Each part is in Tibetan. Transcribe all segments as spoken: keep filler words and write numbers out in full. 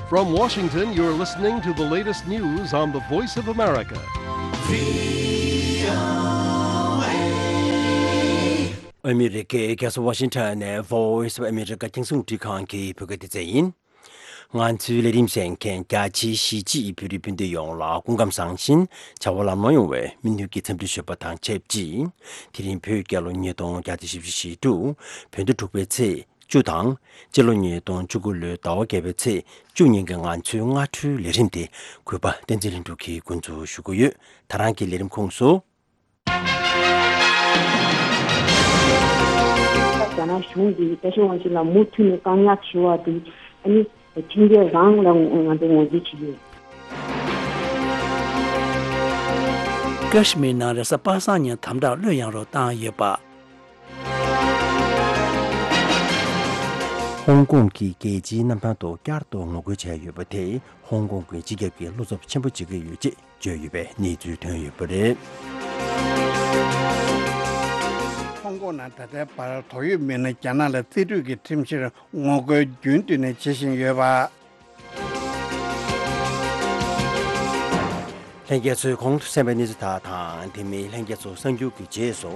From Washington, you're listening to the latest news on the Voice of America. ཨ་མི་རི་ཀའི་རྒྱལ་ས་ཝ་ཤིང་ཊོན་ནས་Voice of America རྒྱང་སྲིང་རླུང་འཕྲིན་ཁང་གི་བོད་སྐད་སྡེ་ཚན་ཡིན། ང་ཚོའི་ལས་རིམ་གསན་མཁན་རྒྱ་ཆེའི་གཞིས་བྱེས་བོད་རིགས་སྤུན་ཟླ་ཡོངས་ལ་སྐུ་ཁམས་བཟང་ཞིང་བྱ་བ་ལམ་ལྷོང་ཡོང་བའི་སྨོན་འདུན་གྱི་འཚམས་འདྲི་ཞུས་པ་དང་ཆབས་ཅིག་དེ་རིང་བོད་རྒྱལ་ལོ་ཉིས་སྟོང་བརྒྱ་དང་བཞི་བཅུ་ཞེ་དྲུག་བོད་ཟླ་དྲུག་པའི་ཚེས་བཅུ་དང་། སྤྱི་ལོ་ཉིས་སྟོང་བཅུ་དགུ་ལོའི་ཟླ་བ་བརྒྱད་པའི་ཚེས་བཅུ་ཉིན་གྱི་ང་ཚོའི་སྔ་དྲོའི་ལས་རིམ་དེ་གུས་པ་བསྟན་འཛིན་ལྷུན་གྲུབ་ཀྱིས་འགོ་འཛུགས་ཞུ་གི་ཡོད། ད་རང་གི་ལས་རིམ་ཁོངས་སུ། རྒྱ་ནག་གཞུང་གིས་རྒྱལ་སྤྱི་དབང་ཆེན་ལ་མུ་མཐུད་ནས་བཀག་ཉར་བྱེད་པ་དེ་ཨ་ནི་ཁྲིམས་འགལ་རང་ལ་ང་ཚོས་ངོས་འཛིན་བྱེད་ཀྱི་ཡོད། ཀ་ཤི་མིར་ནང་རེས་གཟའ་པ་སངས་ཉིན་དམ་དྲག་གློད་ཡངས་རོགས་བཏང་ཡོད་པ། ཧོང་ཀོང་གི་རྒྱལ་སྤྱིའི་གནམ་ཐང་དུ་བསྐྱར་དུ་ངོ་རྒོལ་བྱས་ཡོད་པ་དེས་ཧོང་ཀོང་གི་སྤྱི་ཁྱབ་ཀྱི་བློ་འཚབ་ཆེན་པོ་བྱེད་ཀྱི་ཡོད་ཅེས་བརྗོད་ཡོད་པའི་གནས་ཚུལ་ཐོན་ཡོད་པ་རེད། ཧོང་ཀོང་ནང་ད་ལྟའི་བར་དོགས་ཡོད་མི་སྣ་རྒྱ་ནག་ལ་རྩིས་སྤྲོད་ཀྱི་ཁྲིམས་གཞིར་ངོ་རྒོལ་རྒྱུན་མཐུད་ནས་བྱེད་བཞིན་ཡོད་པ། ལྷན་རྒྱས་ཚོས་གོང་དུ་གསན་པའི་གནས་ཚུལ་དག་དང་། དེ་མིན་ལྷན་རྒྱས་ཚོ་གསར་འགྱུར་གྱི་རྗེས་སུ་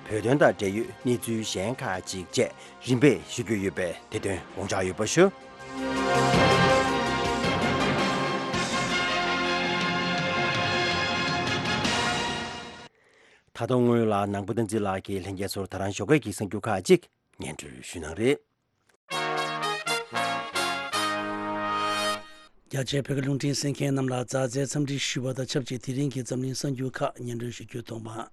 བོད་དོན་དང་འབྲེལ་ཡོད་གནས་ཚུལ་གཞན་ཁག་ཅིག་བཅས་རིམ་པས་ཞུ་རྒྱུ་ཡོད་པས་དེ་དོན་དགོངས་འཇགས་ཡོད་པ་ཞུ། ད་དུང་སྔོན་ལ་ནང་པ་བསྟན་འཛིན་ལགས་ཀྱིས་ལྷན་རྒྱས་ཚོར་ད་རང་ཞོགས་ཀས་ཀྱི་གསར་འགྱུར་ཁག་ཅིག་སྙན་སྒྲོན་ཞུ་གནང་རེད། རྒྱ་ཆེའི་བོད་ཀྱི་རླུང་འཕྲིན་གསན་མཁན་རྣམས་ལ་མཛའ་བརྩེའི་འཚམས་འདྲི་ཞུ་བ་དང་ཆབས་ཅིག་དེ་རིང་གི་འཛམ་གླིང་གསར་འགྱུར་ཁག་སྙན་སྒྲོན་ཞུ་རྒྱུ་དང་པོ།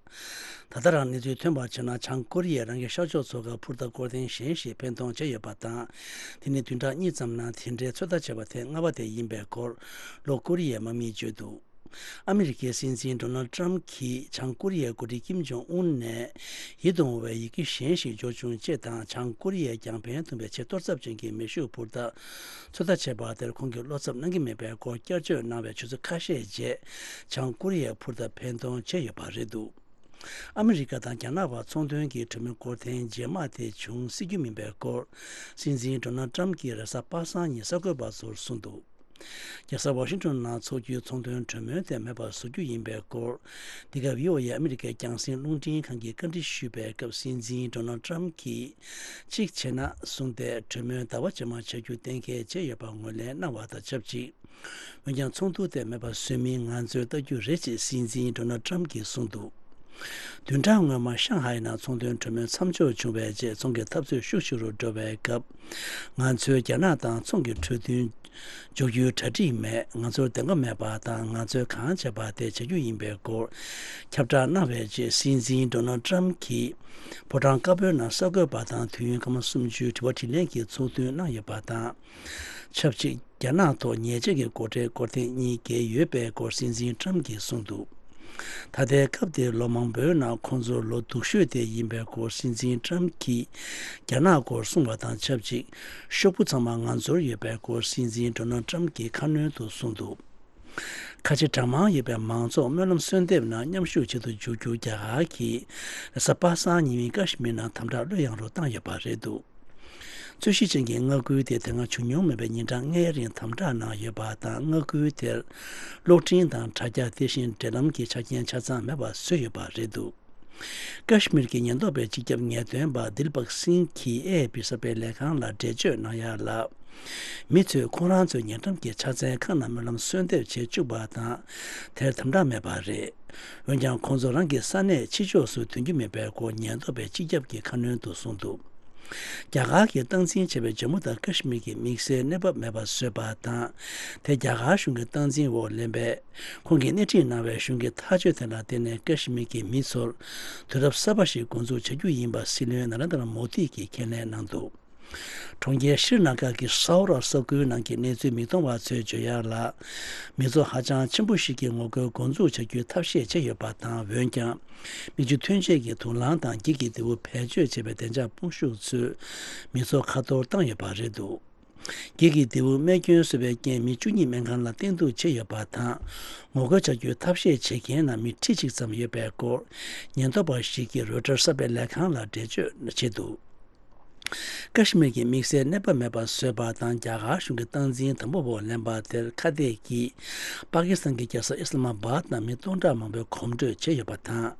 ད་ལྟ་རང་གནས་ཚུལ་ཐོན་པར་བྱས་ན། བྱང་ཀོ་རི་ཡས་རང་གི་ཤར་ཕྱོགས་མཚོ་ཁར་འཕུར་མདའ་སྐོར་ཐེངས་གཞན་ཞིག་འཕེན་གཏོང་བྱས་ཡོད་པ་དང་། དེ་ནི་བདུན་ཕྲག་གཉིས་ཙམ་ནང་དེ་འདྲའི་ཚོད་ལྟ་བྱས་པ་ཐེངས་ལྔ་པ་དེ་ཡིན་པའི་སྐོར་ལྷོ་ཀོ་རི་ཡའི་དམག་མིས་བརྗོད་འདུག་ཨ་མི་རི་ཀའི་སྲིད་འཛིན་ཌོ་ནལ་ཊམ་གྱིས་བྱང་ཀོ་རི་ཡའི་འགོ་ཁྲིད་ཀིམ་ཇོང་ཨུན་ནས་ཡིད་དུ་འོང་བའི་ཡི་གེ་གཞན་ཞིག་འབྱོར་བྱུང་ཅེས་དང་། བྱང་ཀོ་རི་ཡས་ཀྱང་ཕན་ཐོགས་པའི་ཆེས་གཏོར་ཚབས་ཅན་གྱི་མེ་ཤུགས་འཕུར་མདའ་ཚོད་ལྟ་བྱས་པ་དེར་ཁོང་གིས་བློ་འཚབ་གནང་གི་མེད་པའི་སྐོར་བསྐྱར་བརྗོད་གནང་བའི་ཆུ་ཚོད་ཁ་ཤས་རྗེས། བྱང་ཀོ་རི་ཡས་འཕུར་མདའ་འཕེན་གཏོང་བྱས་ཡོད་པ་རེད་འདུག་ཨ་མི་རི་ཀ་དང་རྒྱ་ནག་བར་ཚོང་དོན་གྱི་གྲོས་མོལ་སྐོར་ཐེངས་རྗེས་མ་དེ་འབྱུང་སྲིད་རྒྱུ་མིན་པའི་སྐོར་སྲིད་འཛིན་ཌོ་ནལ་ཊམ་གྱིས་རེས་གཟའ་པ་སངས་ཉིན་གསར་འགོད་པ་ཚོར་གསུངས་འདུག་རྒྱལ་ས་ཝ་ཤིང་ཊོན་ནང་འཚོགས་རྒྱུའི་ཚོང་དོན་གྲོས་མོལ་དེ་མེད་པར་བཟོ་རྒྱུ་ཡིན་པའི་སྐོར། འདི་ག་བྷི་ཨོ་ཨེ་ཨ་མི་རི་ཀའི་རྒྱང་སྲིང་རླུང་འཕྲིན་ཁང་གིས་བཀའ་འདྲི་ཞུས་པའི་སྐབས། སྲིད་འཛིན་ཌོ་ནལ་ཊམ་གྱིས་གཅིག་བྱས་ན་གསུངས་ཏེ། གྲོས་མོལ་ཟླ་བ་རྗེས་མར་བྱ་རྒྱུ་གཏན་འཁེལ་བྱས་ཡོད་པ་ངོས་ལེན་གནང་བ་དང་ཆབས་ཅིག་འོན་ཀྱང་ཚོགས་འདུ་དེ་མེད་པར་བཟོ་མིན་ང་ཚོས་ལྟ་རྒྱུ་རེད་ཅེས་སྲིད་འཛིན་ཌོ་ནལ་ཊམ་གྱིས་གསུངས་འདུག་བདུན་ཕྲག་སྔོན་མ་ཤང་ཧའེ་ནང་ཚོང་དོན་གྲོས་མོལ་མཚམས་འཇོག་བྱུང་བའི་རྗེས། ཚོང་གི་འཐབ་རྩོད་ཤུགས་ཆེ་རུ་འགྲོ་བའི་སྐབས། ང་ཚོས་རྒྱ་ནག་དང་ཚོང་གི་གྲོས་མཐུན་འཇོག་རྒྱུའི་གྲ་སྒྲིག་མེད། ང་ཚོར་བདེན་པ་མེད་པ་དང་། ང་ཚོས་གང་བྱས་པ་དེ་བྱ་རྒྱུ་ཡིན་པའི་སྐོར་ཁྱབ་བསྒྲགས་གནང་བའི་རྗེས། སྲིད་འཛིན་ཌོ་ནལ་ཊམ་གྱིས་ཕོ་བྲང་དཀར་པོའི་ནང་གསར་འགོད་པ་དང་དུས་ཡུན་སྐར་མ་སུམ་ཅུའི་དྲི་བ་དྲིས་ལན་གྱི་ཚོགས་འདུ་གནང་ཡོད་པ་དང་། ཆབས་ཅིག་རྒྱ་ནག་ཐོག་ཉེས་ཆད་ཀྱི་སྒོ་ཁྲལ་སྐོར་ཐེངས་གཉིས་བཀལ་ཡོད་པའི་སྐོར་སྲིད་འཛིན་ཊམ་གྱིས་གསུངས་འདུག་ད་ལྟའི་སྐབས་དེར་ལོ་མང་པོའི་ནང་ཁོང་ཚོར་ལོ་སྡུག་ཤོས་དེ་ཡིན་པའི་སྐོར་སྲིད་འཛིན་ཊམ་གྱིས་རྒྱ་ནག་སྐོར་གསུངས་པ་དང་ཆབས་ཅིག་ཤོག་བུ་ཚང་མ་ང་ཚོར་ཡོད་པའི་སྐོར་སྲིད་འཛིན་ཌོ་ནལ་ཊམ་གྱིས་ཁ་སྣོན་དུ་གསུངས་འདུག་ཁ་ཆེ་གྲངས་མང་ཡོད་པའི་མང་ཚོགས་སྨོན་ལམ་གསོལ་འདེབས་ནང་མཉམ་ཞུགས་བྱེད་དུ་འཇུག་རྒྱུར་རྒྱ་གར་གྱིས་རེས་གཟའ་པ་སངས་ཉིན་མོའི་ཀ་ཤི་མིར་ནང་དམ་དྲག་གློད་ཡངས་རོགས་བཏང་ཡོད་པ་རེད་འདུག་རྩོད་གཞི་ཅན་གྱི་མངའ་ཁུལ་དེ་དེ་སྔ་བྱུང་མྱོང་མེད་པའི་ཉིན་གྲངས་ལྔའི་རིང་དམ་དྲག་ནང་ཡོད་པ་དང་། མངའ་ཁུལ་དེར་གློག་འཕྲིན་དང་དྲ་རྒྱ། དེ་བཞིན་འབྲེལ་ལམ་གྱི་ཆ་རྐྱེན་ཆ་ཚང་མེད་པ་བཟོས་ཡོད་པ་རེད་འདུག་ཀ་ཤི་མིར་གྱི་ཉེན་རྟོག་པའི་སྤྱི་ཁྱབ་ངེས་སྟོན་པ་དིལ་བག་སིང་གིས་ཨེ་ཨེ་པི་གསར་སྤེལ་ལས་ཁང་ལ་འགྲེལ་བརྗོད་གནང་ཡག་ལ། མི་ཚོས་ཁོང་རང་ཚོའི་ཉེ་འགྲམ་གྱི་ཕྱག་འཚལ་ཁང་ནང་སྨོན་ལམ་གསོལ་འདེབས་བྱེད་བཅུག་པ་དང་། དེར་དམ་དྲག་མེད་པ་རེད། འོན་ཀྱང་ཁོང་ཚོ་རང་གི་ས་གནས་ཕྱི་ཕྱོགས་སུ་ཐོན་རྒྱུ་མེད་པའི་སྐོར་ཉེན་རྟོག་པས་སྤྱི་ཁྱབ་ཀྱི་ཁ་སྣོན་དུ་གསུངས་འདུག་རྒྱ་གར་གྱིས་སྟངས་འཛིན་བྱས་པའི་ཇམ་མུ་དང་ཀ་ཤི་མིར་གྱི་དམིགས་བསལ་གནས་བབ་མེད་པ་བཟོས་པ་དང་། དེ་རྒྱ་གར་གཞུང་གི་སྟངས་འཛིན་འོག་ལེན་པས། ཁོང་གིས་སྣེ་ཁྲིད་གནང་བའི་གཞུང་གི་ཐག་གཅོད་དེ་ལ་བརྟེན་ནས་ཀ་ཤི་མིར་གྱི་མི་ཚོར་དུས་རབས་གསར་པ་ཞིག་འགོ་འཛུགས་བྱ་རྒྱུ་ཡིན་པ་སྲིད་བློན་ན་རེན་དྲ་མོ་དི་གིས་ཁས་ལེན་གནང་འདུག་གྲོང་ཁྱེར་ཤྲི་ན་གར་གྱི་སའོ་ར་ས་ཁུལ་ནང་གི་གནས་ཚུལ་མིག་མཐོང་བ་ཚོས་བརྗོད་ཡག་ལ། མི་ཚོགས་ཧ་ཅང་ཆེན་པོ་ཞིག་གིས་ངོ་རྒོལ་འགོ་འཛུགས་བྱ་རྒྱུའི་ཐབས་ཤེས་བྱས་ཡོད་པ་དང་། འོན་ཀྱང་། མིག་ཆུ་ཐོན་སྐྱེད་ཀྱི་དུག་རླངས་དང་། འགྱིག་གི་རྡེའུ་བེད་སྤྱོད་བྱས་པའི་བདེ་འཇགས་དཔུང་ཤུགས་ཚོས་མི་ཚོགས་ཁ་གཏོར་བཏང་ཡོད་པ་རེད་འདུག་འགྱིག་གི་རྡེའུ་རྨས་སྐྱོན་བཟོས་པའི་རྐྱེན་མི་བཅུ་གཉིས་སྨན་ཁང་ལ་བསྟེན་གཏུགས་བྱས་ཡོད་པ་དང་། ངོ་རྒོལ་བྱ་རྒྱུའི་ཐབས་ཤེས་བྱེད་མཁན་ནང་མི་ཁྲི་གཅིག་ཙམ་ཡོད་པའི་སྐོར། ཉེན་རྟོག་པ་ཞིག་གིས་རོའི་ཊར་གསར་སྤེལ་ལས་ཁང་ལ་འགྲེལ་བརྗོད་བྱས་འདུག་ཀ་ཤི་མིར་གྱི་དམིགས་བསལ་གནས་བབ་མེད་པར་བཟོས་པ་དང་། རྒྱ་གར་གཞུང་གི་སྟངས་འཛིན་དམ་པོ་འོག་ལེན་པ་དེར་ཁ་གཏད་ཀྱིས་པ་ཀི་སི་ཐན་གྱི་རྒྱལ་ས་ཨི་སི་ལ་མ་བྷད་ནང་མི་སྟོང་ཕྲག་མང་པོས་གོམ་བགྲོད་བྱས་ཡོད་པ་དང་།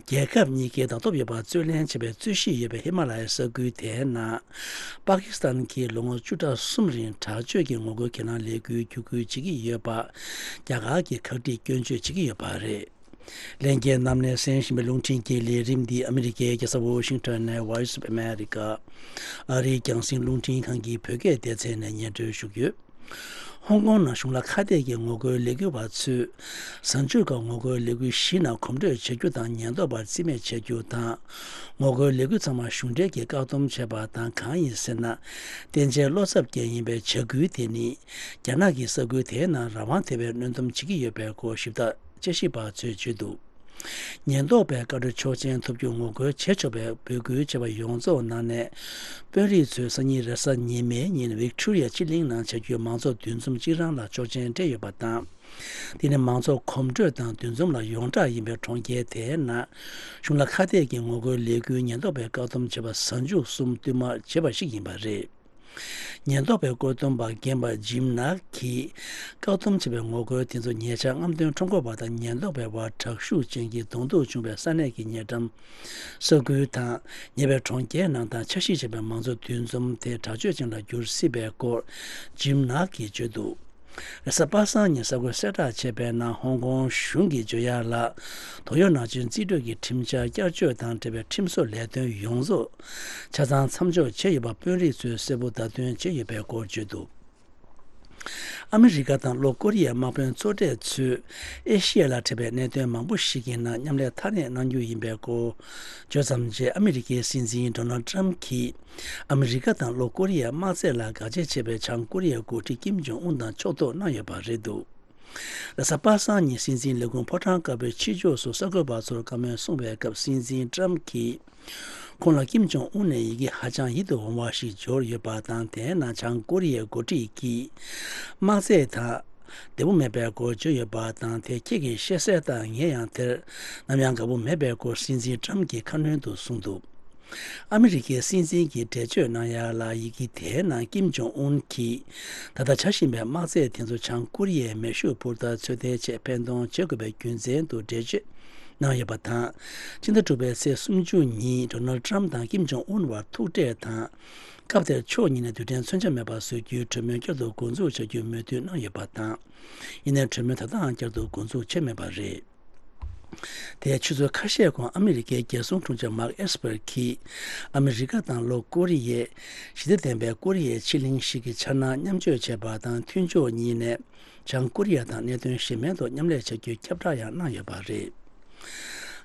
རྒྱལ་ཁབ་གཉིས་ཀས་ཟླ་སྟོབས་ཡོད་པར་རྩོད་ལེན་བྱས་པའི་རྩོད་གཞི་ཡོད་པའི་ཧི་མ་ལ་ཡའི་ས་ཁུལ་དེའི་ནང་། པ་ཀི་སི་ཐན་གྱིས་ལོ་ངོ་བཅུ་ཕྲག་གསུམ་རིང་དྲག་སྤྱོད་ཀྱི་ངོ་རྒོལ་གྱི་ལམ་ལས་འགུལ་བརྒྱུད་སྐུལ་བྱེད་ཀྱི་ཡོད་པ། རྒྱ་གར་གྱིས་ག་འདྲ་སྐྱོན་བརྗོད་བྱེད་ཀྱི་ཡོད་པ་རེད། ལྷན་རྒྱས་རྣམས་ནས་གསན་བཞིན་པའི་རླུང་འཕྲིན་གྱི་ལས་རིམ་འདི་ཨ་མི་རི་ཀའི་རྒྱལ་ས་ཝོ་ཤིང་ཊོན་ནས་Voice of America ཨ་རིའི་རྒྱང་སྲིང་རླུང་འཕྲིན་ཁང་གི་བོད་སྐད་སྡེ་ཚན་ནས་སྙན་སྒྲོན་ཞུ་རྒྱུ། ཧོང་ཀོང་ནང་གཞུང་ལ་ཁ་གཏད་ཀྱི་ངོ་རྒོལ་ལས་འགུལ་བ་ཚོས་གཟའ་མཇུག་སྐབས་ངོ་རྒོལ་ལས་འགུལ་བཞི་ནང་གོམ་བགྲོད་བྱ་རྒྱུ་དང་། ཉེན་རྟོག་པར་རྩིས་མེད་བྱ་རྒྱུ་དང་། ངོ་རྒོལ་ལས་འགུལ་ཚང་མ་གཞུང་འབྲེལ་གྱིས་བཀག་སྡོམ་བྱས་པ་དང་། གང་ཡིན་ཟེར་ན། བསྟན་འཇལ་བློ་འཚབ་ཅན་ཡིན་པའི་བྱ་འགུལ་དེ་ནི་རྒྱ་ནག་གིས་ས་ཁུལ་དེའི་ནང་རང་དབང་དེ་བས་གནོན་སྡོམ་བྱེད་ཀྱི་ཡོད་པའི་སྐོར་ཞིབ་ལྟ། དཔྱད་ཞིབ་པ་ཚོས་བརྗོད་འདུག་ཉེན་རྟོག་པའི་བཀའ་འཁྲོལ་ཆོག་མཆན་ཐོབ་རྒྱུར་ངོ་རྒོལ་བྱེད་ཆོག་པའི་འབོད་སྐུལ་བྱས་པ་ཡོངས་རྫོགས་ནང་ནས། དཔོན་རིགས་ཚོས་སང་ཉིན་རེས་གཟའ་ཉི་མའི་ཉིན་ཝིག་ཊོ་རི་ཡ་སྤྱི་གླིང་ནང་བྱ་རྒྱུའི་མང་ཚོགས་འདུ་འཛོམས་གཅིག་རང་ལ་ཆོག་མཆན་སྤྲད་ཡོད་པ་དང་། དེ་ནི་མང་ཚོགས་གོམ་བགྲོད་དང་འདུ་འཛོམས་ལ་ཡོངས་གྲགས་ཡིན་པའི་གྲོང་ཁྱེར་དེའི་ནང་། གཞུང་ལ་ཁ་གཏད་ཀྱི་ངོ་རྒོལ་ལས་འགུལ་ཉེན་རྟོག་པས་བཀག་སྡོམ་བྱས་པ་གཟའ་མཇུག་གསུམ་བསྟུད་མར་བྱས་པ་ཞིག་ཡིན་པ་རེད། ཉེན་རྟོག་པའི་བཀོད་འདོམས་པ་རྒན་པ་ཇིམ་ནག་གིས། བཀག་སྡོམ་བྱས་པའི་ངོ་རྒོལ་དེ་ཚོ་ཉེ་ཆར་རྔམ་སྟོན་ཁྲོམ་སྐོར་བ་དང་ཉེན་རྟོག་པའི་དབར་དྲག་ཤུགས་ཅན་གྱི་གདོང་ཐུག་བྱུང་བའི་ས་གནས་ཀྱི་ཉེ་འགྲམ་ས་ཁུལ་དང་། ཉེ་བའི་གྲོང་ཁྱེར་ནང་དང་འཆར་གཞི་བྱས་པའི་མང་ཚོགས་འདུ་འཛོམས་དེ་དྲག་སྤྱོད་ཅན་ལ་འགྱུར་སྲིད་པའི་སྐོར་ཇིམ་ནག་གིས་བརྗོད་འདུག་རེས་གཟའ་པ་སངས་ཉིན་གསར་འགོད་གསལ་བསྒྲགས་བྱས་པའི་ནང་། ཧོང་ཀོང་གཞུང་གིས་བརྗོད་ཡག་ལ། དོགས་ཡོད་ནང་བཞིན་རྩིས་སྤྲོད་ཀྱི་ཁྲིམས་འཆར་བསྐྱར་བཅོས་དང་འབྲེལ་བའི་ཁྲིམས་བཟོ་ལས་དོན་ཡོངས་རྫོགས་ཆ་ཚང་མཚམས་འཇོག་བྱས་ཡོད་པ་དཔོན་རིགས་ཚོས་གསལ་པོ་བརྡ་སྟོན་བྱས་ཡོད་པའི་སྐོར་བརྗོད་འདུག་ཨ་མི་རི་ཀ་དང་ལྷོ་ཀོ་རི་ཡའི་དམག་དཔོན་གཙོ་གྲས་ཚོས་ཨེ་ཤི་ཡ་ལ་འཕྲད་པའི་གནད་དོན་མང་པོ་ཞིག་གི་ནང་མཉམ་ལས་མཐའ་གནས་གནང་རྒྱུ་ཡིན་པའི་སྐོར་བརྗོད་ཙམ་རྗེས། ཨ་མི་རི་ཀའི་སྲིད་འཛིན་ཌོ་ནལ་ཌི་ཊརམ་གྱིས་ཨ་མི་རི་ཀ་དང་ལྷོ་ཀོ་རི་ཡའི་དམག་རྩལ་ལ་དགག་བྱ་བྱས་པའི་བྱང་ཀོ་རི་ཡའི་འགོ་ཁྲིད་ཀིམ་ཇོང་ཨུན་དང་ཕྱོགས་གཏོགས་གནང་ཡོད་པ་རེད་འདུག་རེས་གཟའ་པ་སངས་ཉིན་སྲིད་འཛིན་ལས་ཁུངས་ཕོ་བྲང་དཀར་པོའི་ཕྱི་ཕྱོགས་སུ་གསར་འགོད་པ་ཚོར་བཀའ་མོལ་གསུངས་པའི་སྐབས། སྲིད་འཛིན་ཊརམ་གྱིས་ཁོང་ལ་ཀིམ་ཇོང་ཨུན་ནས་ཡི་གེ་ཧ་ཅང་ཡིད་དུ་འོང་བ་ཞིག་འབྱོར་ཡོད་པ་དང་། དེའི་ནང་བྱང་ཀོ་རི་ཡའི་འགོ་ཁྲིད་ཀྱིས་དམག་རྩལ་ཐད་བདེ་པོ་མེད་པའི་སྐོར་བརྗོད་ཡོད་པ་དང་། དེ་ཁྱེད་ཀྱིས་ཤེས་གསལ་དང་། ངས་ཡང་དེར་ནམ་ཡང་དགའ་པོ་མེད་པའི་སྐོར་སྲིད་འཛིན་ཊརམ་གྱིས་ཁ་སྣོན་དུ་གསུངས་འདུག་ཨ་མི་རི་ཀའི་སྲིད་འཛིན་གྱིས་འགྲེལ་བརྗོད་གནང་ཡག་ལ། ཡི་གེ་དེའི་ནང་ཀིམ་ཇོང་ཨུན་གྱིས་ད་ལྟ་བྱ་བཞིན་པའི་དམག་རྩལ་དེ་ཚོ་བྱང་ཀོ་རི་ཡའི་མེ་ཤུགས་འཕུར་མདའ་ཚོད་ལྟའི་ཆེད་འཕེན་གཏོང་བྱེད་དགོས་པའི་རྒྱུ་མཚན་དུ་འགྲེལ་བརྗོད་གནང་ཡོད་པ་དང་། ཕྱི་ཟླ་དྲུག་པའི་ཚེས་སུམ་ཅུ་ཉིན་ཌོ་ནལ་ཌི་ཊརམ་དང་ཀིམ་ཇོང་ཨུན་བར་ཐུག་འཕྲད་དང་། སྐབས་དེར་ཕྱོགས་གཉིས་ནས་རྡུལ་ཕྲན་མཚོན་ཆ་མེད་པ་བཟོ་རྒྱུའི་གྲོས་མོལ་བསྐྱར་དུ་འགོ་འཛུགས་བྱ་རྒྱུའི་མོས་མཐུན་གནང་ཡོད་པ་དང་། ཡིན་ནའི་གྲོས་མོལ་ད་ལྟའང་བསྐྱར་དུ་འགོ་འཛུགས་བྱས་མེད་པ་རེད། དེའི་ཆུ་ཚོད་ཁ་ཤས་གོང་ཨ་མི་རི་ཀའི་རྒྱལ་སྲུང་དྲུང་ཆེ་མར་ཁི་ཨེས་པར་གྱིས་ཨ་མི་རི་ཀ་དང་ལྷོ་ཀོ་རི་ཡས་ཞི་བདེ་ལྡན་པའི་ཀོ་རི་ཡའི་ཕྱེད་གླིང་ཞིག་གི་འཆར་སྣང་མཉམ་སྤྱོད་བྱས་པ་དང་། མཐུན་ཕྱོགས་གཉིས་ནས་བྱང་ཀོ་རི་ཡ་དང་གནད་དོན་གཞན་མིན་ཐོག་མཉམ་ལས་བྱ་རྒྱུའི་ཁྱབ་བསྒྲགས་ཡང་གནང་ཡོད་པ་རེད།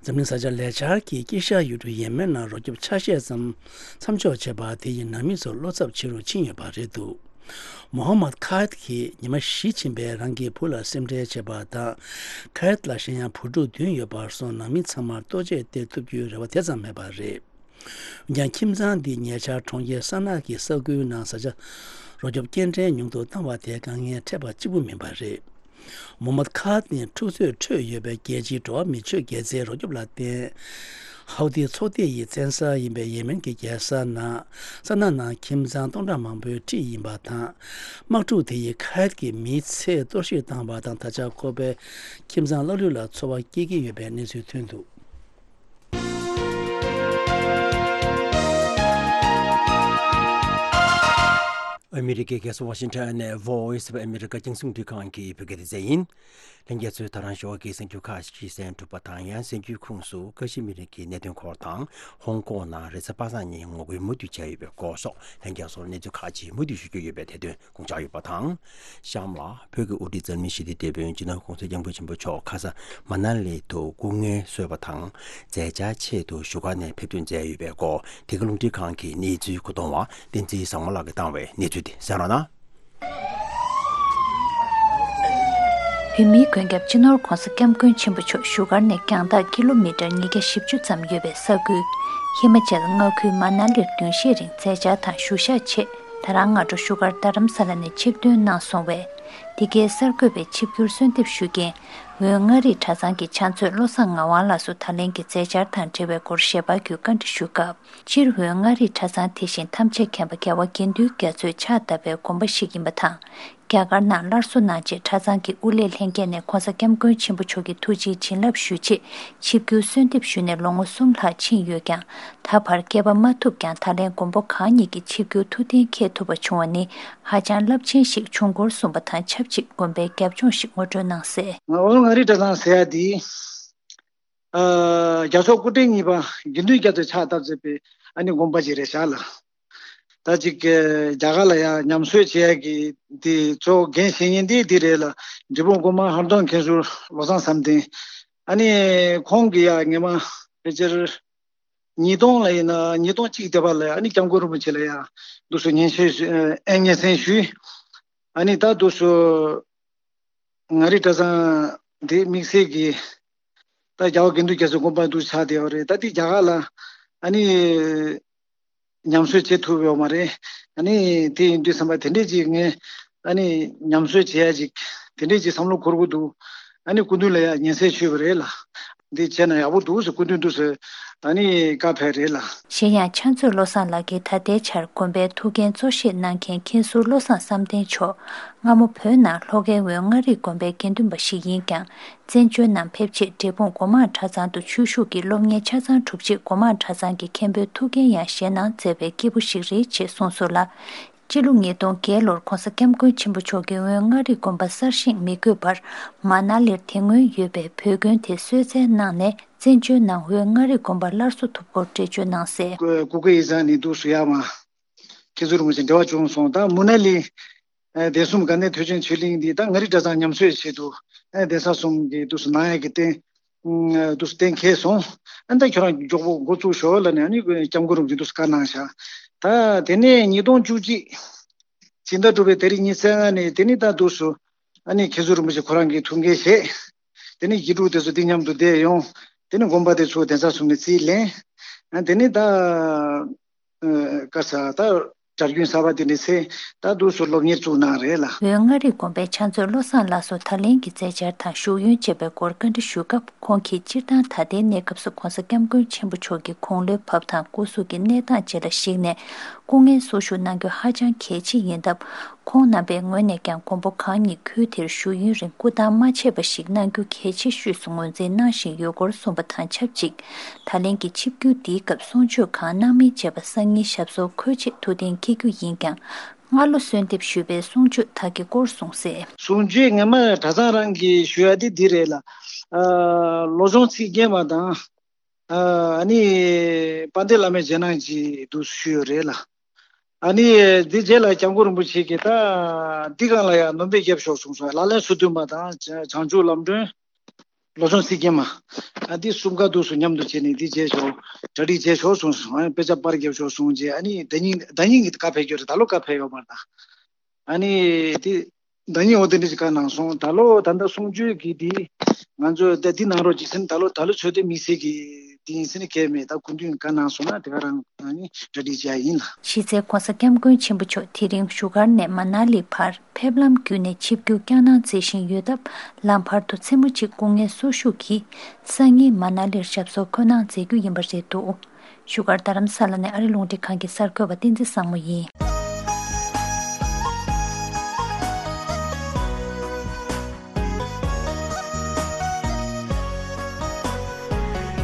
འཛམ་གླིང་གཟའ་ལྕགས་ལས་འཆར་གྱིས་དཀྱིལ་ཤར་ཡུལ་གྲུ་ཡེ་མེན་ནང་རོགས་སྐྱོབ་ཆ་ཤས་ཙམ་མཚམས་འཇོག་བྱས་པ་དེ་ཡིས་ནང་མི་ཚོར་བློ་འཚབ་ཆེ་རུ་ཕྱིན་ཡོད་པ་རེད་འདུག་མོ་ཧམ་མད་ཁ་ཡད་ཀྱིས་ཉི་མ་བཞི་ཕྱིན་པའི་རང་གི་བུ་ལ་སེམས་ཁྲལ་བྱེད་པ་དང་། ཁ་ཡད་ལ་གཞན་ཡང་བུ་ཕྲུག་བདུན་ཡོད་པར་སོང་། ནང་མི་ཚང་མར་ལྟོ་ཆས་སྟེར་ཐུབ་རྒྱུའི་རེ་བ་དེ་ཙམ་མེད་པ་རེད། འོན་ཀྱང་ཁྱིམ་ཚང་འདིས་ཉེ་ཆར་གྲོང་ཁྱེར་ས་ན་གི་ས་ཁུལ་ནང་བཟའ་བཅའ་རོགས་སྐྱོབ་སྐྱེལ་འདྲེན་ཉུང་དུ་བཏང་བ་དེ་དཀའ་ངལ་འཕྲད་པ་གཅིག་པུ་མིན་པ་རེད། མོ་ཧམ་མད་ཁ་ཡད་ནི་འཁྲུག་རྩོད་ཁྲོད་ཡོད་པའི་རྒྱལ་སྤྱིའི་འགྲོ་བ་མིའི་ཆོས་དགེ་རྩའི་རོགས་སྐྱོབ་ལ་བརྟེན། ཧའུ་ཐི་ཚོགས་སྡེ་ཡི་བཙན་ས་ཡིན་པའི་ཡེ་མེན་གྱི་རྒྱལ་ས་ནང་ས་ན་ནང་ཁྱིམ་ཚང་སྟོང་ཕྲག་མང་པོའི་འཁྲིས་ཡིན་པ་དང་། དམག་འཁྲུག་དེ་ཡིས་ཁ་ཡད་ཀྱི་མིའི་ཚེ་གཏོར་བཤིག་བཏང་བ་དང་། ད་ཆ་ཁོ་པའི་ཁྱིམ་ཚང་ལྷག་ལུས་ལ་འཚོ་བ་སྐྱེལ་གྱི་ཡོད་པའི་གནས་ཚུལ་ཐོན་འདུག་ཨ་མི་རི་ཀའི་རྒྱལ་ས་ཝ་ཤིང་ཊོན་ནས་Voice of America རྒྱང་སྲིང་རླུང་འཕྲིན་ཁང་གི་བོད་སྐད་སྡེ་ཚན་ཡིན། ལྷན་རྒྱས་ཚོས་ད་རང་ཞོགས་ཀྱི་གསར་འགྱུར་ཁག་ཅིག་གསན་གྲུབ་པ་དང་། ཡང་གསར་འགྱུར་ཁོངས་སུ་ཀ་ཤི་མིར་གྱི་གནད་དོན་སྐོར་དང་། ཧོང་ཀོང་ནང་རེས་གཟའ་པ་སངས་ཉིན་ངོ་རྒོལ་མུ་མཐུད་བྱས་ཡོད་པའི་སྐོར་སོགས། ལྷན་རྒྱས་ཚོར་གནས་ཚུལ་ཁག་ཅིག་མུ་མཐུད་ཞུ་རྒྱུ་ཡོད་པའི་དེ་དོན་དགོངས་འཇགས་ཡོད་པ་དང་། གཤམ་ལ་བོད་ཀྱི་དབུ་ཁྲིད་འཛམ་གླིང་ཞི་བདེའི་དེད་དཔོན་སྤྱི་ནོར་༸གོང་ས་༸སྐྱབས་མགོན་ཆེན་པོ་མཆོག་ཁ་ས་མ་ན་ལི་དུ་སྐུ་ངལ་གསོས་པ་དང་། མཛད་འཆར་ཆེད་དུ་བཞུགས་སྒར་ནས་ཕེབས་ཐོན་མཛད་ཡོད་པའི་སྐོར། འདི་ག་རླུང་འཕྲིན་ཁང་གི་གནས་ཚུལ་མཁོ་གཏོང་བ་བསྟན་འཛིན་བཟང་མོ་ལགས་ཀྱིས་བཏང་བའི་གནས་ཚུལ་དེ་གསན་རོགས་གནང་། བོད་མིའི་མགོན་སྐྱབས་སྤྱི་ནོར་༸གོང་ས་༸སྐྱབས་མགོན་ཆེན་པོ་མཆོག་བཞུགས་སྒར་ནས་རྒྱང་ཐག་ཀི་ལོ་མི་ཊར་ཉིས་བརྒྱ་བཞི་བཅུ་ཙམ་ཡོད་པའི་ས་ཁུལ་ཧི་མ་ཅལ་མངའ་ཁུལ་མ་ན་ལིར་བདུན་ཤས་རིང་མཛད་འཆར་དང་བཞུགས་ཞག་ཆེད། ད་རང་སྔ་དྲོ་བཞུགས་སྒར་རྡ་རམ་ས་ལ་ནས་ཆིབས་ཐོན་གནང་སོང་བས། འདི་གའི་གསར་འགོད་པས་ཆིབས་བསྒྱུར་གསོལ་འདེབས་ཞུ་མཁན་ཝུའུ་མངའ་རིས་གྲྭ་ཚང་གི་ཕྱག་མཛོད་བློ་བཟང་ངག་དབང་ལགས་སུ་ད་ལན་གྱི་མཛད་འཆར་དང་འབྲེལ་བའི་སྐོར་ཞལ་པར་བརྒྱུད་བཀའ་འདྲི་ཞུས་སྐབས། སྤྱིར་ཝུའུ་མངའ་རིས་གྲྭ་ཚང་དེ་བཞིན་ཐམས་ཅད་མཁྱེན་པ་རྒྱལ་བ་དགེ་འདུན་རྒྱ་མཚོས་ཕྱག་བཏབ་པའི་དགོན་པ་ཞིག་ཡིན་པ་དང་། རྒྱ་གར་ནང་སླར་གསོ་གནང་རྗེས་གྲྭ་ཚང་གི་དབུ་ལས་ལྷན་རྒྱས་ནས་༧གོང་ས་༧སྐྱབས་མགོན་ཆེན་པོ་མཆོག་གི་ཐུགས་རྗེའི་བྱིན་རླབས་ཞུས་རྗེས་ཆིབས་བསྒྱུར་གསོལ་འདེབས་ཞུས་ནས་ལོ་ངོ་གསུམ་ལྷག་ཕྱིན་ཡོད་ཀྱང་། ད་བར་སྐྱེལ་པ་མ་ཐུབ་ཀྱང་། ད་ལན་མགོན་པོ་གང་ཉིད་ཀྱི་ཆིབས་བསྒྱུར་ཐུགས་གཏན་འཁེལ་ཐུབ་པ་བྱུང་བ་ནི་ཧ་ཅང་རླབས་ཆེན་ཞིག་བྱུང་སྐོར་གསུངས་པ་དང་ཆབས་ཅིག་དགོན་པའི་རྒྱབ་ལྗོངས་ཤིག་ངོ་སྤྲོད་གནང་གསལ། ཝུའུ་མངའ་རིས་གྲྭ་ཚང་ཟེར་ཡ་འདི། ཨ། རྒྱལ་མཆོག་སྐུ་ཕྲེང་གཉིས་པ་དགེ་འདུན་རྒྱ་མཚོས་ཕྱག་བཏབ་མཛད་པའི་ཨ་ནི་དགོན་པ་ཅིག་རེད་ཤག་ལ། ད་ཅིག་རྒྱ་གར་ལ་ཡང་ཉམས་གསོ་བྱེད་ཡ་གི་དེ་གཙོ་བོ་འགན་བཞེས་མཁན་དེ་དེ་རེད་ལ། འབྲས་སྤུངས་སྒོ་མང་ཧར་གདོང་མཁན་ཟུར་བློ་བཟང་བསམ་གཏན། ཨ་ནི་ཁོང་གིས་ཡང་སྔོན་མ་ཕལ་ཆེར་ཉིས་སྟོང་ལ་ཡིན་ན་ཉིས་སྟོང་གཅིག་དེ་བར་ལ་ཡང་ཨ་ནི་སྐྱབས་མགོན་རིན་པོ་ཆེ་ལ་ཡང་འདུག་སེ་སྙན་ཞུ་ཨེ་སྙན་སེང་ཞུས། ཨ་ནི་ད་འདུག་སེ། མངའ་རིས་གྲྭ་ཚང་འདི་དམིགས་བསལ་གྱི་ད་རྒྱལ་བ་དགེ་འདུན་རྒྱ་མཚོའི་དགོན་པ་འདུག་ཆགས་བསྡད་ཡོད་རེད། ད་འདི་རྒྱ་གར་ལ་ཨ་ནི་ཉམས་གསོ་བྱེད་ཐུབ་ཡོད་མ་རེད། ཨ་ནི་དེ་ཡིན་དུས་ཙམ་པ་དེ་འདྲས་ཅིག་ངས་ཨ་ནི་ཉམས་གསོ་བྱེད་ཡ་ཅིག་དེ་འདྲས་ཅིག་བསམ་བློ་འཁོར་གྱི་འདུག་ཨ་ནི་སྐུ་མདུན་ལ་ཡ་སྙན་སེང་ཞུས་པ་རེད་ལ། འདི་བྱས་ན་ཡག་པོ་འདུག་ཟེར་སྐུ་མདུན་འདུག་ཟེར་ཨ་ནི་བཀའ་ཕེབས་རེད་ལ། གཞན་ཡང་ཕྱག་མཛོད་བློ་བཟང་ལགས་ཀྱིས་ད་ལྟའི་ཆར་དགོན་པའི་ཐུགས་འགན་གཙོ་བཞེས་གནང་མཁན་མཁན་ཟུར་བློ་བཟང་བསམ་གཏན་མཆོག་སྔ་མོ་བོད་ནང་ལྷོ་ཁའི་ཝུའུ་མངའ་རིས་དགོན་པའི་དགེ་འདུན་པ་ཞིག་ཡིན་ཀྱང་། བཙན་བྱོལ་ནང་ཕེབས་རྗེས་འབྲས་སྤུངས་སྒོ་མང་གྲྭ་ཚང་དུ་ཆོས་ཞུགས་ཀྱིས་སློབ་གཉེར་ཆ་ཚང་གྲུབ་རྗེས་སྒོ་མང་གྲྭ་ཚང་གི་མཁན་པོའི་ཐུགས་འགན་ཡང་བཞེས་གནང་མཛད་པའི་སྐྱེས་བུ་ཞིག་རེད་ཅེས་གསུངས་སོང་ལ། སྤྱི་ལོ་ཉིས་སྟོང་བརྒྱད་ལོར་༧གོང་ས་༧སྐྱབས་མགོན་ཆེན་པོ་མཆོག་གིས་ཝུའུ་མངའ་རིས་དགོན་པ་གསར་བཞེངས་མི་དགོས་པར་མ་ན་ལིར་དེ་སྔོན་ཡོད་པའི་བོད་དགོན་དེ་གསོལ་སྩལ་གནང་ནས་བཙན་བྱོལ་ནང་ཝུའུ་མངའ་རིས་དགོན་པ་སླར་གསོ་ཐུབ་སྐོར་འགྲེལ་བརྗོད་གནང་གསལ། སྐུ་སྒེར་ཡིག་ཚང་ནས་འདུག་སེ་ཡར་མར་མཁན་ཟུར་རིན་པོ་ཆེ་འབྲེལ་བ་བྱུང་སོང་། ད་མུ་ན་ལི་ཨ་བདེ་སྲུང་དགའ་ལྡན་ཐེག་ཆེན་ཆོས་གླིང་འདི་ད་མངའ་རིས་གྲྭ་ཚང་ཉམས་གསོའི་ཆེད་དུ་ཨ་གདན་ས་གསུམ་གྱི་འདུག་སེ་གནང་ཡག་གི་རྟེན། ཨ་འདུག་སེ་གཏན་འཁེལ་སོང་། ཨ་ད་ཁྱོད་རང་མགྱོགས་པོ་འགོ་བཙུགས་ཤོག་ལབ་ནས་ཨ་ནི་སྐྱབས་མགོན་རིན་པོ་ཆེ་འདུག་སེ་བཀའ་གནང་ཤག་ད་དེ་ནས་ཉིས་སྟོང་བཅུ་གཅིག་སྤྱི་ཟླ་དྲུག་པའི་ཏ་རིག་ཉི་ཤུ་རྩ་ལྔ་ནས་དེ་ནི་ད་འདུག་སེ་ཨ་ནི་མཁན་ཟུར་རིན་པོ་ཆེ་ཁོ་རང་གི་ཐུགས་འགན་བཞེས། དེ་ནི་དགེ་ཕྲུག་དེ་ཚོ་འདི་མཉམ་དུ་བསྡད་ཡོང་། དེ་ནི་དགོན་པ་དེ་ཚོ་གདན་ས་གསུམ་ནས་རྩིས་ལེན། ཨ་དེ་ནི་ད་ཨ་ག་ས་ད་གྲྭ་རྒྱུན་གསར་པ་དེ་ནི་ཚེ་ད་འདུག་སེ་སློབ་གཉེར་བཙུགས་གནང་རེད་ལ། ཝུའུ་མངའ་རིས་དགོན་པའི་ཕྱག་མཛོད་བློ་བཟང་ལགས་སུ་ད་ལན་གྱི་མཛད་འཆར་དང་བཞུགས་ཡོན་བཅས་པའི་སྐོར་བཀའ་འདྲི་ཞུས་སྐབས། ཁོང་གིས་སྤྱིར་བཏང་ད་ལྟའི་གནས་སྐབས་སུ་༧གོང་ས་༧སྐྱབས་མགོན་ཆེན་པོ་མཆོག་གི་དགུང་ལོའི་བབས་ཐང་སྐུ་གཟུགས་ཀྱི་གནས་སྟངས་བཅས་ལ་གཞིགས་ནས་སྐུ་ངལ་གསོ་བཞུགས་གནང་རྒྱུ་ཧ་ཅང་གལ་ཆེ་ཡིན་སྟབས། ཁོང་རྣམ་པའི་ངོས་ནས་ཀྱང་མགོན་པོ་གང་ཉིད་ཁུལ་དེར་བཞུགས་ཡུན་རིང་སྐུ་བལྟམས་མ་ཆད་པ་ཞིག་གནང་རྒྱུ་གལ་ཆེ་ཤོས་སུ་ངོས་འཛིན་གནང་བཞིན་ཡོད་སྐོར་གསུངས་པ་དང་ཆབས་ཅིག་ད་ལན་གྱི་ཆིབས་བསྒྱུར་འདིའི་སྐབས་གསུང་ཆོས་གང་གནང་མིན་བཅས་པ་སང་ཉིན་ཞབས་སོར་འཁོད་རྗེས་ཐུགས་གཏན་འཁེལ་རྒྱུ་ཡིན་ཀྱང་། སྔ་ལོ་གསོལ་འདེབས་ཞུས་པའི་གསུང་ཆོས་དག་གི་སྐོར་གསུངས་གསལ། གསུང་ཆོས་ངོ་མ་གྲྭ་ཚང་རང་གིས་ཞུ་ཡ་དེ་འདི་རེད་ལ། ཨ་བློ་སྦྱོང་ཚིག་བརྒྱད་མ་དང་། ཨ་ནི་དཔལ་ལྡན་བླ་མའི་རྗེས་གནང་གི་འདུག་ཞུས་ཡོད་རེད་ལ། ཨ་ནི་འདི་རྗེས་ལ་སྐྱབས་མགོན་རིན་པོ་ཆེ་གིས་ད་འདི་སྒང་ལ་ཡང་སྣོན་པ་རྒྱབ་ཤོག་གསུངས་སོང་། ལག་ལེན་སོ་བདུན་མ་དང་བྱང་ཆུབ་ལམ་སྒྲོན། བློ་སྦྱོང་ཚིག་བརྒྱད་མ། ཨ་འདི་གསུམ་ཀ་འདུག་སེ་མཉམ་དུ་བྱས་ནས་འདི་བྱས་ཤོག་གྲ་སྒྲིག་བྱས་ཤོག་གསུངས་སོང་། ཨ་དཔེ་ཆ་པར་རྒྱབ་ཤོག་གསུངས་རྗེས་ཨ་ནི་ཟླ་ཉིན་ཟླ་ཉིན་གྱི་བཀའ་ཕེབས་རྒྱུ་རེད། ད་ལོ་བཀའ་ཕེབས་ཡོད་མ་རེད་ད། ཨ་ནི་དེ་ཟླ་ཉིན་འོ་དེ་འདྲ་ཞིག་བཀའ་གནང་སོང་། ད་ལོ་ད་ལྟ་གསུང་ཆོས་ཀྱི་དེ་ང་ཚོ་ད་འདི་གནང་རོགས་གྱིས་ཟེར་ན་ད་ལོ་ད་ལོ་ཚོད་ལྟའི་དམིགས་བསལ་གྱི་དེ་ཡིན་ཟེར་ནས་གལ་མེད། ད་སྐུ་མདུན་བཀའ་གནང་སོང་ན་དེ་ག་རང་ཨ་ནི་གྲ་སྒྲིག་བྱ་ཡིན་ལ། གཞི་རྩའི་༧གོང་ས་༧སྐྱབས་མགོན་ཆེན་པོ་མཆོག་དེ་རིང་བཞུགས་སྒར་ནས་མ་ན་ལི་བར་ཕེབས་ལམ་བརྒྱུད་ནས་ཆིབས་བསྒྱུར་བསྐྱངས་གནང་མཛད་བཞིན་ཡོད་སྟབས། ལམ་བར་དུ་མཚན་མོ་གཅིག་སྐུ་ངལ་གསོ་བཞུགས་ཀྱིས་སང་ཉིན་མ་ན་ལིར་ཞབས་སོར་འཁོད་གནང་མཛད་རྒྱུ་ཡིན་པ་རེད་འདུག་བཞུགས་སྒར་རྡ་རམ་ས་ལ་ནས་ཨ་རི་རླུང་འཕྲིན་ཁང་གི་གསར་འགོད་པ་བསྟན་འཛིན་བཟང་མོ་ཡིན།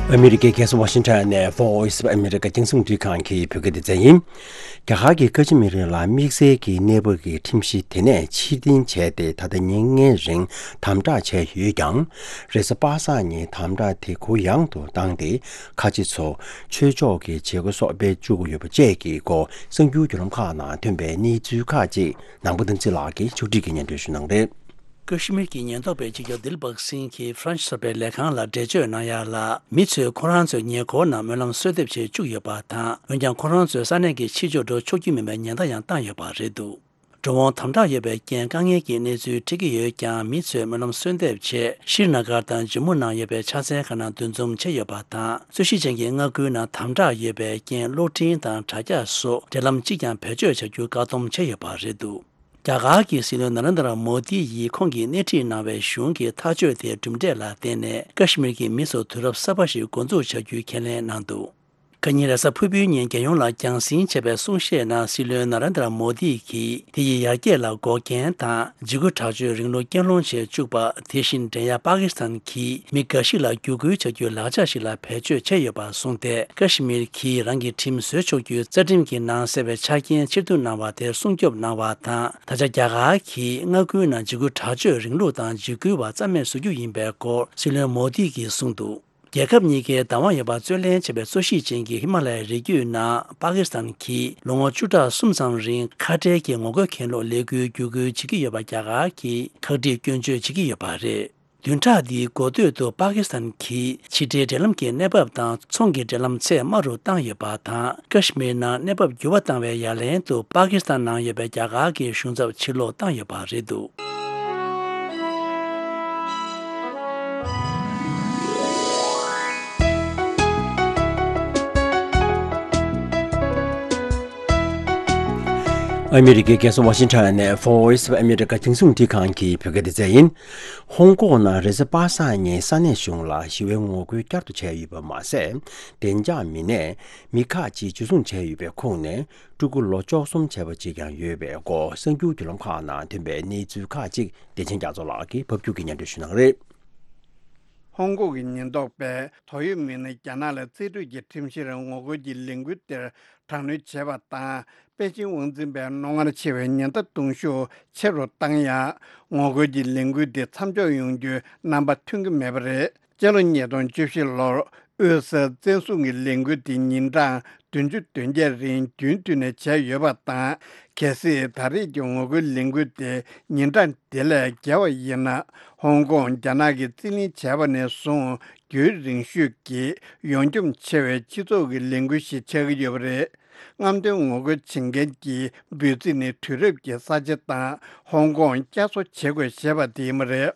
ཨ་མི་རི་ཀའི་རྒྱལ་ས་ཝ་ཤིང་ཊོན་ནས་Voice of America རྒྱང་སྲིང་རླུང་འཕྲིན་ཁང་གི་བོད་སྐད་སྡེ་ཚན་ཡིན། རྒྱ་གར་གྱི་ཀ་ཤི་མིར་ལ་དམིགས་བསལ་གྱི་གནས་བབ་ཀྱི་ཁྲིམས་གཞི་དེ་ནས་ཕྱིར་འཐེན་བྱས་ཏེ་ད་ལྟ་ཉིན་ལྔའི་རིང་དམ་དྲག་བྱས་ཡོད་ཀྱང་། རེས་གཟའ་པ་སངས་ཉིན་དམ་དྲག་དེ་གུ་ཡངས་དུ་བཏང་སྟེ། ཁ་ཆེ་ཚོ་ཆོས་ཕྱོགས་ཀྱི་བྱེད་སྒོ་སོགས་སྤེལ་བཅུག་གི་ཡོད་པ་བཅས་ཀྱི་སྐོར་གསར་འགྱུར་བརྒྱུད་ལམ་ཁག་ནང་ཐོན་པའི་གནས་ཚུལ་ཁག་ཅིག་ནང་པ་དམ་ཚིག་ལགས་ཀྱིས་ཕྱོགས་སྒྲིག་གིས་སྙན་སྒྲོན་ཞུ་གནང་རེད། ཀ་ཤི་མིར་གྱི་ཉེན་རྟོག་པས་སྤྱི་ཁྱབ་དིལ་བག་སིང་གིས་ཧྥ་རན་སི་གསར་པའི་ལས་ཁང་ལ་འགྲེལ་བརྗོད་གནང་ཡ་ལ། མི་ཚོས་ཁོ་རང་ཚོའི་ཉེ་འཁོར་ནང་སྨོན་ལམ་གསོལ་འདེབས་བྱེད་བཅུག་ཡོད་པ་དང་། འོན་ཀྱང་ཁོ་རང་ཚོའི་ས་གནས་ཀྱི་ཕྱི་ཕྱོགས་འགྲོ་ཆོག་རྒྱུ་མིན་པའི་ཉེན་བརྡ་ཡང་བཏང་ཡོད་པ་རེད་འདུག་འགྲོ་འོང་དམ་དྲག་ཡོད་པའི་རྐྱེན་དཀའ་ངལ་གྱི་གནས་ཚུལ་འཕྲད་ཀྱི་ཡོད་ཀྱང་། མི་ཚོས་སྨོན་ལམ་གསོལ་འདེབས་ཆེད་ཤྲི་ན་གར་དང་ཇམ་མུ་ནང་ཡོད་པའི་ཕྱག་འཚལ་ཁང་ནང་འདུ་འཛོམས་བྱས་ཡོད་པ་དང་། རྩོད་གཞི་ཅན་གྱི་མངའ་ཁུལ་ནང་དམ་དྲག་ཡོད་པའི་རྐྱེན་གློག་འཕྲིན་དང་དྲ་རྒྱ་སོགས་འབྲེལ་ལམ་གཅིག་ཀྱང་བེད་སྤྱོད་བྱ་རྒྱུ་བཀག་སྡོམ་བྱས་ཡོད་པ་རེད་འདུག་རྒྱ་གར་གྱི་སྲིད་བློན་ན་རེན་དྲ་མོ་དི་ཡིས་ཁོང་གིས་སྣེ་ཁྲིད་གནང་བའི་གཞུང་གི་ཐག་གཅོད་དེའི་གྲུབ་འབྲས་ལ་བརྟེན་ནས། ཀ་ཤི་མིར་གྱི་མི་ཚོར་དུས་རབས་གསར་པ་ཞིག་འགོ་འཛུགས་བྱ་རྒྱུའི་ཁས་ལེན་གནང་འདུག་ཁ་ཉིན་རེས་གཟའ་ཕུར་བུའི་ཉིན་རྒྱལ་ཡོངས་ལ་རྒྱང་སྲིང་བྱས་པའི་གསུང་བཤད་ནང་སྲིད་བློན་ན་རེན་དྲ་མོ་དི་གིས། དེ་ཡིས་ཡར་རྒྱས་ལ་འགོག་རྐྱེན་དང་འཇིགས་སྐུལ་དྲག་སྤྱོད་རིང་ལུགས་རྐྱེན་སློང་བྱེད་བཅུག་པ། དེ་བཞིན་འགྲན་ཡ་པ་ཀི་སི་ཐན་གྱིས་མི་འགའ་ཞིག་ལ་བརྒྱུད་སྐུལ་བྱ་རྒྱུའི་ལག་ཆ་ཞིག་ལ་བེད་སྤྱོད་བྱས་ཡོད་པ་གསུངས་ཏེ། ཀ་ཤི་མིར་གྱིས་རང་གི་ཁྲིམས་བཟོས་ཆོག་རྒྱུའི་རྩ་ཁྲིམས་ཀྱི་ནང་གསལ་བའི་ཆ་རྐྱེན་ཕྱིར་བསྡུ་གནང་བ་དེར་སྲུང་སྐྱོབ་གནང་བ་དང་། ད་ཆ་རྒྱ་གར་གྱིས་མངའ་ཁུལ་ནང་འཇིགས་སྐུལ་དྲག་སྤྱོད་རིང་ལུགས་དང་འཇིགས་སྐུལ་བ་རྩ་མེད་བཟོ་རྒྱུ་ཡིན་པའི་སྐོར་སྲིད་བློན་མོ་དི་གིས་གསུངས་འདུག་རྒྱལ་ཁབ་གཉིས་ཀའི་བདག་དབང་ཡོད་པ་རྩོད་ལེན་བྱེད་པའི་གཙོ་གཞི་ཅན་གྱི་ཧི་མ་ལ་ཡའི་རི་རྒྱུད་ནང་པ་ཀི་སི་ཐན་གྱིས་ལོ་ངོ་བཅུ་ཕྲག་གསུམ་ཙམ་རིང་ཁ་བྲལ་གྱི་ངོ་རྒོལ་གྱེན་ལོག་ལས་འགུལ་བརྒྱུད་སྐུལ་བྱེད་ཀྱི་ཡོད་པ། རྒྱ་གར་གྱིས་ཁག་དཀྲིས་སྐྱོན་བརྗོད་བྱེད་ཀྱི་ཡོད་པ་རེད། བདུན་ཕྲག་འདིའི་འགོ་སྟོད་དུ་པ་ཀི་སི་ཐན་གྱིས་ཕྱི་འབྲེལ་འབྲེལ་ལམ་གྱི་གནས་བབ་དང་ཚོང་གི་འབྲེལ་ལམ་ཚད་དམའ་རུ་བཏང་ཡོད་པ་དང་། ཀ་ཤི་མིར་ནང་གནས་བབ་འགྱུར་བ་བཏང་བའི་ཡ་ལན་དུ་པ་ཀི་སི་ཐན་ནང་ཡོད་པའི་རྒྱ་གར་གྱི་གཞུང་ཚབ་ཕྱིར་སློག་བཏང་ཡོད་པ་རེད་འདུག་ཨ་མི་རི་ཀའི་རྒྱལ་ས་ཝ་ཤིང་ཊོན་ནས་Voice of America་རྒྱང་སྲིང་རླུང་འཕྲིན་ཁང་གི་བོད་སྐད་སྡེ་ཚན་ཡིན། ཧོང་ཀོང་ནང་རེས་གཟའ་པ་སངས་ཉིན་ས་གནས་གཞུང་ལ་ཞི་བའི་ངོ་རྒོལ་བསྐྱར་དུ་བྱས་ཡོད་པ་མ་ཟད། བདེ་འཇགས་མི་སྣས་མི་ཁག་ཅིག་འཇུ་བཟུང་བྱས་ཡོད་པའི་ཁོངས་ནས་ཕྲུ་གུ་ལོ་བཅུ་གསུམ་བྱས་པ་ཅིག་ཀྱང་ཡོད་པའི་སྐོར་གསར་འགྱུར་བརྒྱུད་ལམ་ཁག་ནང་ཐོན་པའི་གནས་ཚུལ་ཁག་ཅིག་བདེ་ཆེན་རྒྱ་མཚོ་ལགས་ཀྱིས་ཕབ་སྒྱུར་གྱིས་སྙན་སྒྲོན་ཞུ་གནང་གི་རེད། ཧོང་ཀོང་གི་ཉེན་རྟོག་པས་དོགས་ཡོད་མི་སྣ་རྒྱ་ནག་ལ་རྩིས་སྤྲོད་ཀྱི་ཁྲིམས་གཞིར་ངོ་རྒོལ་གྱི་ལས་འགུལ་དེར་དྲག་གནོན་བྱས་པ་དང་། པེ་ཅིང་དབང་འཛིན་པས་རྣོ་ངར་ཆེ་བའི་ཉེན་བརྡ་གཏོང་ཤུགས་ཆེ་རུ་བཏང་ཡང་། ངོ་རྒོལ་གྱི་ལས་འགུལ་འདི་མཚམས་འཇོག་ཡོང་རྒྱུའི་རྣམ་པ་ཐོན་གྱི་མེད་པ་རེད། སྤྱི་ལོ་ཉིས་སྟོང་བཅུ་བཞི་ལོར་དབུས་སར་བཙན་བཟུང་གི་ལས་འགུལ་འདི་ཉིན་གྲངས་བདུན་ཅུ་དོན་བརྒྱད་རིང་རྒྱུན་མཐུད་ནས་བྱས་ཡོད་པ་དང་། གལ་སྲིད་ད་རེས་ཀྱི་ངོ་རྒོལ་ལས་འགུལ་དེ་ཉིན་གྲངས་དེ་ལས་བརྒལ་བ་ཡིན་ན། ཧོང་ཀོང་རྒྱ་ནག་གིས་རྩིས་ལེན་བྱས་པ་ནས་བཟུང་རྒྱུན་རིང་ཤོས་ཀྱི་ཡོངས་འཁྱོངས་ཆེ་བའི་སྤྱི་ཚོགས་ཀྱི་ལས་འགུལ་ཞིག་ཆགས་ཀྱི་ཡོད་པ་རེད། རྔམ་སྟོན་ངོ་རྒོལ་བྱེད་མཁན་གྱི་འབོད་ཚིག་ནི་དུས་རབས་ཀྱི་ས་ཆ་དང་ཧོང་ཀོང་བསྐྱར་གསོ་བྱེད་དགོས་ཞེས་པ་དེ་ཡིན་པ་རེད།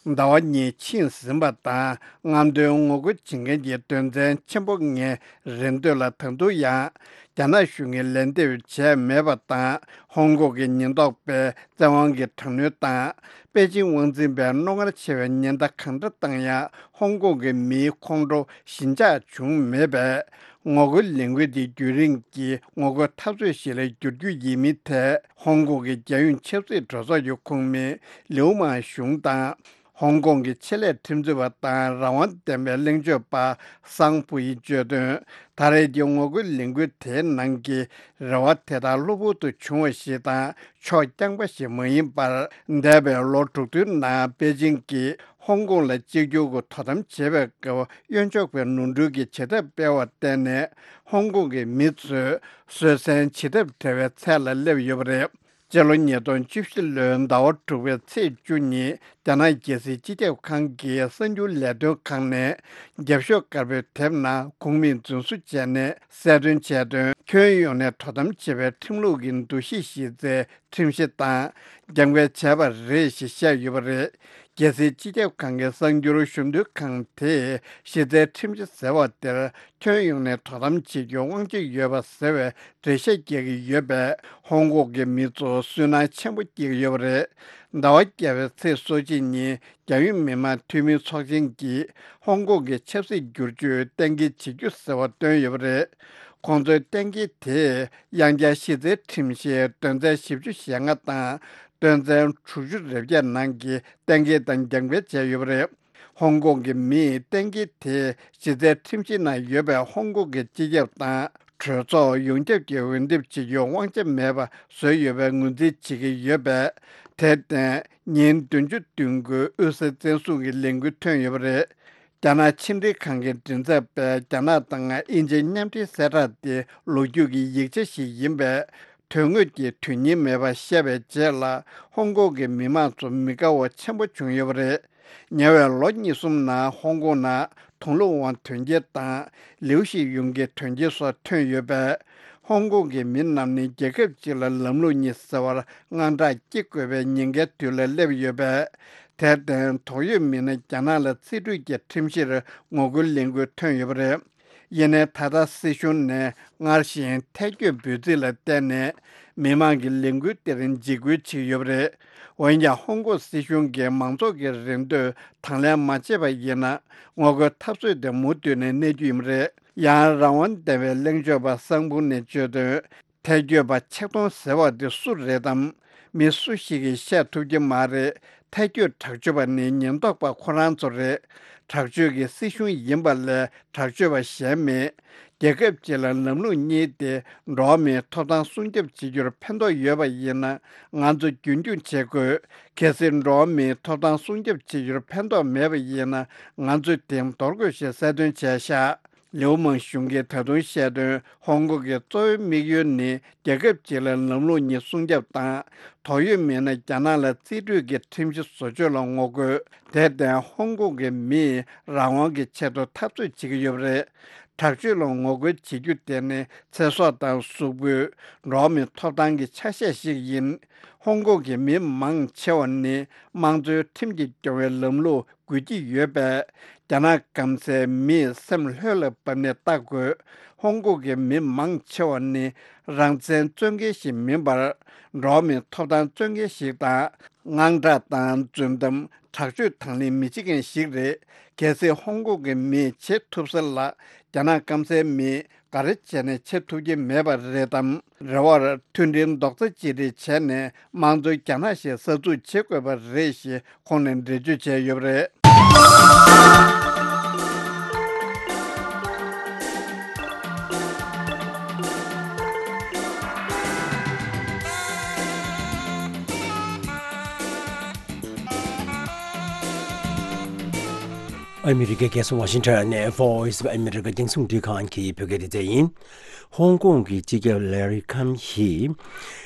ཟླ་བ་གཉིས་ཕྱིན་ཟིན་པ་དང་། རྔམ་སྟོན་ངོ་རྒོལ་བྱེད་མཁན་གྱི་དོན་ཚན་ཆེན་པོ་ལྔའི་རེ་འདོད་ལ་ད་དུང་ཡང་རྒྱ་ནག་གཞུང་གིས་ལན་འདེབས་བྱས་མེད་པ་དང་། ཧོང་ཀོང་གི་ཉེན་རྟོག་པས་བཙན་དབང་གིས་དྲག་གནོན་དང་། པེ་ཅིང་དབང་འཛིན་པས་རྣོ་ངར་ཆེ་བའི་ཉེན་བརྡ་གང་འདྲ་བཏང་ཡང་། ཧོང་ཀོང་གི་མིའི་ཁོང་ཁྲོ་ཞི་འཇགས་བྱུང་མེད་པས། ངོ་རྒོལ་ལས་འགུལ་འདི་རྒྱུན་རིང་གི་ངོ་རྒོལ་འཐབ་རྩོད་ཞིག་ལ་འགྱུར་རྒྱུ་ཡིན་མིན་ཐད། ཧོང་ཀོང་གི་རྒྱལ་ཡོངས་ཆབ་སྲིད་གྲོས་ཚོགས་ཀྱི་ཁོངས་མི་ལིའུ་མང་ཞུང་དང་། ཧོང་ཀོང་གི་ཆེད་ལས་ཁྲིམས་རྩོད་པ་དང་རང་དབང་ལྡན་པའི་གླེང་བརྗོད་པ་སང་ཕུའི་བརྗོད་དོན། ད་རེས་ཀྱི་ངོ་རྒོལ་ལས་འགུལ་དེའི་ནང་གི་རེ་བ་དེ་དག་གློ་བུར་དུ་བྱུང་བ་ཞིག་དང་། ཕྱོགས་རྐྱང་པ་ཞིག་མ་ཡིན་པར། འདས་པའི་ལོ་དྲུག་བདུན་ནང་པེ་ཅིང་གིས་ཧོང་ཀོང་ལ་གཅིག་གྱུར་གྱི་དོ་དམ་བྱེད་པའི་སྐབས་གཡོན་ཕྱོགས་པའི་ནོར་འཁྲུལ་གྱི་བྱེད་ཐབས་སྤེལ་བར་བརྟེན་ནས། ཧོང་ཀོང་གི་མི་ཚོས་བཟོད་བསྲན་བྱེད་ཐབས་བྲལ་བའི་ཚད་ལ་སླེབས་ཡོད་པ་རེད། སྤྱི་ལོ་ཉིས་སྟོང་བཅུ་བཞི་ལོའི་ཟླ་བ་དྲུག་པའི་ཚེས་བཅུ་ཉིན། རྒྱ་ནག་རྒྱལ་སྲིད་སྤྱི་ཁྱབ་ཁང་གི་གསར་འགྱུར་ལས་དོན་ཁང་ནས་རྒྱབ་ཤོག་དཀར་པོའི་དེབ་ནང་ཁུངས་མིང་རྫུན་བཟོ་བྱས་ནས་གསལ་སྟོན་བྱས་དོན། ཁྱོན་ཡོངས་ནས་དོ་དམ་བྱེད་པའི་ཁྲིམས་ལུགས་ཀྱི་འདུ་ཤེས་གཞི་རྩའི་ཁྲིམས་གཞི་དང་འགལ་འགལ་བྱས་པ་རེད་ཞེས་བཤད་ཡོད་པ་རེད། རྒྱལ་སྲིད་སྤྱི་ཁྱབ་ཁང་གི་གསར་འགྱུར་ཞུ་འདོན་ཁང་དེས་གཞི་རྩའི་ཁྲིམས་གཞི་ཟེར་བ་དེར་ཁྱོན་ཡོངས་ནས་དོ་དམ་བྱེད་རྒྱུའི་དབང་ཆ་ཡོད་པ་ཟེར་བའི་འགྲེལ་བཤད་རྒྱག་གི་ཡོད་པས། ཧོང་ཀོང་གི་མི་ཚོར་སུན་སྣང་ཆེན་པོ་སྐྱེ་གི་ཡོད་པ་རེད། ཟླ་བ་བརྒྱད་པའི་ཚེས་སོ་གཅིག་ཉིན། རྒྱལ་ཡོངས་མི་དམངས་འཐུས་མིའི་ཚོགས་ཆེན་གྱིས་ཧོང་ཀོང་གི་ཆབ་སྲིད་བསྒྱུར་བཅོས་གཏན་འཁེལ་བྱེད་རྒྱུ་ཟེར་བ་བཏོན་ཡོད་པ་རེད། ཁོང་ཚོའི་གཏན་འཁེལ་དེས་དབྱང་རྒྱལ་གཞི་རྩའི་ཁྲིམས་གཞིའི་དོན་ཚན་བཞི་བཅུ་ཞེ་ལྔ་དང་དོན་ཚན་དྲུག་ཅུ་རེ་བརྒྱད་ནང་གི་གཏན་འཁེལ་དང་འགལ་འགལ་བྱས་ཡོད་པ་རེད། ཧོང་ཀོང་གི་མིས་གཏན་འཁེལ་དེ་གཞི་རྩའི་ཁྲིམས་གཞི་ནང་ཡོད་པའི་ཧོང་ཀོང་གི་སྤྱི་ཁྱབ་དང་གྲོས་ཚོགས་ཡོངས་ཁྱབ་ཀྱིས་འོས་འདེམས་བྱེད་རྒྱུའི་དབང་ཆ་མེད་པ་བཟོས་ཡོད་པའི་ངོས་འཛིན་བྱེད་ཀྱི་ཡོད་པས། དེར་བརྟེན། ཉིན་བདུན་ཅུ་བདུན་དགུའི་དབུས་སའི་བཙན་བཟུང་གི་ལས་འགུལ་ཐོན་ཡོད་པ་རེད། རྒྱ་ནག་ཕྱི་འབྲེལ་ཁང་གི་མགྲིན་ཚབ་པས། རྒྱ་ནག་དང་དབྱིན་ཇིའི་མཉམ་འབྲེལ་གསལ་བསྒྲགས་དེ་ལོ་རྒྱུས་ཀྱི་ཡིག་ཆ་ཞིག་ཡིན་པས། དོན་དངོས་ཀྱི་དོན་སྙིང་མེད་པ་བཤད་པའི་རྗེས་ལ། ཧོང་ཀོང་གི་མི་མང་ཚོ་མི་དགའ་བ་ཆེན་པོ་བྱུང་ཡོད་པ་རེད། ཉེ་བའི་ལོ་གཉིས་གསུམ་ནང་ཧོང་ཀོང་ནང་དུང་ལུ་ཝང་དོན་རྐྱེན་དང་ལིའུ་ཤི་ཡུང་གི་དོན་རྐྱེན་སོགས་ཐོན་ཡོད་པས། ཧོང་ཀོང་གི་མི་རྣམས་ནི་རྒྱལ་ཁབ་ཅིག་ལ་ལམ་ལུགས་གཉིས་ཟེར་བར་དངངས་སྐྲག་སྐྱེ་དགོས་པའི་ཉེན་ཁའི་དུས་ལ་སླེབས་ཡོད་པས། དེར་བརྟེན། དོགས་ཡོད་མི་སྣ་རྒྱ་ནག་ལ་རྩིས་སྤྲོད་ཀྱི་ཁྲིམས་གཞིར་ངོ་རྒོལ་ལས་འགུལ་ཐོན་ཡོད་པ་རེད། ཡིན་ནའི། ད་ལྟ་སྲིད་གཞུང་ནས་སྔར་བཞིན་ཐལ་སྐྱོད་འབོད་ཚིག་ལ་བརྟེན་ནས། མི་མང་གི་ལས་འགུལ་དེར་འཇིགས་སྐུལ་བྱེད་ཀྱི་ཡོད་པ་རེད། འོན་ཀྱང་ཧོང་ཀོང་སྲིད་གཞུང་གིས་མང་ཚོགས་ཀྱི་རེ་འདོད་དང་ལེན་མ་བྱས་པ་ཡིན་ན། ངོ་རྒོལ་འཐབ་རྩོད་དེ་མུ་མཐུད་ནས་གནས་རྒྱུ་ཡིན་པ་རེད། ཡང་རང་དབང་ལྡན་པའི་གླེང་བརྗོད་པ་སང་ཕུང་ནས་བརྗོད་དོན། ཐལ་སྐྱོད་པ་ཆེད་གཏོང་ཟེར་བ་འདི་སུ་རེད་དམ། མི་སུ་ཞིག་གིས་བཤད་ཐུབ་ཀྱི་མ་རེད། ཐལ་སྐྱོད་དྲག་སྤྱོད་པ་ནི་ཉེན་རྟོག་པ་ཁོ་རང་ཚོ་རེད། དྲག་སྤྱོད་ཀྱི་སྲིད་གཞུང་ཡིན་པ་ལས་དྲག་སྤྱོད་པ་གཞན་མེད། རྒྱལ་ཁབ་ཅིག་ལ་ལམ་ལུགས་གཉིས་ཏེ། འགྲོ་བ་མིའི་ཐོབ་ཐང་སྲུང་སྐྱོབ་བྱེད་རྒྱུར་ཕན་ཐོགས་ཡོད་པ་ཡིན་ན། ང་ཚོ་རྒྱུན་འཁྱོངས་བྱེད་དགོས། གལ་སྲིད་འགྲོ་བ་མིའི་ཐོབ་ཐང་སྲུང་སྐྱོབ་བྱེད་རྒྱུར་ཕན་ཐོགས་མེད་པ་ཡིན་ན། ང་ཚོས་དེ་འདོར་དགོས་ཞེས་གསལ་སྟོན་བྱས་ཤག་ལེའུ་མང་གཞུང་གིས་ད་དུང་བཤད་དོན། ཧོང་ཀོང་གི་གཙོ་བོའི་དམིགས་ཡུལ་ནི་རྒྱལ་ཁབ་ཅིག་ལ་ལམ་ལུགས་གཉིས་སྲུང་སྐྱོབ་དང་། དོགས་ཡོད་མེད་ན་རྒྱ་ནག་ལ་རྩིས་སྤྲོད་ཀྱི་ཁྲིམས་གཞི་བཟོ་བཅོས་ལ་ངོ་རྒོལ། དེར་བརྟེན་ཧོང་ཀོང་གི་མིས་རང་དབང་གི་ཆེད་དུ་འཐབ་རྩོད་བྱེད་ཀྱི་ཡོད་པ་རེད། དྲག་སྤྱོད་ལ་ངོ་རྒོལ་བྱེད་རྒྱུ་དེ་ནི་ཚེ་སྲོག་དང་གཟུགས་པོའི། འགྲོ་བ་མིའི་ཐོབ་ཐང་གི་ཆ་ཤས་ཤིག་ཡིན། ཧོང་ཀོང་གི་མི་མང་ཆེ་བ་ནི་དམངས་གཙོའི་ཁྲིམས་ཀྱིས་སྐྱོང་བའི་ལམ་ལུགས་དགོས་ཀྱི་ཡོད་པས། རྒྱ་ནག་སྐམ་སའི་མིས་སེམས་ལྷོད་ལ་བབས་ནས་ལྟ་དགོས། ཧོང་ཀོང་གི་མི་མང་ཆེ་བ་ནི་རང་བཙན་རྩོད་མཁན་ཞིག་མིན་པར། འགྲོ་བ་མིའི་ཐོབ་ཐང་རྩོད་མཁན་ཞིག་དང་། དངངས་སྐྲག་དང་རྫུན་གཏམ། དྲག་སྤྱོད་དང་ལེན་མི་བྱེད་མཁན་ཞིག་རེད། གལ་སྲིད་ཧོང་ཀོང་གི་མིས་བྱེད་ཐུབ་ས་ལ། རྒྱ་ནག་སྐམ་སའི་མིས་ག་རེ་བྱས་ནས་བྱེད་ཐུབ་ཀྱི་མེད་པ་རེད་དམ། རེ་བར་མཐུན་སྒྲིལ་རྡོག་རྩ་གཅིག་སྒྲིལ་བྱས་ནས་དམངས་གཙོའི་རྒྱ་ནག་ཞིག་གསར་འཛུགས་བྱེད་དགོས་པ་རེད་ཞེས་ཁོང་ནས་འགྲེལ་བརྗོད་བྱས་ཡོད་པ་རེད། ཨ་མི་རི་ཀའི་རྒྱལ་ས་ཝ་ཤིང་ཊོན་ནས་Voice of America རྒྱང་སྲིང་རླུང་འཕྲིན་ཁང་གི་བོད་སྐད་སྡེ་ཚན་ཡིན། ཧོང་ཀོང་གི་སྤྱི་ཁྱབ་ལེ་རི་ཁམ་ཧི།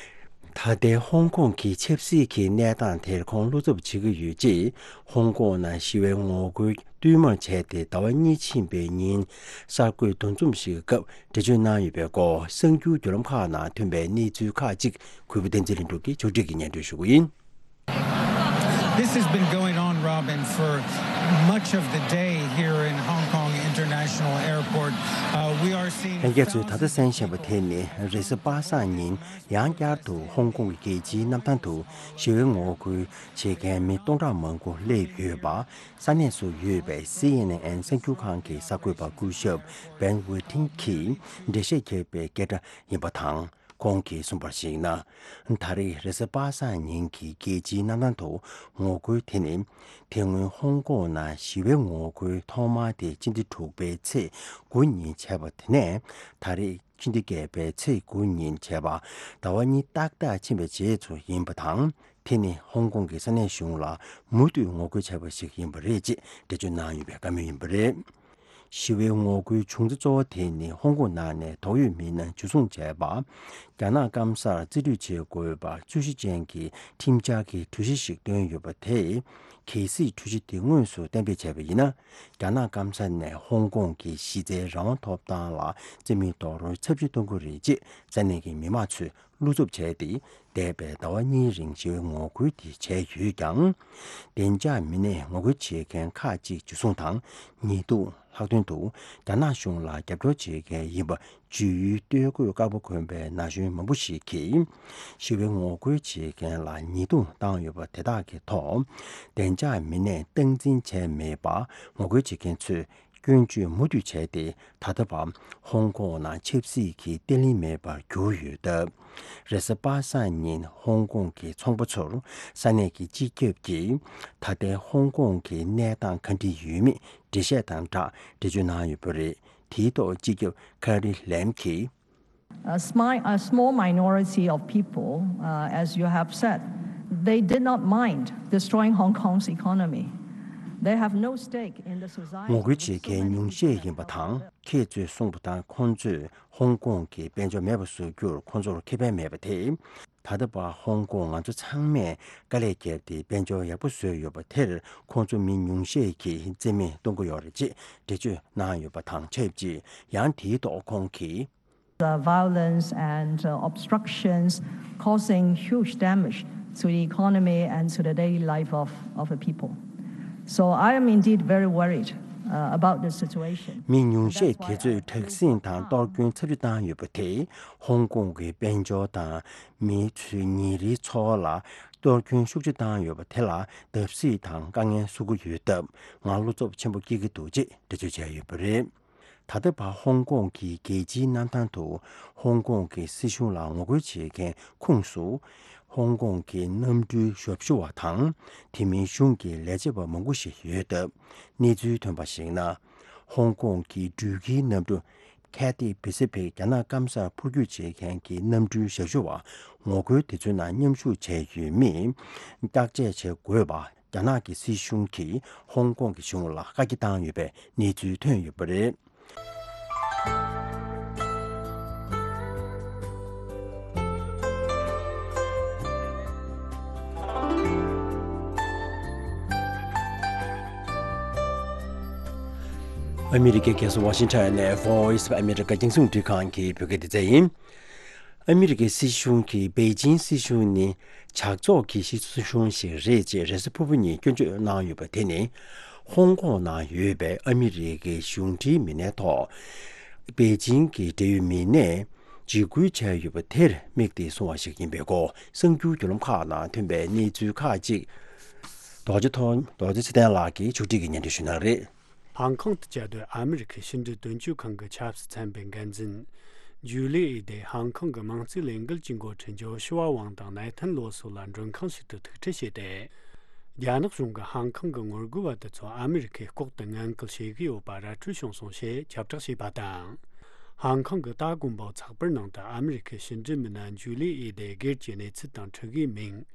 ད་ལྟའི་ཧོང་ཀོང་གི་ཆབ་སྲིད་ཀྱི་གནས་སྟངས་དེར་ཁོང་བློ་འཚབ་བྱེད་ཀྱི་ཡོད་ཅེས། ཧོང་ཀོང་ནང་ཞི་བའི་ངོ་རྒོལ་བསྟུད་མར་བྱས་ཏེ་ཟླ་བ་གཉིས་ཕྱིན་པའི་ཉིན། གསར་འགོད་འདུ་འཛོམས་ཤིག་གི་སྐབས་འགྲེལ་བརྗོད་གནང་ཡོད་པའི་སྐོར། གསར་འགྱུར་བརྒྱུད་ལམ་ཁག་ནང་ཐོན་པའི་གནས་ཚུལ་ཁག་ཅིག་གུས་པ་བསྟན་འཛིན་ལྷུན་གྲུབ་ཀྱིས་ཕྱོགས་སྒྲིག་གིས་སྙན་སྒྲོན་ཞུ་གི་ཡིན། This has been going on, Robin, for much of the day here in Hong Kong International Airport. Uh, we are seeing ལྷན་རྒྱས་ཚོས་ད་ལྟ་གསན་བཞིན་པ་དེ་ནི་རེས་གཟའ་པ་སངས་ཉིན་ཡང་བསྐྱར་དུ་ཧོང་ཀོང་གི་རྒྱལ་སྤྱིའི་གནམ་ཐང་དུ་ཞི་བའི་ངོ་རྒོལ་བྱེད་མཁན་མི་སྟོང་ཕྲག་མང་པོ་སླེབས་ཡོད་པ། ས་གནས་སུ་ཡོད་པའི་སི་ཨེན་ཨེན་གསར་འགྱུར་ཁང་གི་གསར་འགོད་པ་སྐུ་ཞབས་བན་ཝེ་ཐིང་གིས་འགྲེལ་བཤད་བརྒྱབ་པའི་སྐད་སྒྲ་ཡིན་པ་དང་། ཁོང་གིས་གསུངས་པར་གཞིགས་ན། ད་རེས་རེས་གཟའ་པ་སངས་ཉིན་གྱི་རྒྱལ་སྤྱིའི་གནམ་ཐང་དུ་ངོ་རྒོལ་དེ་ནི། དེ་སྔོན་ཧོང་ཀོང་ནང་ཞི་བའི་ངོ་རྒོལ་ཐོག་མ་དེ་ཕྱི་ཟླ་དྲུག་པའི་ཚེས་དགུ་ཉིན་བྱས་པ་དེ་ནས། ད་རེས་ཕྱི་ཟླ་བརྒྱད་པའི་ཚེས་དགུ་ཉིན་བྱས་པ། ཟླ་བ་གཉིས་ཏག་ཏག་ཕྱིན་པའི་རྗེས་སུ་ཡིན་པ་དང་། དེ་ནི་ཧོང་ཀོང་གི་ས་གནས་གཞུང་ལ་མུ་མཐུད་ངོ་རྒོལ་བྱས་པ་ཞིག་ཡིན་པ་རེད་ཅེས་འགྲེལ་བརྗོད་གནང་ཡོད་པའི་བཀའ་མོལ་ཡིན་པ་རེད། ཞི་བའི་ངོ་རྒོལ་བྱུང་ཚུལ་གཙོ་བོ་དེ་ནི་ཧོང་ཀོང་ནང་ནས་དོགས་ཡོད་མི་སྣ་འཇུ་བཟུང་བྱས་པ། རྒྱ་ནག་སྐམ་སར་རྩིས་སྤྲོད་བྱེད་དགོས་པར་རྩོད་གཞི་ཅན་གྱི་ཁྲིམས་འཆར་གྱི་གྲོས་གཞི་ཞིག་བཏོན་ཡོད་པ་དེས། གལ་སྲིད་གྲོས་གཞི་དེ་དངོས་སུ་གཏན་འབེབས་བྱས་པ་ཡིན་ན། རྒྱ་ནག་སྐམ་ས་ནས་ཧོང་ཀོང་གི་གཞི་རྩའི་རང་དབང་ཐོབ་ཐང་ལ་རྩིས་མེད་རྡོག་རོལ་ཚབས་ཆེན་གཏོང་གི་རེད་ཅེས་ས་གནས་ཀྱི་མི་མང་ཚོས་བློ་འཚབ་བྱས་ཏེ། འདས་པའི་ཟླ་བ་གཉིས་རིང་ཞི་བའི་ངོ་རྒོལ་དེ་བྱས་ཡོད་ཀྱང་། བདེ་འཇགས་མི་སྣས་ངོ་རྒོལ་བྱེད་མཁན་ཁག་ཅིག་འཇུ་བཟུང་དང་། ཉེས་རྡུང་། ལྷག་དོན་དུ་རྒྱ་ནག་གཞུང་ལ་རྒྱབ་སྐྱོར་བྱེད་མཁན་ཡིན་པ་བརྗོད་ཡུལ་སྟོན་དགོས་བཀའ་པོད་དགོན་པའི་ན་གཞོན་མང་པོ་ཞིག་གིས། ཞི་བའི་ངོ་རྒོལ་བྱེད་མཁན་ལ་ཉེས་རྡུང་བཏང་ཡོད་པ་དེ་དག་གི་ཐོག་བདེ་འཇགས་མི་སྣས་སྟངས་འཛིན་བྱས་མེད་པ། ངོ་རྒོལ་བྱེད་མཁན་ཚོས། སྐྱོན་བརྗོད་མུ་མཐུད་བྱས་ཏེ། ད་ལྟ་བར་ཧོང་ཀོང་ནང་ཆབ་སྲིད་ཀྱི་བརྟན་ལྷིང་མེད་པར་གྱུར་ཡོད་སྟབས། རེས་གཟའ་པ་སངས་ཉིན་ཧོང་ཀོང་གི་ཚོང་པ་ཚོར་ས་གནས་ཀྱི་སྤྱི་ཁྱབ་ཀྱིས་ད་ལྟའི་ཧོང་ཀོང་གི་གནས་སྟངས་ག་འདྲ་ཡོད་མེད་འགྲེལ་བཤད་དང་སྦྲགས་འགྲེལ་བརྗོད་གནང་ཡོད་པ་རེད། དེའི་ཐོག་སྤྱི་ཁྱབ་ཁ་རི་ལེམ་གྱིས། A smi- a small minority of people, uh, as you have said, they did not mind destroying Hong Kong's economy. They have no stake in the society. ངོ་རྒོལ་བྱེད་མཁན་ཉུང་ཤས་ཡིན་པ་དང་། ཁྱེད་ཚོས་གསུངས་པ་ལྟར། ཁོང་ཚོས་ཧོང་ཀོང་གི་དཔལ་འབྱོར་མེད་པ་བཟོ་རྒྱུར་ཁོང་ཚོར་ཁེ་ཕན་མེད་པ་དེ། ད་ལྟ་བར་ཧོང་ཀོང་ང་ཚོ་ཚང་མས་དཀའ་ལས་བརྒྱབ་སྟེ་དཔལ་འབྱོར་ཡག་པོ་བཟོས་ཡོད་པ་དེར། ཁོང་ཚོ་མི་ཉུང་ཤས་ཀྱིས་རྩིས་མེད་གཏོང་གི་ཡོད་རེད་ཅེས་འགྲེལ་བརྗོད་གནང་ཡོད་པ་དང་ཆབས་ཅིག་ཡང་དེའི་ཐོག་ཁོང་གིས། The violence and, uh, obstructions causing huge damage to the economy and to the daily life of, of the people. So I am indeed very worried. uh, about the situation. མི་ཉུང་ཤས་དེ་ཚོས་དྲག་ཟིང་དང་གཏོར་སྐྱོན་ཚབས་ཆེ་བཏང་ཡོད་པ་དེས་ཧོང་ཀོང་གི་དཔལ་འབྱོར་དང་མི་ཚོའི་ཉིན་རེའི་འཚོ་བ་ལ་གཏོར་སྐྱོན་ཤུགས་ཆེ་བཏང་ཡོད་པ་དེ་ལ་བརྡབ་གསིག་དང་དཀའ་ངལ་བཟོ་གི་ཡོད་སྟབས་ང་བློ་འཚབ་ཆེན་པོ་སྐྱེ་གི་འདུག་ཅེས་འགྲེལ་བརྗོད་བྱས་ཡོད་པ་རེད། ད་ལྟ་བར་ཧོང་ཀོང་གི་རྒྱལ་སྤྱིའི་གནམ་ཐང་དུ་ཧོང་ཀོང་གི་སྲིད་གཞུང་ལ་ངོ་རྒོལ་བྱེད་མཁན་ཁོངས་སུ་ཧོང་ཀོང་གི་གནམ་གྲུའི་ཞབས་ཞུ་བ་དང་དེ་མིན་གཞུང་གི་ལས་བྱེད་པ་མང་པོ་ཞིག་ཡོད་སྟབས། གནས་ཚུལ་ཐོན་པར་གཞིགས་ན། ཧོང་ཀོང་གི་འགྲུལ་སྐྱེལ་གནམ་གྲུ་Cathay Pacific རྒྱ་ནག་སྐམ་སར་འཕུར་སྐྱོད་བྱེད་མཁན་གྱི་གནམ་གྲུའི་ཞབས་ཞུ་བ་ངོ་རྒོལ་དེ་ཚོའི་ནང་མཉམ་ཞུགས་བྱས་ཡོད་མིས་བརྟག་དཔྱད་བྱེད་དགོས་པ། རྒྱ་ནག་གི་སྲིད་གཞུང་གིས་ཧོང་ཀོང་གི་གཞུང་ལ་བཀའ་རྒྱ་བཏང་ཡོད་པའི་གནས་ཚུལ་ཐོན་ཡོད་པ་རེད། ཨ་མི་རི་ཀའི་རྒྱལ་ས་ཝ་ཤིང་ཊོན་ནས་Voice of America རྒྱང་སྲིང་རླུང་འཕྲིན་ཁང་གི་བོད་སྐད་སྡེ་ཚན་ཡིན། ཨ་མི་རི་ཀའི་སྲིད་གཞུང་གིས་པེ་ཅིང་སྲིད་གཞུང་ནི་ཇག་ཚོགས་ཀྱི་སྲིད་གཞུང་ཞིག་རེད་ཅེས་རེས་གཟའ་ཕུར་བུ་ཉིན་སྐྱོན་བརྗོད་གནང་ཡོད་པ་དེ་ནི། ཧོང་ཀོང་ནང་ཡོད་པའི་ཨ་མི་རི་ཀའི་གཞུང་འབྲེལ་མི་སྣའི་ཐོག་པེ་ཅིང་གི་འབྲེལ་ཡོད་མི་སྣས་འཇིགས་སྐུལ་བྱས་ཡོད་པ་དེར་དམིགས་ཏེ་གསུངས་པ་ཞིག་ཡིན་པའི་སྐོར་གསར་འགྱུར་བརྒྱུད་ལམ་ཁག་ནང་ཐོན་པའི་གནས་ཚུལ་ཁག་ཅིག་རྡོ་རྗེ་ཐོ་རྡོ་རྗེ་ཚེ་བརྟན་ལགས་ཀྱིས་ཕྱོགས་སྒྲིག་གིས་སྙན་སྒྲོན་ཞུ་གནང་རེད། ཧང་ཀང་དུ་བཅའ་སྡོད་ཨ་མི་རི་ཁའི་ཕྱི་འབྲེལ་དོན་གཅོད་ཁང་གི་ཆབ་སྲིད་ཚན་པའི་འགན་འཛིན་ཇུ་ལི་ཨི་དེ་ཧང་ཀང་གི་དམངས་གཙོའི་ལས་འགུལ་གྱི་འགོ་ཁྲིད་ཇོ་ཤུ་ཝ་ཝང་དང་ནེ་ཐན་ལོ་སོགས་ལ་མགྲོན་ཁང་ཞིག་ཏུ་ཐུག་འཕྲད་བྱས་ཏེ། རྒྱ་ནག་གཞུང་གིས་ཧང་ཀང་གི་ངོ་རྒོལ་བ་དེ་ཚོ་ཨ་མི་རི་ཁས་ལྐོག་ཏུ་ངན་སྐུལ་བྱེད་ཀྱི་ཡོད་པ་ར་འཕྲོད་བྱུང་སོང་ཞེས་ཁྱབ་བསྒྲགས་བྱས་པ་དང་། ཧང་ཀང་གི་ཏཱ་དགོན་པའི་ཚགས་པར་ནང་དུ་ཨ་མི་རི་ཁའི་ཕྱི་འབྲེལ་མི་སྣ་ཇུ་ལི་ཨི་དེ་སྒེར་གྱི་གནས་ཚུལ་དང་འཁྲུག་གི་མིང་།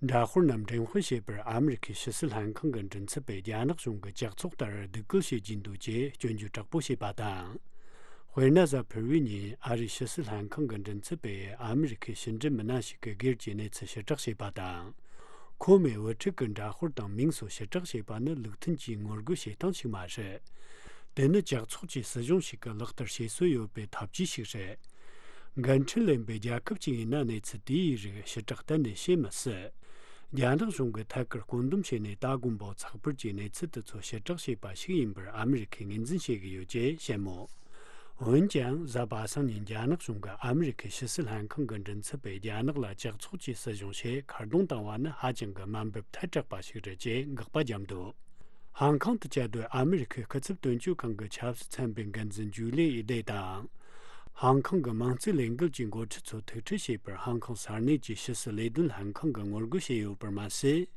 འདྲ་དཔར་རྣམས་འགྲེམས་སྤེལ་བྱས་པར་ཨ་མི་རི་ཁའི་ཕྱི་སྲིད་ལྷན་ཁང་གི་མགྲིན་ཚབ་པས་རྒྱ་ནག་གཞུང་གི་ཇག་ཚོགས་ལྟར་སྡུག་སྐུལ་བྱེད་ཀྱིན་འདུག་ཅེས་སྐྱོན་བརྗོད་དྲག་པོ་བྱས་པ་དང་། དཔེར་ན་གཟའ་ཕུར་བུའི་ཉིན་ཨ་རིའི་ཕྱི་སྲིད་ལྷན་ཁང་གི་མགྲིན་ཚབ་པས་ཨ་མི་རི་ཁའི་ཕྱི་འབྲེལ་མི་སྣ་ཞིག་གི་སྒེར་གྱི་གནས་ཚུལ་ཕྱིར་བསྒྲགས་བྱས་པ་དང་། ཁོ་མོས་བུ་ཕྲུག་གི་འདྲ་དཔར་དང་མིང་སོགས་ཕྱིར་བསྒྲགས་བྱས་པ་ནི་ལུགས་མཐུན་གྱི་ངོ་རྒོལ་བྱེད་སྟངས་ཤིག་མ་རེད། དེ་ནི་ཇག་ཚོགས་ཀྱི་སྲིད་གཞུང་ཞིག་གིས་ལག་བསྟར་བྱེད་སྲོལ་ཡོད་པའི་ཐབས་ཇུས་ཤིག་རེད། འགན་འཁྲི་ལེན་པའི་རྒྱལ་ཁབ་ཅིག་ཡིན་ན་གནས་ཚུལ་དེའི་རིགས་ཕྱིར་བསྒྲགས་གཏན་ནས་བྱེད་མི་སྲིད། རྒྱ་ནག་གཞུང་གིས་ཐད་ཀར་བཀོད་འདོམས་བྱས་ནས་ཏཱ་དགོན་པའི་ཚགས་པར་གྱི་གནས་ཚུལ་དེ་ཚོ་ཕྱིར་བསྒྲགས་བྱས་པ་ཞིག་ཡིན་པར་ཨ་མི་རི་ཁས་ངོས་འཛིན་བྱེད་ཀྱི་ཡོད་ཅེས་བཤད་མོད། འོན་ཀྱང་གཟའ་པ་སངས་ཉིན་རྒྱ་ནག་གཞུང་གིས་ཨ་མི་རི་ཁའི་ཕྱི་སྲིད་ལྷན་ཁང་གི་མགྲིན་ཚབ་པས་རྒྱ་ནག་ལ་ཇག་ཚོགས་ཀྱི་སྲིད་གཞུང་ཞེས་ཁ་རྡུང་བཏང་བ་ནི་ཧ་ཅང་གི་དམའ་འབེབས་ཐལ་དྲགས་པ་ཞིག་རེད་ཅེས་དགག་པ་བརྒྱབ་འདུག་ཧང་ཀང་དུ་བཅའ་སྡོད་ཨ་མི་རི་ཁའི་སྐུ་ཚབ་དོན་གཅོད་ཁང་གི་ཆབ་སྲིད་ཚན་པའི་འགན་འཛིན་ཇུ་ལི་ཨི་དེ་དང་། ཧང་ཀང་གི་དམངས་གཙོའི་ལས་འགུལ་གྱི་འགོ་ཁྲིད་ཚོ་ཐུག་འཕྲད་བྱས་པར་ཧང་ཀང་ས་གནས་ཀྱི་ཕྱི་སྲིད་ལས་དོན་ལྷན་ཁང་གིས་ངོ་རྒོལ་བྱས་ཡོད་པར་མ་ཟད།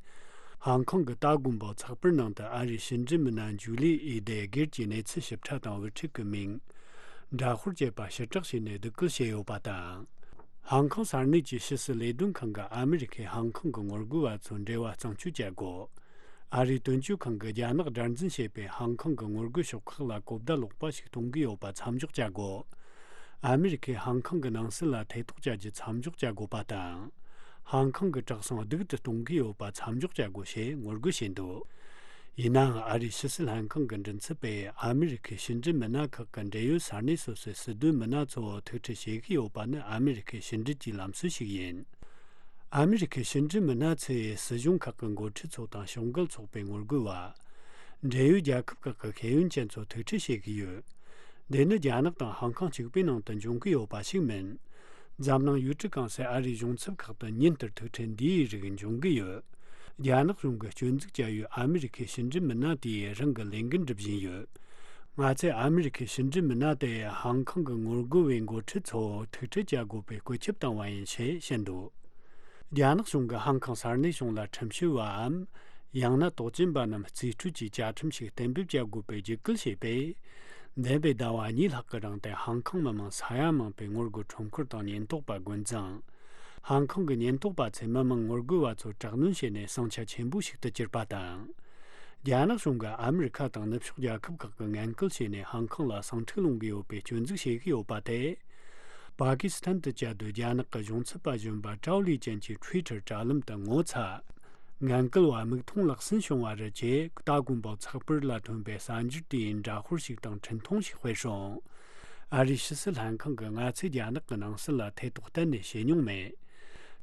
ཧང་ཀང་གི་ཏཱ་དགོན་པའི་ཚགས་པར་ནང་དུ་ཨ་རིའི་ཕྱི་འབྲེལ་མི་སྣ་ཇུ་ལི་ཨི་དེ་སྒེར་གྱི་གནས་ཚུལ་ཞིབ་ཕྲ་དང་བུ་ཕྲུག་གི་མིང་། འདྲ་དཔར་བཅས་པ་ཕྱིར་བསྒྲགས་བྱས་ནས་སྡུག་སྐུལ་བྱས་ཡོད་པ་དང་། ཧང་ཀང་ས་གནས་ཀྱི་ཕྱི་སྲིད་ལས་དོན་ཁང་གིས་ཨ་མི་རི་ཁས་ཧང་ཀང་གི་ངོ་རྒོལ་བ་ཚོའི་འབྲེལ་བ་གཙང་བཅོས་བྱ་དགོས། ཨ་རིའི་དོན་གཅོད་ཁང་གིས་རྒྱ་ནག་དགྲར་འཛིན་བྱེད་པའི་ཧང་ཀང་གི་ངོ་རྒོལ་ཕྱོགས་ཁག་ལ་གོ་བརྡ་ལོག་པ་ཞིག་གཏོང་གི་ཡོད་པ་མཚམས་འཇོག་བྱ་དགོས། ཨ་མི་རི་ཁས་ཧང་ཀང་གི་ནང་སྲིད་ལ་ཐེ་གཏོགས་བྱ་རྒྱུ་མཚམས་འཇོག་བྱ་དགོས་པ་དང་། ཧང་ཀང་གི་གྲགས་སོང་སྡུག་ཏུ་གཏོང་གི་ཡོད་པ་མཚམས་འཇོག་བྱ་དགོས་ཞེས་ངོ་རྒོལ་བྱས་འདུག་ཡིན་ནའང་ཨ་རིའི་ཕྱི་སྲིད་ལྷན་ཁང་གི་མགྲིན་ཚབ་པས་ཨ་མི་རི་ཁའི་ཕྱི་འབྲེལ་མི་སྣ་ཁག་གི་འབྲེལ་ཡོད་ས་གནས་སོ་སོའི་སྲིད་དོན་མི་སྣ་ཚོ་ཐུག་འཕྲད་བྱེད་ཀྱི་ཡོད་པ་ནི་ཨ་མི་རི་ཁའི་ཕྱི་འབྲེལ་གྱི་ལམ་སྲོལ་ཞིག་ཡིན། ཨ་མི་རི་ཁའི་ཕྱི་འབྲེལ་མི་སྣ་ཚོས་སྲིད་གཞུང་ཁག་གི་འགོ་ཁྲིད་ཚོ་དང་ཕྱོགས་འགལ་ཚོགས་པའི་ངོ་རྒོལ་བ། འབྲེལ་ཡོད་རྒྱལ་ཁབ་ཁག་གི་ཤེས་ཡོན་ཅན་ཚོ་ཐུག་འཕྲད་བྱེད་ཀྱི་ཡོད། འདི་ནི་རྒྱ་ནག་དང་ཧང་ཀང་གཅིག་པུའི་ནང་དུ་འབྱུང་གི་ཡོད་པ་ཞིག་མིན། འཛམ་གླིང་ཡུལ་གྲུ་གང་སའི་ཨ་རིའི་གཞུང་ཚབ་ཁག་ཏུ་ཉིན་ལྟར་ཐུག་འཕྲད་འདིའི་རིགས་འབྱུང་གི་ཡོད། རྒྱ་ནག་གཞུང་གིས་སྐྱོན་འཛུགས་བྱ་ཡུལ་ཨ་མི་རི་ཁའི་ཕྱི་འབྲེལ་མི་སྣ་དེས་རང་གི་ལས་འགན་སྒྲུབ་བཞིན་ཡོད། ང་ཚོས་ཨ་མི་རི་ཁའི་ཕྱི་འབྲེལ་མི་སྣ་དེ་ཧང་ཀང་གི་ངོ་རྒོལ་བའི་འགོ་ཁྲིད་ཚོ་ཐུག་འཕྲད་བྱ་དགོས་པའི་བཀོད་ཁྱབ་བཏང་བ་ཡིན་ཞེས་བཤད་འདུག་རྒྱ་ནག་གཞུང་གིས་ཧང་ཀང་ས་གནས་གཞུང་ལ་ཁྲིམས་ཞིབ་པའམ། ཡང་ན་དོགས་ཅན་པ་རྣམས་རྩིས་སྤྲོད་ཀྱི་བཅའ་ཁྲིམས་ཤིག་གཏན་འབེབས་བྱ་དགོས་པའི་རྒྱུད་སྐུལ་བྱས་པས། འདས་པའི་ཟླ་བ་གཉིས་ལྷག་གི་རིང་དུ་ཧང་ཀང་མི་མང་ས་ཡ་མང་པོས་ངོ་རྒོལ་ཁྲོམ་སྐོར་དང་ཉེན་རྟོག་པ་རྒོལ་འཛིང་། ཧང་ཀང་གི་ཉེན་རྟོག་པ་ཚོས་མི་མང་ངོ་རྒོལ་བ་ཚོར་དྲག་གནོན་བྱས་ནས་ཟིང་ཆ་ཆེན་པོ་ཞིག་ཏུ་གྱུར་པ་དང་། རྒྱ་ནག་གཞུང་གིས་ཨ་མི་རི་ཁ་དང་ནུབ་ཕྱོགས་རྒྱལ་ཁབ་ཁག་གིས་ངན་སྐུལ་བྱས་ནས་ཧང་ཀང་ལ་ཟིང་འཁྲུག་སློང་གི་ཡོད་པའི་སྐྱོན་འཛུགས་བྱེད་ཀྱི་ཡོད་པ་དེ། པ་ཀི་སི་ཐན་དུ་བཅའ་སྡོད་རྒྱ་ནག་གི་གཞུང་ཚབ་པ་གཞོན་པ་ཀྲའོ་ལི་ཅན་གྱི་ཊུའི་ཊར་དྲ་ལམ་དུ་ངོ་ཚ། ངན་སྐུལ་བ་མིག་མཐོང་ལག་ཟིན་བྱུང་བ་རེད་ཅེས་ཏཱ་དགོན་པའི་ཚགས་པར་ལ་ཐོན་པའི་གསར་འགྱུར་དེའི་འདྲ་དཔར་ཞིག་དང་འཕྲིན་ཐུང་ཞིག་སྤེལ་སོང་། ཨ་རིའི་ཕྱི་སྲིད་ལྷན་ཁང་གིས་ང་ཚོས་རྒྱ་ནག་གི་ནང་སྲིད་ལ་ཐེ་གཏོགས་གཏན་ནས་བྱེད་མྱོང་མེད།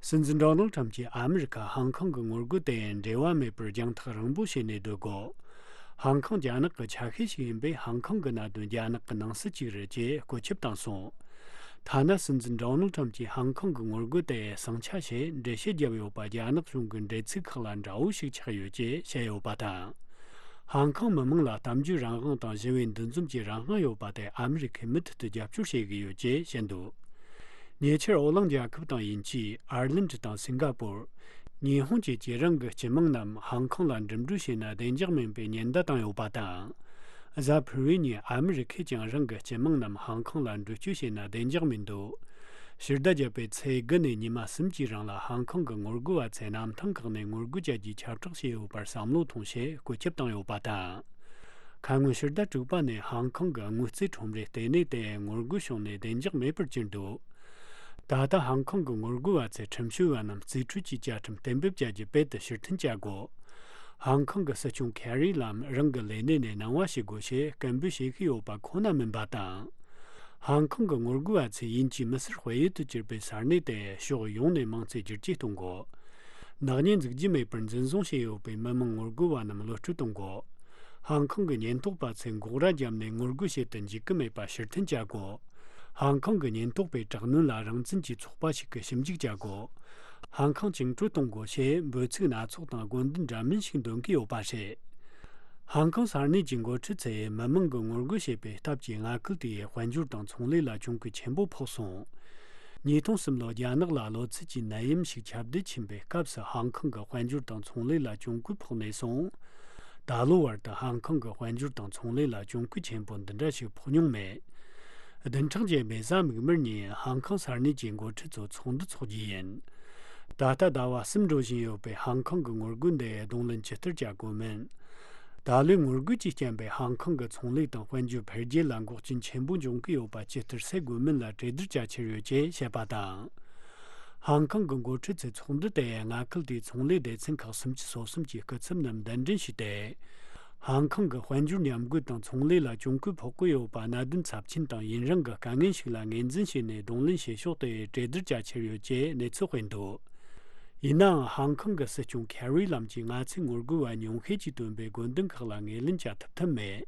སྲིད་འཛིན་ཌོ་ནལ་ཁྲམ་གྱིས་ཨ་མི་རི་ཁ་ཧང་ཀང་གི་ངོ་རྒོལ་དེ་འབྲེལ་བ་མེད་པར་རྒྱང་ཐག་རིང་པོ་བྱས་ནས་སྡོད་དགོས། ཧང་ཀང་རྒྱ་ནག་གི་ཆ་ཤས་ཤིག་ཡིན་པས། ཧང་ཀང་གི་གནད་དོན་རྒྱ་ནག་གི་ནང་སྲིད་ཅིག་རེད་ཅེས་བཀོད་ཁྱབ་བཏང་སོང་། ཐ་ན་སྲིད་འཛིན་ཌོ་ནལ་ཁྲམ་གྱིས་ཧང་ཀང་གི་ངོ་རྒོལ་དེ་ཟིང་ཆ་བྱས་འགྲེལ་བཤད་བརྒྱབ་ཡོད་པ། རྒྱ་ནག་གཞུང་གི་འགྲེལ་ཚིག་ཁག་ལ་འདྲ་བོ་ཞིག་ཆགས་ཡོད་ཅེས་བཤད་ཡོད་པ་དང་། ཧང་ཀང་མི་མང་ལ་གཏམ་བརྗོད་རང་དབང་དང་ཞི་བའི་འདུ་འཛོམས་ཀྱི་རང་དབང་ཡོད་པ་དེ་ཨ་མི་རི་ཁས་མུ་མཐུད་དུ་རྒྱབ་སྐྱོར་བྱེད་ཀྱི་ཡོད་ཅེས་བཤད་འདུག་ཉེ་ཆར་ཨོ་གླིང་རྒྱལ་ཁབ་དང་དབྱིན་ཇི། ཨར་ལན་ཌི་དང་སིང་ག་པུར། ཉི་ཧོང་བཅས་ཀྱིས་རང་གི་སྤྱི་དམངས་རྣམས་ཧང་ཀང་ལ་འགྲིམ་འགྲུལ་བྱས་ན་བདེ་འཇགས་མིན་པའི་ཉེན་བརྡ་བཏང་ཡོད་པ་དང་། གཟའ་ཕུར་བུའི་ཉིན་ཨ་མི་རི་ཁས་ཀྱང་རང་གི་སྤྱི་དམངས་རྣམས་ཧང་ཀང་ལ་འགྲུལ་སྐྱོད་བྱས་ན་བདེ་འཇགས་མི་འདུག་ཕྱི་ཟླ་བརྒྱད་པའི་ཚེས་དགུ་ནས་ཉི་མ་གསུམ་གྱི་རིང་ལ་ཧང་ཀང་གི་ངོ་རྒོལ་བ་ཚོས་གནམ་ཐང་ཁག་ནས་ངོ་རྒོལ་བྱ་རྒྱུའི་ཁྱབ་བསྒྲགས་བྱས་ཡོད་པར་བསམ་བློ་ཐོངས་ཞེས་བཀོད་ཁྱབ་བཏང་ཡོད་པ་དང་། ཁ་སྔོན་ཕྱི་ཟླ་དྲུག་པ་ནས་ཧང་ཀང་གི་དངུལ་རྩིས་ཁྲོམ་རའི་ལྟེ་གནས་དེ་ངོ་རྒོལ་བྱུང་ནས་བདེ་འཇགས་མེད་པར་གྱུར་འདུག་ད་ལྟ་ཧང་ཀང་གི་ངོ་རྒོལ་བ་ཚོས་ཁྲིམས་བྱོལ་བ་རྣམས་རྩིས་སྤྲོད་ཀྱི་བཅའ་ཁྲིམས་གཏན་འབེབས་བྱ་རྒྱུ་དཔེ་དེ་ཕྱིར་འཐེན་བྱ་དགོས། ཧང་ཀང་གི་སྲིད་སྐྱོང་ཁེ་རི་ལམ་རང་གི་ལས་གནས་ནས་གནང་བ་བྱེད་དགོས་ཞེས་སྐད་འབོད་བྱེད་ཀྱི་ཡོད་པ་ཁོ་ན་མིན་པ་དང་། ཧང་ཀང་གི་ངོ་རྒོལ་བ་ཚོས་དབྱིན་ཇིའི་མི་སེར་དཔལ་ཡུལ་དུ་གྱུར་པའི་ས་གནས་དེ་ཕྱོགས་ཡོངས་ནས་དམངས་གཙོའི་བསྒྱུར་བཅོས་གཏོང་དགོས། ནག་ཉེས་འཛུགས་རྒྱུ་མེད་པར་འཛིན་བཟུང་བྱས་ཡོད་པའི་མི་མང་ངོ་རྒོལ་བ་རྣམས་གློད་བཀྲོལ་གཏོང་དགོས། ཧང་ཀང་གི་ཉེན་རྟོག་པ་ཚོས་འགོག་ར་བརྒྱབ་ནས་ངོ་རྒོལ་བྱེད་དུ་འཇུག་གི་མེད་པ་ཕྱིར་འཐེན་བྱ་དགོས། ཧང་ཀང་གི་ཉེན་རྟོག་པའི་དྲག་གནོན་ལ་རང་བཙན་གྱི་ཚོགས་པ་ཞིག་གིས་ཞིབ་འཇུག་བྱ་དགོས། ཧང་ཀང་བཅིངས་འགྲོལ་གཏོང་དགོས་ཞེས་འབོད་ཚིག་སྣ་ཚོགས་དང་དགོས་འདུན་འདྲ་མིན་ཞིག་འདོན་གྱི་ཡོད་པ་རེད། ཧང་ཀང་ས་གནས་ཀྱི་འགོ་ཁྲིད་ཚོས་མི་མང་གིས་ངོ་རྒོལ་བྱེད་པའི་སྟབས་ཀྱིས་མངའ་ཁུལ་དེའི་དཔལ་འབྱོར་དང་ཚོང་ལས་ལ་གྱོང་གུན་ཆེན་པོ་ཕོག་སོང་། ཉིས་སྟོང་གསུམ་ལོར་རྒྱ་ནག་ལ་གློ་ཚད་ཀྱི་ནད་ཡམས་ཤིག་ཁྱབ་གདལ་ཕྱིན་པའི་སྐབས་སུ་ཧང་ཀང་གི་དཔལ་འབྱོར་དང་ཚོང་ལས་ལ་གྱོང་གུན་ཕོག་ནས་བཟུང་། ད་ལོའི་བར་དུ་ཧང་ཀང་གི་དཔལ་འབྱོར་དང་ཚོང་ལས་ལ་གྱོང་གུན་ཆེན་པོ་འདི་འདྲ་ཞིག་ཕོག་མྱོང་མེད། བདུན་ཕྲག་རྗེས་མའི་གཟའ་མིག་དམར་ཉིན་ཧང་ཀང་ས་གནས་ཀྱི་འགོ་ཁྲིད་ཚོ་ཚོགས་འདུ་འཚོགས་རྒྱུ་ཡིན། ད་ལྟ་ཟླ་བ་གསུམ་འགྲོ་བཞིན་ཡོད་པའི་ཧང་ཀང་གི་ངོ་རྒོལ་འདི་གདོང་ལེན་ཇི་ལྟར་བྱ་དགོས་མིན། ད་ལོའི་ངོ་རྒོལ་གྱི་རྐྱེན་པས་ཧང་ཀང་གི་ཚོང་ལས་དང་དཔལ་འབྱོར་འཕེལ་རྒྱས་ལ་འགོག་རྐྱེན་ཆེན་པོ་འབྱུང་གི་ཡོད་པ་ཇི་ལྟར་སེལ་དགོས་མིན་ལ་གྲོས་བསྡུར་བྱ་འཆར་ཡོད་ཅེས་བཤད་པ་དང་། ཧང་ཀང་གི་འགོ་ཁྲིད་ཚོས་ཚོགས་འདུ་དེ་མངའ་ཁུལ་དེའི་ཚོང་ལས་སྡེ་ཚན་ཁག་སུམ་ཅུ་སོ་གསུམ་གྱི་སྐུ་ཚབ་རྣམས་གདན་འདྲེན་ཞུས་ཏེ། ཧང་ཀང་གི་དཔལ་འབྱོར་ཉམས་རྒུད་དང་ཚོང་ལས་ལ་གྱོང་གུན་ཕོག་གི་ཡོད་པ་གནད་དོན་ཚབས་ཆེན་དང་ཡུན་རིང་གི་དཀའ་ངལ་ཞིག་ལ་ངོས་འཛིན་བྱས་ནས་གདོང་ལེན་བྱེད་ཕྱོགས་དེ་གྲོས་བསྡུར་བྱ་འཆར་ཡོད་ཅེས་གནས་ཚུལ་སྤེལ་འདུག་ཡིན་ནའང་ཧང་ཀང་གི་སྲིད་སྐྱོང་ཁེ་རི་ལམ་གྱིས་ང་ཚོས་ངོ་རྒོལ་བ་ཉུང་ཤས་ཀྱིས་བཏོན་པའི་དགོས་འདུན་ཁག་ལ་ངོས་ལེན་བྱ་ཐུབ་ཐབས་མེད།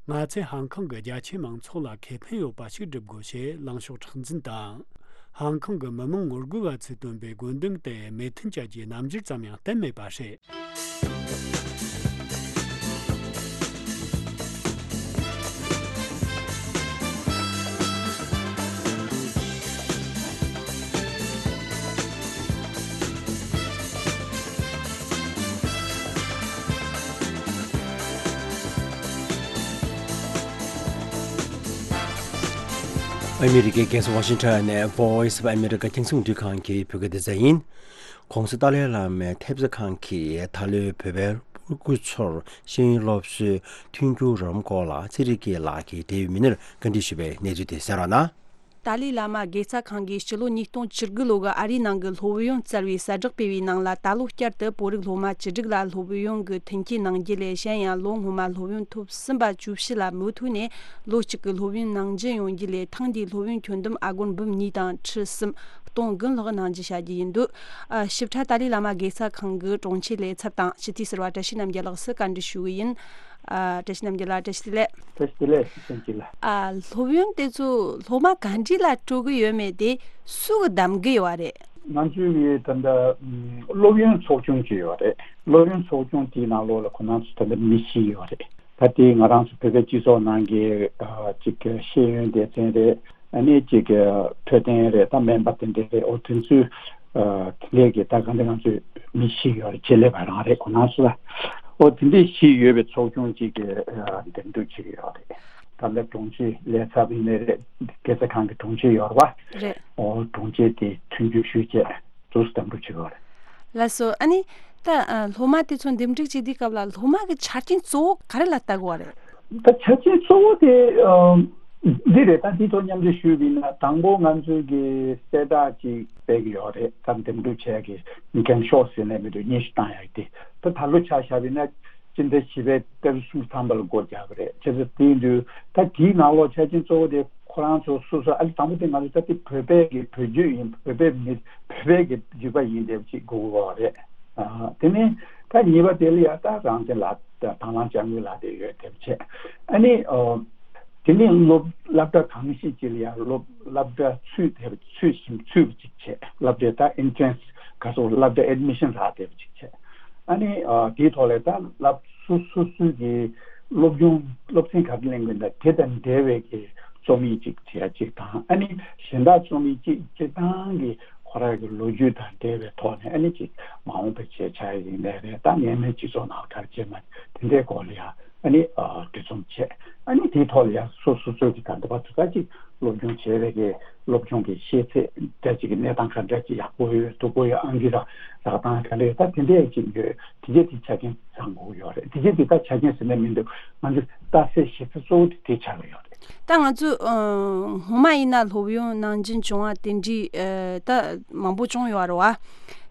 ང་ཚོས་ཧང་ཀང་གི་རྒྱ་ཆེའི་མང་ཚོགས་ལ་ཁེ་ཕན་ཡོད་པ་ཞིག་སྒྲུབ་དགོས་ཞེས་ལངས་ཕྱོགས་མཁྲེགས་འཛིན་དང་། ཧང་ཀང་གི་མི་མང་ངོ་རྒོལ་བ་ཚོས་བཏོན་པའི་དགོས་འདུན་དེ་མོས་མཐུན་བྱ་རྒྱུའི་རྣམ་འགྱུར་ཙམ་ཡང་བསྟན་མེད་པ་རེད། ཨ་མི་རི་ཀའི་རྒྱལ་ས་ཝ་ཤིང་ཊོན་ནས་Voice of America རྒྱང་སྲིང་རླུང་འཕྲིན་ཁང་གི་བོད་སྐད་སྡེ་ཚན་ཡིན། ྋགོང་ས་ཏཱ་ལའི་བླ་མའི་ཐེབས་རྩ་ཁང་གིས་ད་ལོའི་བོད་པའི་སྤུ་གུ་ཚོར་ཤེས་ཡོན་སློབ་གསོའི་མཐུན་འགྱུར་རོགས་རམ་སྐོར་ལ་ཚེ་རིང་སྐྱིད་ལགས་ཀྱིས་འབྲེལ་ཡོད་མི་སྣར་བཀའ་འདྲི་ཞུས་པའི་གནས་ཚུལ་དེ་གསན་རོགས་གནང་། ཏཱ་ལའི་བླ་མ་དགེ་རྩ་ཁང་གིས་སྤྱི་ལོ་ཉིས་སྟོང་བཅུ་དགུ་ལོ་གི་ཨ་རིའི་ནང་གི་སློབ་ཡོན་བསྩལ་བའི་གསལ་བསྒྲགས་སྤེལ་བའི་ནང་ལ། ད་ལོ་བསྐྱར་དུ་བོད་རིགས་སློབ་མ་བཅུ་དྲུག་ལ་སློབ་ཡོན་གྱི་མཐུན་རྐྱེན་གནང་རྒྱུ་ལས་གཞན་ཡང་ལོ་སྔོན་མ་སློབ་ཡོན་ཐོབ་ཟིན་པ་བཅུ་བཞི་ལ་མུ་མཐུད་ནས་ལོ་གཅིག་གི་སློབ་ཡོན་ནང་འཛིན་ཡོང་རྒྱུ་ལས་ཐེངས་འདིའི་སློབ་ཡོན་ཁྱོན་བསྡོམས་ཨ་སྒོར་འབུམ་གཉིས་དང་ཁྲི་གསུམ་སྟོང་དགུ་ལྷག་གནང་རྒྱུ་བྱ་རྒྱུ་ཡིན་འདུག་ཨ། ཞིབ་ཕྲ་ཏཱ་ལའི་བླ་མ་དགེ་རྩ་ཁང་གི་དྲུང་ཆེ་ལས་ཚབ་དང་སྤྱི་འཐུས་ཟུར་པ་བཀྲ་ཤིས་རྣམ་རྒྱལ་ལགས་སུ་བཀའ་འདྲི་ཞུ་གི་ཡིན། ཨ། བཀྲ་ཤིས་རྣམ་རྒྱལ་ལགས་བཀྲ་ཤིས་བདེ་ལེགས། བཀྲ་ཤིས་བདེ་ལེགས་བཀྲ་ཤིས་བདེ་ལེགས། ཨ། སློབ་ཡོན་དེ་ཚོ་སློབ་མ་ག་འདྲ་ལ་སྤྲོད་གི་ཡོད་མེད་དེ་སུ་གི་གདམ་གི་ཡོད་རེད། ང་ཚོའི་ད་ལྟ་སློབ་ཡོན་ཚོགས་ཆུང་ཅིག་ཡོད་རེད། སློབ་ཡོན་ཚོགས་ཆུང་དེའི་ནང་ལོགས་ལ་ཁོ་རང་ཚོ་ད་ལྟ་མི་བཞི་ཡོད་རེད། ད་དེ་ང་རང་ཚོ་བོད་པའི་སྤྱི་ཚོགས་ནང་གི་ཅིག་ཤེས་ཡོན་སྡེ་ཚན་རེད། ཨ་ནི་ཅིག་འཕྲོད་བསྟེན་རེད། ད་སྨན་པ་དེ་འདྲ་རེད། འོ་དེ་ཚོའི་དེ་འདྲའི་གི་ད་ག་འདྲ་ང་ཚོའི་མི་བཞི་ཡོད་རེད། ཆེད་ལས་པ་རང་རེད། ཁོ་རང་ཚོ་ལ་འོ་དེ་འདྲའི་བཞི་ཡོད་པའི་ཚོགས་ཆུང་ཅིག་གི་འདེམས་སྒྲུག་བྱེད་ཀྱི་ཡོད་རེད། ད་ལྟ་དྲུང་ཆེ་ལས་ཚབ་ཡིན་ནའི་རེད། དགེ་རྩ་ཁང་གི་དྲུང་ཆེ་ཡོད་རེད་པ། རེད། འོ་དྲུང་ཆེ་དེ་མཐུན་འགྱུར་ཞུས་བྱས་དུས་སུ་འདེམས་སྒྲུག་བྱེད་དགོས་རེད། ལགས་སོ། ཨ་ནི་ད་ཨ་སློབ་མ་དེ་ཚོ་འདེམས་སྒྲུག་བྱེད་དུས་སྐབས་ལ་སློབ་མ་གི་ཆ་རྐྱེན་གཙོ་བོ་ག་རེ་ལ་ལྟ་དགོས་པ་རེད། ད་ཆ་རྐྱེན་གཙོ་བོ་དེ་ཨ་འདི་རེད། ད་འདི་ཐོག་མཉམ་འབྲེལ་ཞུས་པ་ཡིན་ན་དང་པོ་ང་ཚོའི་གི་གསལ་བསྒྲགས་ཅིག་སྤེལ་གི་ཡོད་རེད། ད་འདེམས་སྒྲུག་བྱས་གི་འགེངས་ཤོག་ཟེར་ནས་མི་འདུག་སྙན་ཞུ་བཏང་ཡག་དེ་ད་ད་ལོ་ཆ་བཞག་པ་ཡིན་ན། སྤྱི་ཟླ་བཞི་པའི་ཏ་རིག་སུམ་ཅུ་ཐམ་པ་ལ་སྒོ་རྒྱག་གི་རེད། བྱས་ཙང་དེ་ཡིན་དུས་ད་དེའི་ནང་ལོགས་ཆ་རྐྱེན་གཙོ་བོ་དེ་ཁོ་རང་ཚོ་སོ་སོ་ཨ་ལི་དང་པོ་དེ་ང་ཚོ་ད་དེ་བོད་པའི་གི་བོད་བརྒྱུད་ཡིན། བོད་པའི་མི་བོད་པའི་གི་རིག་པ་ཡིན་དེ་ཅིག་དགོས་ཀྱི་ཡོད་རེད། ཨ། དེ་ནས་ད་གཉིས་པ་དེ་ལ་ཡང་ད་རང་བཙན་ལགས་དང་དང་བླངས་དཔྱ་དངུལ་ལགས་དེ་ཡོད་དེ་བྱས། ཨ་ནི་ཨོ། དེ་ནས་སློབ་སློབ་གྲྭ་གང་ཞིག་ཅིག་ལ་ཡང་སློབ་སློབ་གྲྭ་ཚུད་དེ་ཚུད་ཞིང་ཚུད་པ་ཅིག་བྱས། སློབ་གྲྭའི་ད་ཨེན་ཊི་རན་སི་ག་སོགས་སློབ་གྲྭ་ཨེཌ་མི་ཤན་རག་བསྡད་པ་ཅིག་བྱས། ཨ་ནི་ཨ། དེའི་ཐོག་ལ་ད་སློབ་སོ་སོ་སོའི་གི་སློབ་སྦྱོང་སློབ་ཚན་ག་རེ་ལེན་དགོས་ན་དེ་དང་འབྲེལ་བའི་གི་རྩོམ་ཡིག་ཅིག་བྲིས་ཡ་ཅིག་དང་། ཨ་ནི་གཞན་དག་རྩོམ་ཡིག་ཅིག་སྤྱིར་བཏང་གི་ཁོ་རང་གི་ལོ་རྒྱུས་དང་འབྲེལ་བའི་ཐོག་ནས་ཨ་ནི་ཅིག་མ་འོངས་པའི་བྱས་ཆགས་ཡིན་ནའི་རེད། ད་ངའི་མའི་སྤྱི་ཚོགས་ནང་ག་རེ་བྱས་མ་དེ་འདྲའི་སྐོར་ལ་ཡ་ཨ་ནི་ཨ། འབྲི་རྩོམ་བྱས། ཨ་ནི་དེའི་ཐོག་ལ་ཡ་སོ་སོ་སོའི་གི་ད་ལྟ་བར་དུ་ད་ཅིག་སློབ་སྦྱོང་བྱས་པའི་གི་སློབ་སྦྱོང་གི་ཤེས་ཚད་འདྲ་ཅིག་གི་གནས་སྟངས་ག་འདྲ་ཅིག་ཡག་པོ་ཡོད་སྡུག་པོ་ཡོད། ཨང་ཀི་རག་རག་སྟངས་ག་འདྲ་ཡོད། ད་དེ་འདྲ་ཅིག་ཡོད། དེ་རྗེས་དེ་ཆ་རྐྱེན་ཚང་དགོས་ཡོད་རེད། དེ་རྗེས་དེ་ད་ཆ་རྐྱེན་ཟེར་ན་མི་འདུག་ང་ཚོ་ལྟ་སའི་གཞི་རྩ་གཙོ་བོ་དེ་དེ་ཆགས་ཀྱི་ཡོད་རེད། ད་ང་ཚོ་ཨ། སྔོན་མ་ཡིན་ན་སློབ་ཡོན་ནང་འཛིན་བྱུང་བ་དེ་འདྲའི་ཨ། ད་མང་པོ་བྱུང་ཡོད་རེད་བ།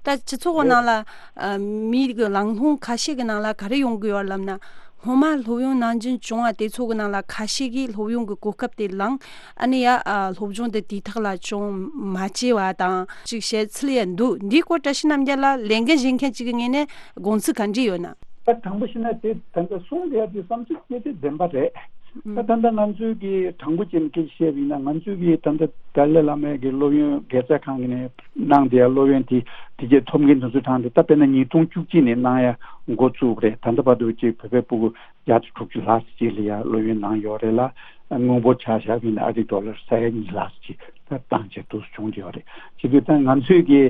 ད་སྤྱི་ཚོགས་རེད། ནང་ལ་ཨ། མི་གི་ལང་ལྷོང་ཁ་ཤས་ཀྱི་ནང་ལ་ག་རེ་ཡོང་གི་ཡོད་ལབ་ན། སྔོན་མ་སློབ་ཡོན་ནང་འཛིན་བྱུང་བ་དེ་ཚོ་གི་ནང་ལ་ཁ་ཤས་ཀྱིས་སློབ་ཡོན་གྱི་གོ་སྐབས་དེ་བླངས། ཨ་ནི་ཡ་ཨ། སློབ་སྦྱོང་དེ་དུས་ཐོག་ལ་སྦྱོང་མ་བྱས་པ་དང་ཅིག་བཤད་ཚུལ་ཡང་འདུག་འདིའི་སྐོར་བཀྲ་ཤིས་རྣམ་རྒྱལ་ལགས་ལས་འགན་བཞེས་མཁན་ཅིག་གི་ངོས་ནས་དགོངས་ཚུལ་ག་འདྲ་ཡོད་ན། ད་དྲང་པོ་བཤད་ན་དེ་ད་ལྟ་གསུང་བསྡད་ཡ་དེ་བསམ་ཚུལ་དེ་དེ་བདེན་པ་རེད། ད་ད་ལྟ་ང་ཚོའི་གི་དྲང་པོ་བྱས་ནས་སྐད་ཆ་བཤད་པ་ཡིན་ན། ང་ཚོའི་གི་ད་ལྟ་ཏཱ་ལའི་བླ་མའི་གི་སློབ་ཡོན་དགེ་རྩ་ཁང་གི་ནས་གནང་བསྡད་ཡ་སློབ་ཡོན་དེ་དེ་རྗེས་ཐོབ་མཁན་དེ་ཚོ་གྲངས་དེ་ད་དཔེར་ན་ཉིས་སྟོང་བཅུ་གཅིག་ནས་གནང་ཡ་འགོ་བཙུགས་པ་རེད། ད་ལྟ་བར་དུ་ཅིག་བོད་པའི་སྤུ་གུ་བརྒྱ་དང་དྲུག་ཅུ་ལྷག་ཅིག་ལ་ཡ་སློབ་ཡོན་གནང་ཡོད་རེད་ལ། དངོས་པོ་ཆ་བཞག་པ་ཡིན་ན་ཨ་རིའི་ཌོ་ལར་ས་ཡ་གཉིས་ལྷག་ཅིག་ད་བཏང་བྱས་འདུག་བྱུང་བསྡད་ཡོད་རེད། བྱེད་དུས་ད་ང་ཚོས་ཀྱི་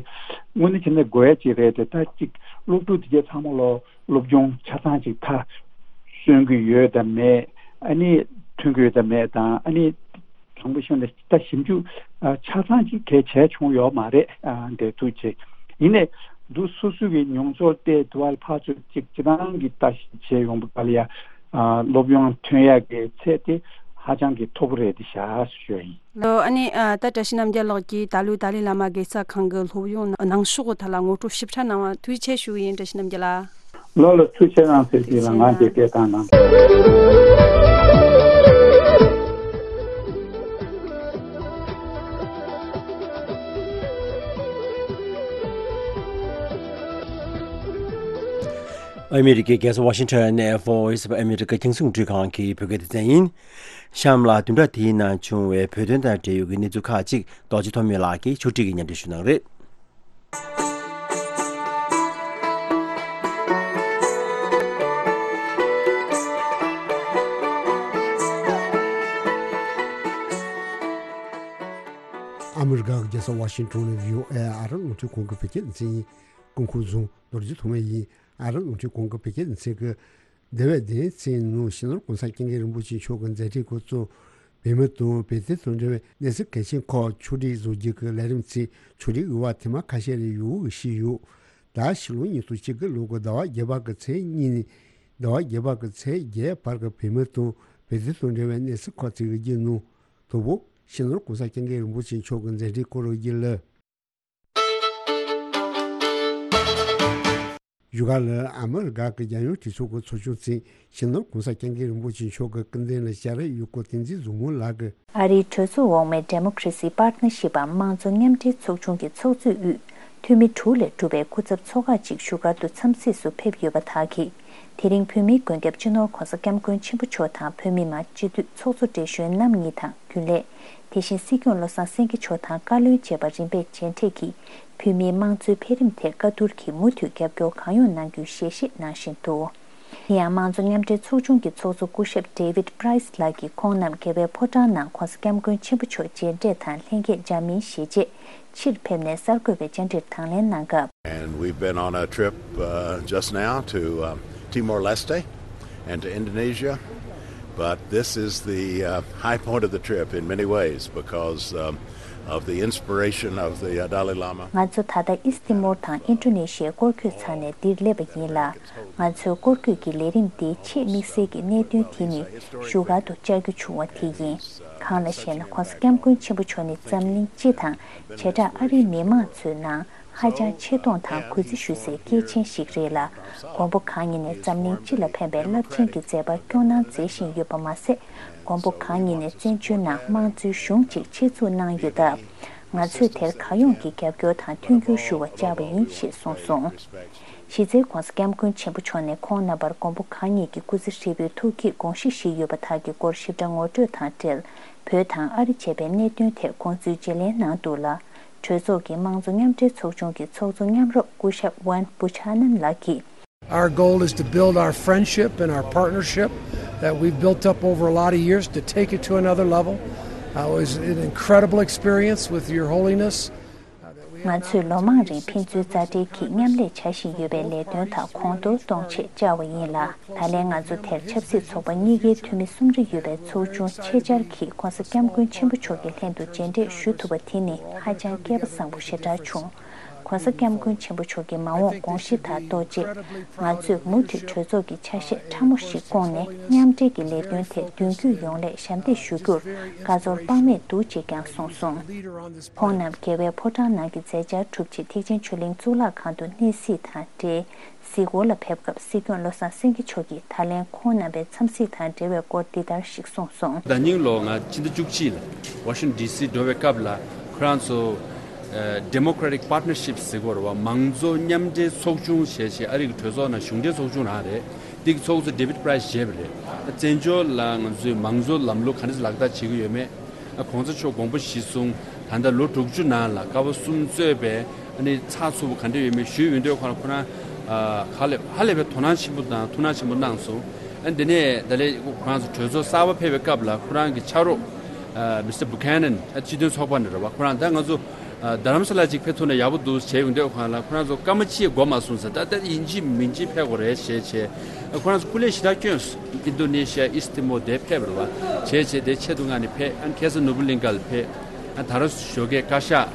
དངོས་གནས་བྱས་ན་དགོས་ཡ་ཅིག་རེད་དེ། ད་ཅིག་སློབ་ཕྲུག་དེ་གས་ཚང་མ་ལོ་སློབ་སྦྱོང་ཆ་ཚང་ཅིག་མཐར་སོན་གྱི་ཡོད་དམ་མེད། ཨ་ནི་ཐོན་གྱི་ཡོད་དམ་མེད་དང་། ཨ་ནི་དྲང་པོ་བཤད་ན་ད་ཞིབ་འཇུག་ཨ། ཆ་ཚང་ཅིག་གས་བྱས་བྱུང་ཡོད་མ་རེད། ཨ། འདས་ཐུག་ཅིག་ཡིན་ནའི་འདུག་སོ་སོ་གི་མྱོང་ཚོར་དེ་དུ་བ་ལ་ཕར་ཚུར་ཅིག་སྤྱིར་བཏང་གི་ལྟ་ཞིབ་བྱས་ཡོང་བ་ལ་ཡ། ཨ། སློབ་ཡོན་ཐོན་ཡག་གི་ཚད་དེ་ཧ་ཅང་གི་མཐོ་པོ་རེད་དེ་བཞག་ཞུ་ཡ་ཡིན། ལོ། ཨ་ནི་ཨ། ད་བཀྲ་ཤིས་རྣམ་རྒྱལ་ལགས་ཀྱིས་ད་ལོའི་ཏཱ་ལའི་བླ་མ་དགེ་རྩ་ཁང་གི་སློབ་ཡོན་ནང་ཞོག་གི་ཐད་ལ་ངོ་སྤྲོད་ཞིབ་ཕྲ་གནང་བ་ཐུགས་རྗེ་ཆེ་ཞུ་གི་ཡིན། བཀྲ་ཤིས་རྣམ་རྒྱལ་ལགས། ལོ་ལ་ཐུགས་རྗེ་གནང་ཟེར་གྱི་ལ་ང་དེ་སྐད་བཏང་གནང་། ཨ་མི་རི་ཀའི་རྒྱལ་ས་ཝ་ཤིང་ཊོན་ནས་Voice of America རྒྱང་སྲིང་རླུང་འཕྲིན་ཁང་གི་བོད་སྐད་སྡེ་ཚན་ཡིན། གཤམ་ལ་བདུན་ཕྲག་འདིའི་ནང་བྱུང་བའི་བོད་དོན་དང་འབྲེལ་ཡོད་ཀྱི་གནས་ཚུལ་ཁག་ཅིག་རྡོ་རྗེ་ཐོགས་མེད་ལགས་ཀྱིས་ཕྱོགས་སྒྲིག་གིས་སྙན་སྒྲོན་ཞུ་གནང་རེད། ཨ་མི་རི་ཀ་གི་རྒྱལ་ས་ཝ་ཤིང་ཊོན་ནས་བྷི་ཨོ་ཨེ་ཨ་རི་རླུང་འཕྲིན་ཁང་གི་བོད་སྐད་སྡེ་ཚན་ཡིན། སྐུ་ཁམས་བཟང་། རྡོ་རྗེ་ཐོགས་མེད་ཡིན། ཨ་རི་རླུང་འཕྲིན་ཁང་གི་བོད་སྐད་སྡེ་ཚན་གྱི་འདས་པའི་བདུན་ཕྲག་ནང་སྤྱི་ནོར་༸གོང་ས་༸སྐྱབས་མགོན་རིན་པོ་ཆེ་མཆོག་གི་མཛད་འཕྲིན་སྐོར་གཙོ་བོད་མི་དང་བོད་དོན་དང་འབྲེལ་བའི་གནས་ཚུལ་གལ་ཆེན་ཁག་ཕྱོགས་སྒྲིག་བཟོ་རྒྱུ་གི་ལས་རིམ་ཚོའི་ཕྱོགས་སྒྲིག་འོས་པ་ཐེངས་མ་ཁ་ཤས་རེ་ཡོད་ཞུས་ཡོད། ད་ཕྱི་ལོ་ཉིས་སྟོང་བཅུ་དགུ་ལོ་གི་ཟླ་བ་བརྒྱད་པ་གི་ཚེས་གཉིས་ནས་ཟླ་བ་བརྒྱད་པ་གི་ཚེས་བརྒྱད་བར་གྱི་བོད་མི་དང་བོད་དོན་དང་འབྲེལ་བའི་གནས་ཚུལ་ཁག་ཅིག་གི་རྒྱུད་ནང་དང་པོ་སྤྱི་ནོར་༸གོང་ས་༸སྐྱབས་མགོན་རིན་པོ་ཆེ་མཆོག་གི་མཛད་འཕྲིན་སྐོར་གྱི་ལས། བཞུགས་སྒར་ལ་ཨ་མི་རི་ཀ་གི་རྒྱལ་ཡོངས་གྲོས་ཚོགས་ཀྱི་ཚོགས་ཆུང་བཙུགས། སྤྱི་ནོར་༸གོང་ས་༸སྐྱབས་མགོན་རིན་པོ་ཆེ་མཆོག་གི་སྐུ་མདུན་ལ་སྐྱབས་རེ་ཡོད་སྐོར་བསྟན་འཛིན་བཟང་མོ་ལགས་ཀྱིས། ཨ་རིའི་གྲོས་ཚོགས་འོག་མའི་Democracy Partnership འམ་དམངས་གཙོ་མཉམ་འབྲེལ་ཚོགས་ཆུང་གི་ཚོགས་གཙོས་དབུས་འཐུས་མི་དྲུག་ལས་གྲུབ་པའི་སྐུ་ཚབ་ཚོགས་ཁག་ཅིག་བཞུགས་སྒར་དུ་འཚམས་གཟིགས་སུ་ཕེབས་ཡོད་པ་དག་གིས། དེ་རིང་བོད་མིའི་མགོན་སྐྱབས་སྤྱི་ནོར་༸གོང་ས་༸སྐྱབས་མགོན་ཆེན་པོ་མཆོག་དང་བོད་མི་མང་སྤྱི་འཐུས་ཚོགས་གཙོ་བགྲེས་གཞོན་རྣམ་གཉིས་དང་རྒྱུན་ལས། དེ་བཞིན་སྲིད་སྐྱོང་བློ་བཟང་སེང་གེ་མཆོག་དང་བཀའ་བློན་བཅས་པ་རིམ་པས་མཇལ་འཕྲད་ཀྱིས། བོད་མིའི་དམངས་གཙོའི་འཕེལ་རིམ་ཐད་བཀའ་བསྡུར་གྱིས་མུ་མཐུད་རྒྱབ་སྐྱོར་གང་ཡོང་གནང་རྒྱུའི་ཞལ་བཞེས་གནང་བཞིན་འདུག་དེ་ཡང་དམངས་གཙོ་མཉམ་འབྲེལ་ཚོགས་ཆུང་གི་ཚོགས་གཙོ་སྐུ་ཞབས་David Price ལགས་ཀྱིས་ཁོང་རྣམས་རྒྱལ་བའི་ཕོ་བྲང་ནང་༸གོང་ས་༸སྐྱབས་མགོན་ཆེན་པོ་མཆོག་མཇལ་འཕྲད་དང་ལྷན་རྒྱས་མཇལ་མིན་ཞེས་བྱས། ཕྱིར་ཕེབས་ནས་གསར་འགོད་པའི་བཅར་འདྲིར་དང་ལེན་གནང་སྐབས། And we've been on a trip uh, just now to um, Timor-Leste and to Indonesia, but this is the uh, high point of the trip in many ways because um, of the inspiration of the uh, Dalai Lama. ང་ཚོ་ད་ལྟ་ཨིས་ཏི་མོར་དང་ཨིན་ཌོ་ནེ་ཤི་ཡའི་སྐོར་སྐྱོད་ཚར་ནས་འདིར་སླེབས་པ་ཡིན་ལ། ང་ཚོའི་སྐོར་སྐྱོད་ཀྱི་ལས་རིམ་འདིའི་ཆེས་དམིགས་བསལ་གྱི་གནད་དོན་དེ་ནི་བཞུགས་སྒར་དུ་བཅར་རྒྱུ་བྱུང་བ་དེ་ཡིན། གང་ལགས་ཤེ་ན་༸གོང་ས་༸སྐྱབས་མགོན་ཆེན་པོ་མཆོག་ནི་འཛམ་གླིང་སྤྱི་དང་། བྱེ་བྲག་ཨ་རིའི་མི་མང་ཚོའི་ནང་ཧ་ཅང་ཆེ་མཐོང་དང་གུས་བརྩི་ཞུ་སའི་སྐྱེས་ཆེན་ཞིག་རེད་ལ། མགོན་པོ་གང་ཉིད་ནས་འཛམ་གླིང་སྤྱི་ལ་ཕན་པའི་རླབས་ཆེན་གྱི་མཛད་པ་སྐྱོང་གནང་མཛད་བཞིན་ཡོད་པ་མ་ཟད། མགོན་པོ་གང་ཉིད་ནས་བཙན་བྱོལ་ནང་དམངས་གཙོའི་གཞུང་ཅིག་ཆེད་འཛུགས་གནང་ཡོད་སྟབས། ང་ཚོས་དེར་གང་ཡོང་གི་རྒྱབ་སྐྱོར་དང་མཐུན་འགྱུར་ཞུ་བར་བཅར་བ་ཡིན་ཞེས་གསུངས་སོང་། གཞི་རྩའི་༧གོང་ས་༧སྐྱབས་མགོན་ཆེན་པོ་མཆོག་ནས་ཁོང་རྣམ་པར་མགོན་པོ་གང་ཉིད་ཀྱི་སྐུ་ཚེ་ཧྲིལ་པོའི་ཐུགས་བསྐྱེད་དགོངས་བཞེས་བཞེས་ཡོད་པ་དག་གི་སྐོར་ཞིབ་ཕྲ་ངོ་སྤྲོད་དང་འབྲེལ། བོད་དང་ཨ་རི་བཅས་པའི་གནད་དོན་ཐད་དགོངས་ཚུལ་བརྗེ་ལེན་གནང་འདུག་ལ། གྲོས་ཚོགས་ཀྱི་དམངས་གཙོ་མཉམ་འབྲེལ་ཚོགས་ཆུང་གི་ཚོགས་གཙོ་མཉམ་རོགས་སྐུ་ཞབས་ཝན་བུ་ཆ་ནན་ལགས་ཀྱིས། Our goal is to build our friendship and our partnership that we've built up over a lot of years, to take it to another level. Uh, it was an incredible experience with Your Holiness. ང་ཚོས་ལོ་མང་རིང་ཕན་ཚུན་རྩ་འབྲེལ་གྱིས་མཉམ་ལས་བྱ་བཞིན་ཡོད་པའི་ལས་དོན་དག་གོང་མཐོར་གཏོང་ཆེད་བཅར་བ་ཡིན་ལ། ད་ལན་ང་ཚོ་དེར་ཆབ་སྲིད་ཚོགས་པ་གཉིས་ཀའི་འཐུས་མི་གསུམ་རེ་ཡོད་པའི་ཚོགས་ཆུང་ཆེད་བཅར་གྱིས་༧གོང་ས་༧སྐྱབས་མགོན་ཆེན་པོ་མཆོག་གི་ལྷན་དུ་མཇལ་འཕྲད་ཞུ་ཐུབ་པ་དེ་ནི་ཧ་ཅང་སྐལ་པ་བཟང་པོ་ཞེ་དྲག་བྱུང་། ༧གོང་ས་༧སྐྱབས་མགོན་ཆེན་པོ་མཆོག་གི་མ་འོངས་དགོངས་གཞི་དང་ལྡོག་རྗེས། ང་ཚོས་མུ་མཐུད་གྲོས་ཚོགས་ཀྱི་ཆ་ཤས་ཕྲ་མོ་ཞིག་བསྐོངས་ནས་མཉམ་འབྲེལ་གྱི་ལས་དོན་ཐད་མདུན་སྐྱོད་ཡོང་སླད་ཞབས་འདེགས་ཞུ་རྒྱུར་དགའ་ཚོར་དཔག་མེད་འདུག་ཅེས་ཀྱང་གསུངས་སོང་། ཁོང་རྣམས་རྒྱལ་བའི་ཕོ་བྲང་ནང་གི་མཛད་འཆར་གྲུབ་རྗེས་ཐེག་ཆེན་ཆོས་གླིང་གཙུག་ལག་ཁང་དུ་གནས་གཟིགས་དང་འབྲེལ། གཟིགས་སྐོར་ལ་ཕེབས་སྐབས་སྲིད་སྐྱོང་བློ་བཟང་སེང་གེ་མཆོག་གིས་ད་ལན་ཁོང་རྣམ་པའི་འཚམས་གཟིགས་དང་འབྲེལ་བའི་སྐོར་འདི་ལྟར་ཞིག་གསུངས་སོང་། ཟླ་ཉིན་ལོ་ང་ཕྱི་ཟླ་བཅུ་གཅིག་ལ་ཝ་ཤིང་ཌི་སི་འགྲོ་བའི་སྐབས་ལ་ཁོ་རང་ཚོ་Democratic Partnership ཟེར་གོ་ར་བ་མང་གཙོ་མཉམ་འབྲེལ་ཚོགས་ཆུང་ཞེས་བྱས་ཨ་རི་གི་གྲོས་ཚོགས་ནང་གཞུང་འབྲེལ་ཚོགས་ཆུང་རང་རེད། འདི་གི་ཚོགས་གཙོ་David Price བཞེས་པ་རེད། བཙན་བྱོལ་ལ་ང་ཚོས་མང་གཙོ་ལམ་ལུགས་ག་འདྲ་ལག་བསྟར་བྱེད་ཀྱི་ཡོད་མེད། ཨ་གོང་ས་མཆོག་དགོངས་པ་གཞིར་བཟུང་ད་ལྟ་ལོ་དྲུག་ཅུ་ནང་ལ་ཀ་བ་གསུམ་གཙོས་པའི་ཨ་ནི་ཚགས་ཚུད་པོ་ག་འདྲ་ཡོད་མེད་ཞུས་ཡོང་དུས་ཁོ་རང་ཁོ་རང་ཧ་ལས་ཧ་ལས་པའི་དོ་སྣང་ཆེན་པོ་དང་ཐུགས་སྣང་ཆེན་པོ་གནང་སོང་། ཨ་འདི་ནས་ད་ལས་ཁོ་རང་ཚོ་གྲོས་ཚོགས་གསར་པ་ཕེབས་པའི་སྐབས་ལ་ཁོ་རང་གི་ཕྱག་རོགས་Mister Buchanan ཨ་སྤྱི་མཐུན་ཚོགས་པ་ནས་རེད་བ། ཁོ་རང་ད་ང་ཚོ་རྡ་རམ་ས་ལ་ཅིག་ཕེབས་ཐུབ་ན་ཡག་པོ་འདུག་བྱས་ཡོང་དུས་ཁོ་རང་ལ་ཁོ་རང་ཚོ་སྐར་མ་གཅིག་འགོར་མ་སོང་ཟེར། ད་ལྟ་ཡིན་གཅིག་མིན་གཅིག་ཕེབས་དགོས་རེད་ཞེས་བྱས། ཁོ་རང་ཚོ་སྐུ་ལས་ཞེ་དྲག་བསྐྱོན་སོང་། ཨིན་རྡོ་ནེ་ཤི་ཡ་ཨིས་ཏི་མོ་དེ་ཕེབས་རེད་བ། བྱས་བྱས་དེ་ཆེད་དུ་མངགས་ནས་ཕེབས། ཨ་ཁ་སར་ནུབ་བུ་གླིང་ག་ལ་ཕེབས། ཨ་ད་རུང་ཞོགས་ཀས་བཀའ་ཤག་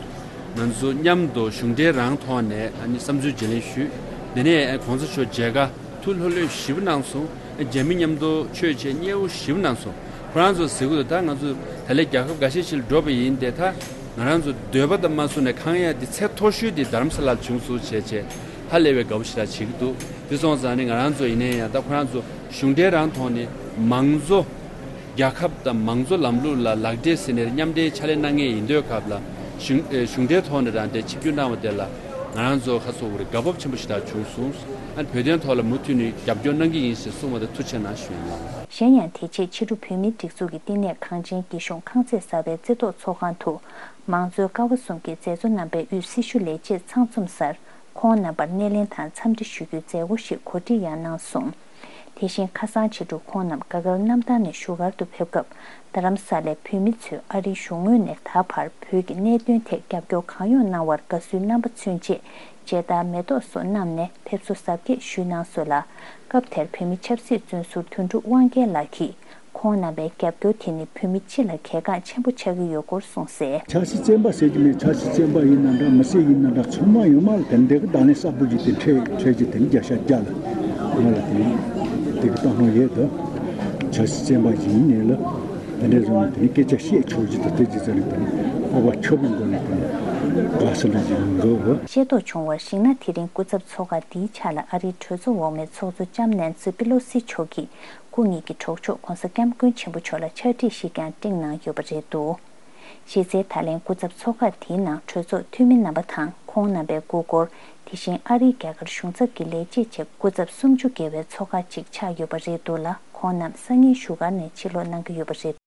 ང་ཚོ་མཉམ་དུ་གཞུང་འབྲེལ་རང་ཐོག་ནས་ཨ་ནི་བསམ་ཚུལ་བརྗེ་ལེན་ཞུས། དེ་ནས་ཨ་གོང་ས་མཆོག་མཇལ་ཁ་ཐུགས་ལྷོད་ལྷོད་ཞེ་པོ་གནང་སོང་། ཨ་རྒྱ་མི་མཉམ་དུ་ཆོས་བྱེད་མཉེས་པོ་ཞེ་པོ་གནང་སོང་། ཁོ་རང་ཚོ་ཟེར་གི་འདུག་ད་ང་ཚོ་ད་ལས་རྒྱལ་ཁབ་འགའ་ཤས་ཤིག་ལ་འགྲོ་བ་ཡིན་ཏེ། ད་ང་རང་ཚོ་འདོད་པ་དང་མ་བསུན་ནས་ཁེངས་ཡ་འདི་ཚད་མཐོ་ཤོས་འདི་རྡ་རམ་ས་ལར་བྱུང་སོང་བྱས་བྱས་ཧ་ལས་པའི་དགའ་པོ་ཞེ་དྲག་བྱེད་ཀྱི་འདུག་དེ་སོང་ཙང་ནི་ང་རང་ཚོ་ཡིན་ན་ཡང་ད་ཁོ་རང་ཚོ་གཞུང་འབྲེལ་རང་ཐོག་ནས་མང་གཙོ་རྒྱལ་ཁབ་དང་མང་གཙོ་ལམ་ལུགས་ལ་ལག་འབྲེལ་ཟེར་ནས་མཉམ་འབྲེལ་ཕྱག་ལས་གནང་མཁན་ཡིན་དུས་སྐབས་ལ་གཞུང་ཨེ་གཞུང་འབྲེལ་ཐོག་ནས་རང་དེ་ཆིབས་བསྒྱུར་གནང་བ་དེ་ལ་ང་རང་ཚོ་ཁ་སོ་བོ་རེ་དགའ་སྤོབས་ཆེན་པོ་ཞེ་དྲག་བྱུང་སོང་། ཨ་ནི་བོད་དོན་ཐོག་ལ་མུ་མཐུད་ནས་རྒྱབ་སྐྱོར་གནང་གི་ཡིན་ཞེས་གསུངས་པ་དེ་ཐུགས་རྗེ་གནང་ཞུ་ཡིན། གཞན་ཡང་དེ་རྗེས་ཕྱི་དྲོ་བོད་མིའི་སྒྲིག་འཛུགས་ཀྱི་བསྟི་གནས་གངས་ཅན་སྐྱིད་གཤོངས་ཁང་བརྩེགས་གསར་པའི་རྩེ་ཐོག་ཚོགས་ཁང་དུ་མང་གཙོའི་ཀ་བ་གསུམ་གྱི་མཛད་གཙོ་རྣམ་པའི་དབུས་སྲི་ཞུ་ལས་བྱེད་ཚང་འཛོམས་སར་ཁོང་རྣམ་པར་སྣེ་ལེན་དང་འཚམས་འདྲི་ཞུ་རྒྱུའི་མཛད་སྒོ་ཞིག་གོ་སྒྲིག་ཡང་གནང་སོང་། དེ་བཞིན་ཁ་སང་ཕྱི་དྲོ་ཁོང་རྣམས་ག་གལ་གནམ་ཐང་ནས་བཞུགས་སྒར་དུ་ཕེབས་སྐབས་རྡ་རམ་ས་ལའི་བོད་མི་ཚོས་ཨ་རིའི་གཞུང་ངོས་ནས་ད་བར་བོད་ཀྱི་གནད་དོན་ཐད་རྒྱབ་སྐྱོར་གང་ཡོང་གནང་བར་དགའ་བསུའི་རྣམ་པ་མཚོན་ཆེད་མཇལ་དར་མེ་ཏོག་སོགས་བསྣམས་ནས་ཕེབས་བསུ་གཟབ་རྒྱས་ཞུས་གནང་སོང་ལ། སྐབས་དེར་བོད་མི་ཆབ་སྲིད་བཙོན་ཟུར་དོན་གྲུབ་དབང་རྒྱལ་ལགས་ཀྱིས་ཁོང་རྣམ་པའི་རྒྱབ་སྐྱོར་དེ་ནི་བོད་མི་སྤྱི་ལ་གལ་འགངས་ཆེན་པོ་ཆགས་ཀྱི་ཡོད་སྐོར་གསུངས་གསལ། ཆབ་སྲིད་བཙོན་པ་ཟེར་གྱི་མེད། ཆབ་སྲིད་བཙོན་པ་ཡིན་ན་འདྲ་མི་སེར་ཡིན་ན་འདྲ་ཚང་མ་ཡོད་མ་རེད། དེ་འདྲའི་གི་བརྡ་ལན་གསར་པོ་ཞིག་དེ་འཕྲད་འཕྲད་ཀྱི་དེ་ནི་བརྒྱ་ཆ་བརྒྱ་ལ་ང་ལ་དེ་དེ་གི་བཏང་སྣང་ཡོད་དོ། ཆབ་སྲིད་བཙོན་པ་ཡིན་ནས་ལ་དེ་འདྲའི་བཟོ་ནས་དེ་ནི་སྐད་ཆ་བཤད་ཆོག་རྒྱུ་དང་དེ་ཅི་ཙམ་རེད། དེ་ནི་སྤོབས་པ་ཁྱབ་པའི་སྒོ་ནས་དེ་ནི་དགའ་བསུ་འདྲ་ཞིག་མི་འགྲོ་བ། ཤེས་རྟོགས་བྱུང་བར་གཞིགས་ན་དེ་རིང་སྐུ་ཚབ་ཚོགས་ཁག་འདིའི་ཆ་ལ་ཨ་རིའི་གྲོས་ཚོགས་འོག་མའི་ཚོགས་གཙོ་ལྕམ་ནན་སི་པི་ལོ་སི་མཆོག་གིས་སྐུ་ཉིད་ཀྱི་གྲོགས་མཆོག་༧གོང་ས་༧སྐྱབས་མགོན་ཆེན་པོ་མཆོག་ལ་ཕྱག་བྲིས་ཤིག་ཀྱང་སྤྲིངས་གནང་ཡོད་པ་རེད་འདུག་གཞི་རྩའི་ད་ལན་སྐུ་ཚབ་ཚོགས་ཁག་དེའི་ནང་གྲོས་ཚོགས་འཐུས་མི་རྣམ་པ་དང་ཁོང་རྣམ་པའི་སྐུ་འཁོར། དེ་བཞིན་ཨ་རིའི་རྒྱ་གར་གཞུང་ཚབ་ཀྱི་ལས་བྱེད་བཅས་སྐུ་ཚབ་སུམ་ཅུ་བརྒལ་བའི་ཚོགས་ཁག་ཅིག་ཆགས་ཡོད་པ་རེད་འདུག་ལ། ཁོང་རྣམས་སང་ཉིན་བཞུགས་སྒར་ནས་ཕྱིར་ལོག་གནང་གི་ཡོད་པ་རེད།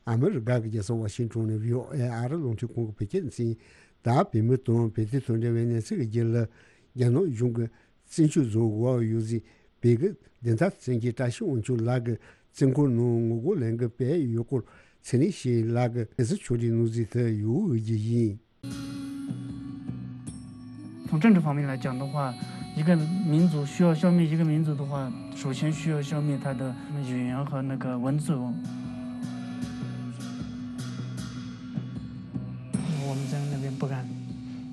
ཨ་མི་རི་ཀ་གི་རྒྱལ་ས་ཝ་ཤིང་ཊོན་ནས་བྷི་ཨོ་ཨེ་ཨ་རི་རླུང་འཕྲིན་ཁང་གི་བོད་སྐད་སྡེ་ཚན། ད་བོད་མི་དང་བོད་དོན་དང་འབྲེལ་བའི་གནས་ཚུལ་གྱི་རྒྱུད་ལ། རྒྱ་ནག་གཞུང་གི་བཙན་བྱོལ་བཟོ་འགོ་ཡོད་ཟིན་པའི་གི་བདེན་མཐའ་བཙན་གྱི་བཀྲ་ཤིས་དབང་ཕྱུག་ལགས་ཀྱི་བཙོན་ཁང་ནང་ངོ་རྒོལ་ལས་འགུལ་སྤེལ་ཡོད་སྐོར་ཚེ་རིང་ཞེས་ལགས་ཀྱི་གནས་ཚུལ་ཕྱོགས་སྒྲིག་གནང་ཟིན་དུ་ཡོད་ཀྱི་ཡིན། 从政治方面来讲的话，一个民族需要消灭一个民族的话，首先需要消灭他的语言和那个文字。我们在那边不敢，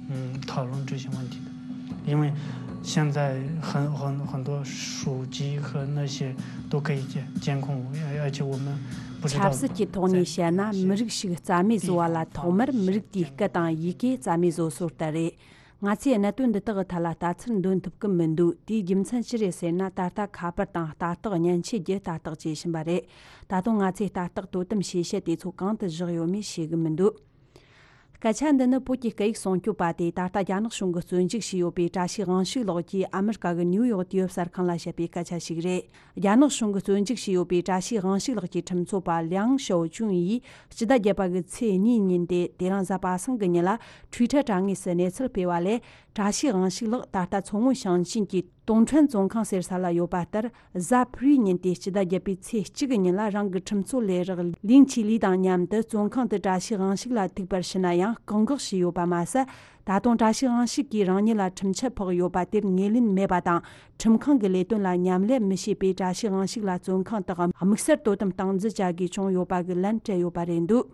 嗯，讨论这些问题的，因为现在很很很多手机和那些都可以监监控，而而且我们不知道。 ཆབ་སྲིད་ཀྱི་ཐོག་ནས་བཤད་ན་མི་རིགས་ཤིག་རྩ་མེད་བཟོ་བ་ལ་ཐོག་མར་མི་རིགས་དེའི་སྐད་དང་ཡི་གེ་རྩ་མེད་བཟོ་སྲོལ་ལྟར་རེད། ང་ཚོས་གནད་དོན་འདི་དག་གི་ཐད་ལ་ལྟ་ཚུལ་འདོན་ཐུབ་ཀྱི་མི་འདུག་དེའི་རྒྱུ་མཚན་ཅི་རེད་ཟེར་ན། ད་ལྟ་ཁ་པར་དང་ལྟ་རྟོག་མཉེན་ཆས་བརྒྱུད་ལྟ་རྟོག་བྱེད་བཞིན་པ་རེད། ད་དུང་ང་ཚོས་ལྟ་རྟོག་དོ་དམ་བྱེད་བྱེད་དེ་ཚོ་གང་དུ་བཞག་ཡོད་མེད་ཤེས་ཀྱི་མི་འདུག་སྐད་ཆ་འདི་ནི་བོད་ཀྱི་སྐད་ཡིག་སྲུང་སྐྱོབ་པ་དེས་ད་ལྟ་རྒྱ་ནག་གཞུང་གིས་བཙོན་འཇུག་བྱས་ཡོད་པའི་བཀྲ་ཤིས་དབང་ཕྱུག་ལགས་ཀྱིས་ཨ་མི་རི་ཀ་གི་ནིའུ་ཡོག་དུས་བབ་གསར་ཁང་ལ་བཤད་པའི་སྐད་ཆ་ཞིག་རེད། རྒྱ་ནག་གཞུང་གིས་བཙོན་འཇུག་བྱས་ཡོད་པའི་བཀྲ་ཤིས་དབང་ཕྱུག་ལགས་ཀྱི་ཁྲིམས་རྩོད་པ་ལིའང་ཞའོ་ཅུན་ཡིས་སྤྱི་ཟླ་བརྒྱད་པ་གི་ཚེས་གཉིས་ཉིན་ཏེ། དེ་རིང་གཟའ་པ་སངས་ཀྱི་ཉིན་ལ་ཊུའི་ཊར་དྲ་ངོས་སུ་གནས་ཚུལ་སྤེལ་བ་ལས། བཀྲ་ཤིས་དབང་ཕྱུག་ལགས་ད་ལྟ་མཚོ་སྔོན་ཞིང་ཆེན་གྱི་ཏུང་ཁྲོན་བཙོན་ཁང་ཟེར་ས་ལ་ཡོད་པ་ལྟར། གཟའ་ཕུར་བུའི་ཉིན་ཏེ་སྤྱི་ཟླ་བརྒྱད་པའི་ཚེས་གཅིག་གི་ཉིན་ལ་རང་གི་ཁྲིམས་རྩོད་ལས་རོགས་ལིང་ཆི་ལི་དང་མཉམ་དུ་བཙོན་ཁང་དུ་བཀྲ་ཤིས་དབང་ཕྱུག་ལ་ཐུག་པར་ཞུ་ན་ཡང་བཀག་འགོག་བྱས་ཡོད་པ་མ་ཟད། ད་དུང་བཀྲ་ཤིས་དབང་ཕྱུག་གིས་རང་ཉིད་ལ་ཁྲིམས་ཆད་ཕོག་ཡོད་པ་དེར་ངོས་ལེན་མེད་པ་དང་། ཁྲིམས་ཁང་གི་ལས་དོན་ལ་མཉམ་ལས་མི་བྱེད་པའི་བཀྲ་ཤིས་དབང་ཕྱུག་ལ་བཙོན་ཁང་དུ་དམིགས་བསལ་དོ་དམ་སྟངས་འཛིན་བྱ་དགོས་བྱུང་ཡོད་པ་གི་ལན་སྤྲད་ཡོད་པ་རེད་འདུག་